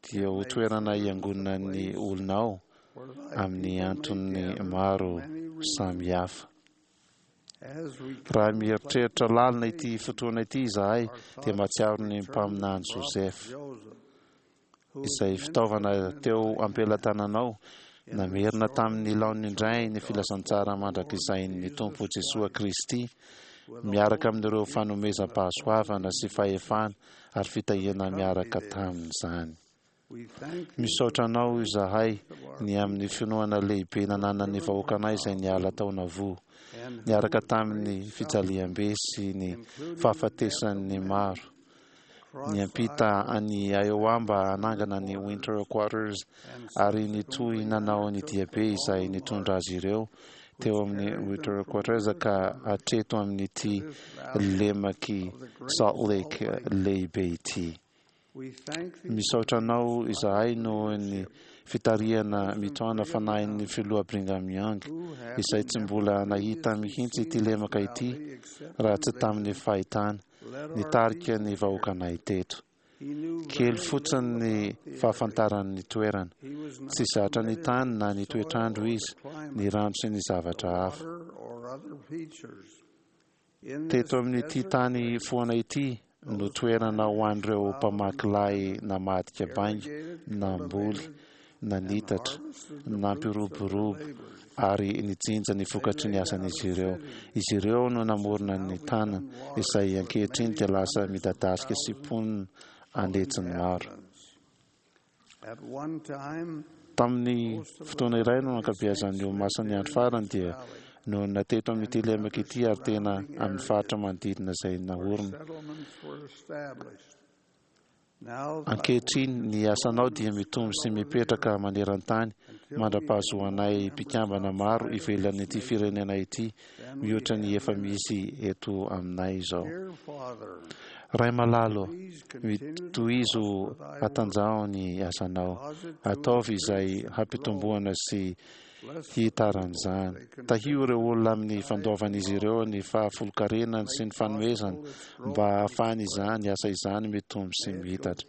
dia ho toerana hiangonan'ny olonao amin'ny antony maro samihafa. Raha mieritreritra lalina ity fotoana ity izahay dia mahatsiaro ny mpaminany Joseph, izay fitaovana teo am-pelatananao namerina tamin'ny laoniny indray ny filazantsara mandrakizain'ny Tompo Jesoa Kristy, miaraka amin'ireo fanomezam-pahasoavana sy fahefana ary fitahiana miaraka tamin'izany. Misaotra Anao izahay ny amin'ny finoana lehibe nananan'ny vahoakanay izay niala tao Nauvoo, niaraka tamin'ny fijaliam-be sy ny fahafatesan'ny maro. Niampita an'i Iowa mba hanangana ny Winter Quarters ary nitohy nanao ny diabe izay nitondra azy ireo teo amin'ny Winter Quarters ka hatreto amin'ity lemak'i Salt Lake lehibe ity. Misaotra anao izahay noho ny fitarihana mitohana fanahin'ny Filoha Brigham Young, izay tsy mbola nahita mihitsy ity lemaka ity raha tsy tamin'ny fahitana, nitarika ny vahoakanay teto. Kely fotsiny ny fahafantarany ny toerana. Tsy zatra ny tany na ny toetr'andro izy, ny rano sy ny zavatra hafa. Teto amin'ity tany foana ity no toerana ho an'ireo mpamaky lay namadika bainga, namboly, nanitatra, nampiroborobo ary nijinja ny vokatry ny asan'izy ireo. Izy ireo no namorona ny tanana, izay ankehitriny dia lasa midadasika sy mponina an'hetsiny maro. Tamin'ny fotoana iray no ankabeazan'ny olomasin'ny andro farany dia nonina teto amin'ity lemaka ity ary tena amin'ny faritra manodidina izay naorina. Ankehitriny, ny asanao dia mitombo sy mipetraka maneran-tany mandra-pahazoanay mpikambana maro ivelan'ity firenena ity mihoatra ny efa misy eto aminay izao. Ray malala ô, mitohizo hatanjaho ny asanao. Ataovy izay hampitomboana sy. hihitaran'izany. Tahio ireo olona amin'ny fandoavan'izy ireo ny fahafolonkarenany sy ny fanomezany mba hahafahan'izany asa izany mitombo sy mihitatra.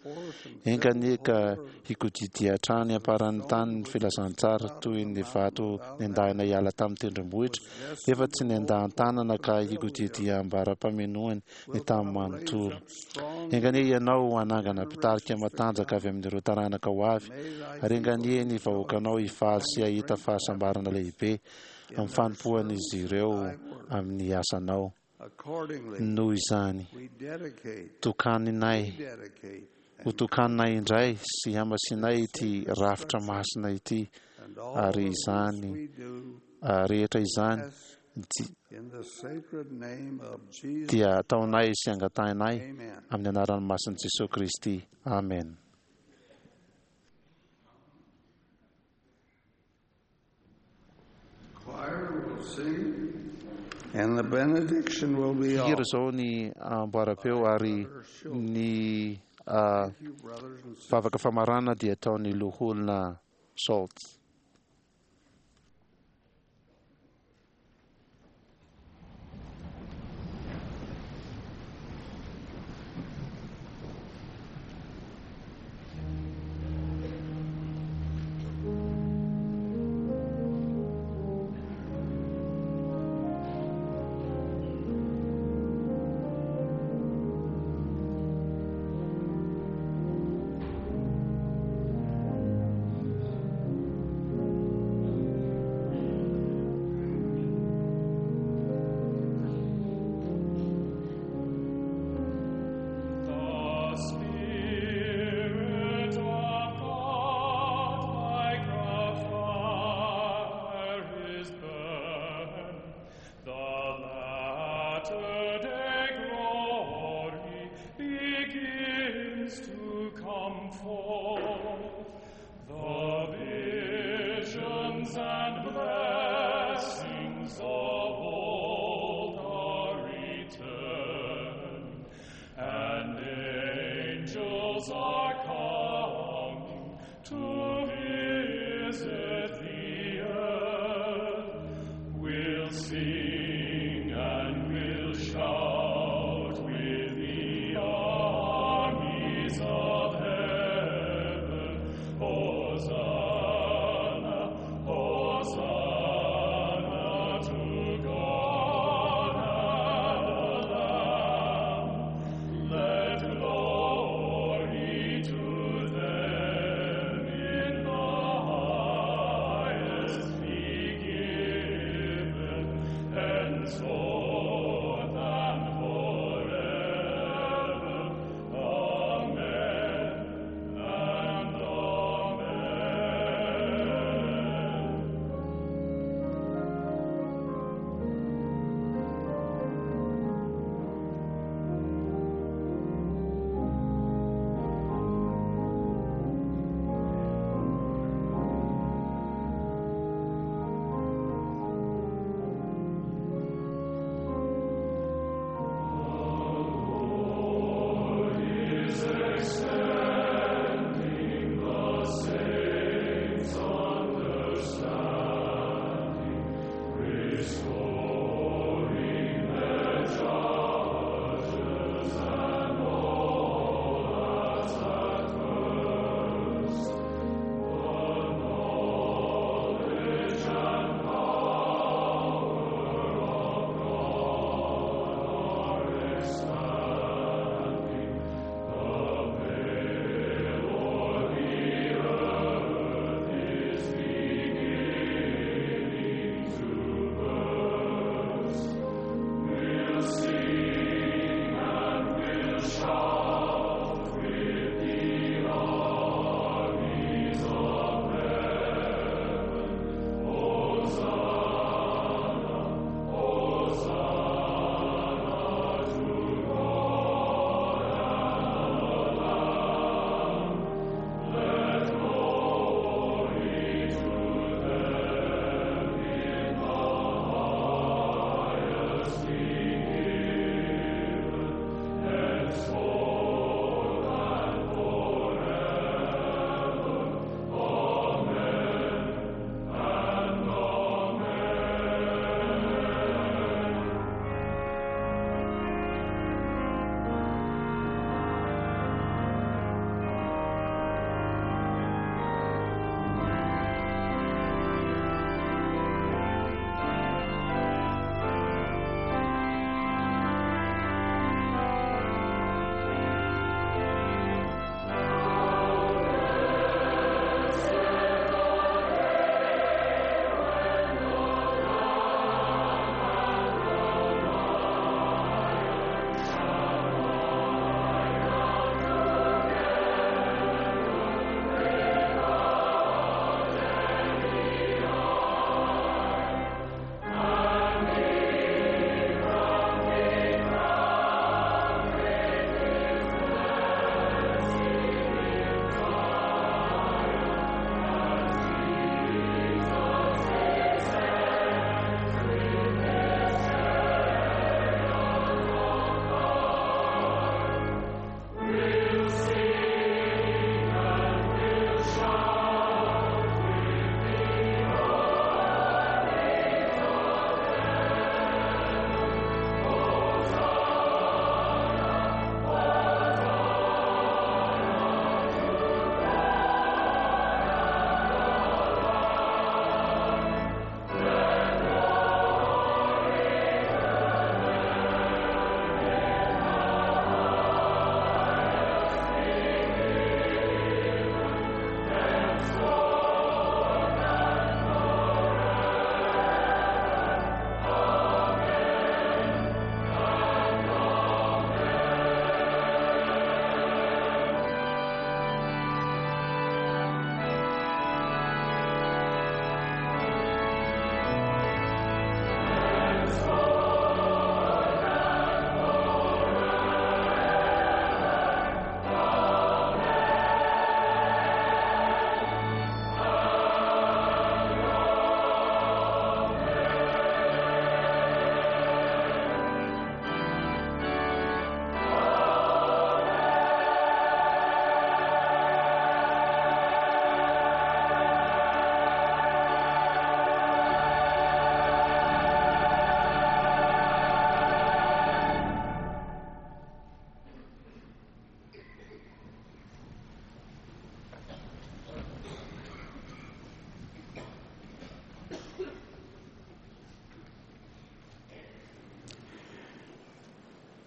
Enga anie ka hikodidia hatrany am-paran'ny tany ny filazantsara toy ny vato nendahina hiala tamin'ny tendrombohitra nefa tsy nendahan-tanana ka hikodidia ambara-pamenoany ny tany manontolo. Enga anie Ianao hanangana mpitarika matanjaka avy amin'ireo taranaka ho avy, ary enga anie ny vahoakanao hifaly sy hahita fahasambarana lehibe amin'ny fanompoan'izy ireo amin'ny asanao. Noho izany, tokaninay, ho tokaninay indray sy hamasinay ity rafitra masina ity, ary izany rehetra izany dia ataonay sy angatahinay amin'ny anaran'ny masin'i Jesoa Kristy. Amen. Hihira izao ny amboaram-peo ary ny vavaka famarana dia ataon'ny loholona Schultz.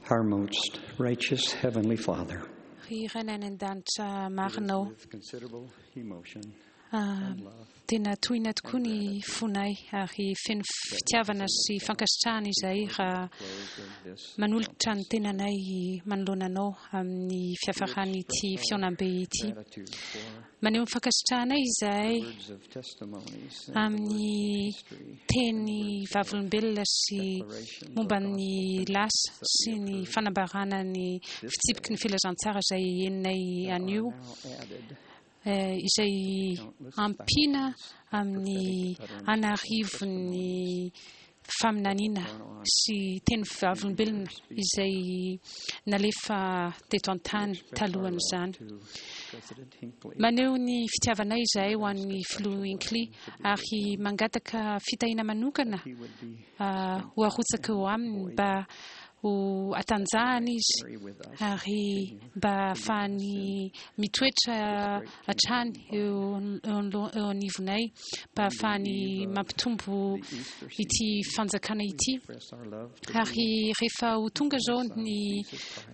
Our most righteous Heavenly Father, Ry Rainay any an-danitra marinao, with considerable emotion, tena tohina tokoa ny fonay ary feno fitiavana sy fankasitrahana izahay raha manolotra ny tenanay manoloana anao amin'ny fiafaran'ity fihaonambe ity. Maneho ny fankasitrahanay izahay words of testimonies, amin'ny teny vavolombelona sy momba ny lasa sy ny fanambarana ny fitsipiky ny filazantsara izay henonay anio, izay ampiana amin'ny an'arivon'ny faminaniana sy teny vavolombelona izay nalefa teto an-tany talohan'izany. President Hinckley, Maneho ny fitiavanay izahay ho an'ny filoha Hinckley ary mangataka fitahiana manokana ho arotsaka eo aminy mba ho atanjahana izy ary mba ahafahany mitoetra hatrany eo eo anivonay mba ahafahany mampitombo ity fanjakana ity. Ary rehefa ho tonga izao ny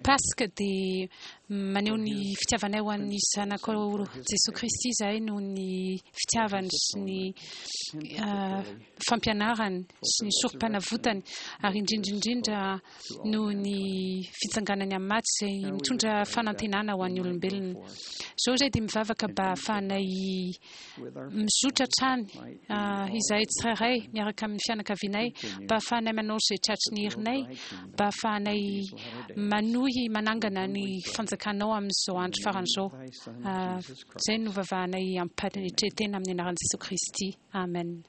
Paska dia maneho ny fitiavanay ho an'ny Zanakao Jesoa Kristy izahay noho ny fitiavany sy ny fampianarany sy ny sorom-panavotany ary indrindra indrindra noho ny fitsanganany amin'ny maty izay mitondra fanantenana ho an'ny olombelona. Izao izahay dia mivavaka mba hahafahanay mizotra hatrany izahay tsirairay miaraka amin'ny fianakavianay mba hahafahanay manao izay tratry ny herinay mba hahafahanay manohy manangana ny fanjakanao amin'izao andro farany izao. Izay no vavahanay amim-panetren-tena amin'ny anaran'i Jesoa Kristy. Amen.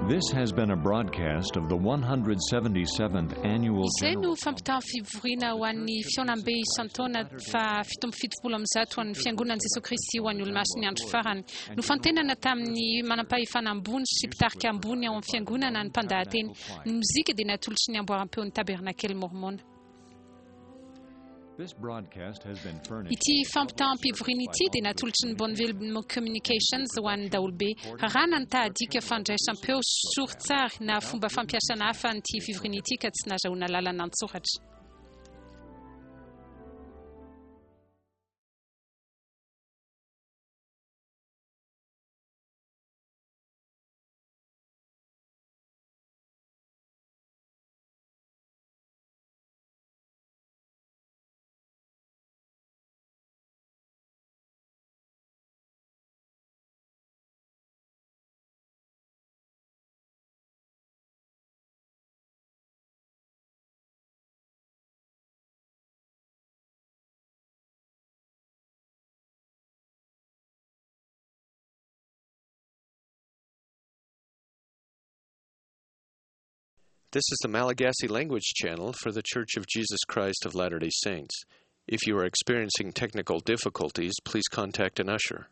This has been a broadcast of the 177th Annual Izay General no fampitahan'ny fivoriana ho an'ny fihaonambe isan-taona fa 177 ho an'ny Fiangonan'i Jesoa Kristy ho an'ny Olomasin'ny Andro Farany. Nofantenana tamin'ny manampahefana ambony sy mpitarika ambony ao amin'ny Fiangonana ny mpandahateny. Ny mozika dia natolotry ny amboaram-peon'ny Tabernakely Mormona. This broadcast has been furnished Ity fampitaham-pivoriana ity dia natolotry ny Bonneville Communications ho an'ny daholobe. Raràna ny tahadika fandraisam-peo sorintsary na fomba fampiasana hafa an'ity fivoriana ity ka tsy nahazahoana lalana an-tsoratra. This is the Malagasy language channel for The Church of Jesus Christ of Latter day Saints. If you are experiencing technical difficulties, please contact an usher.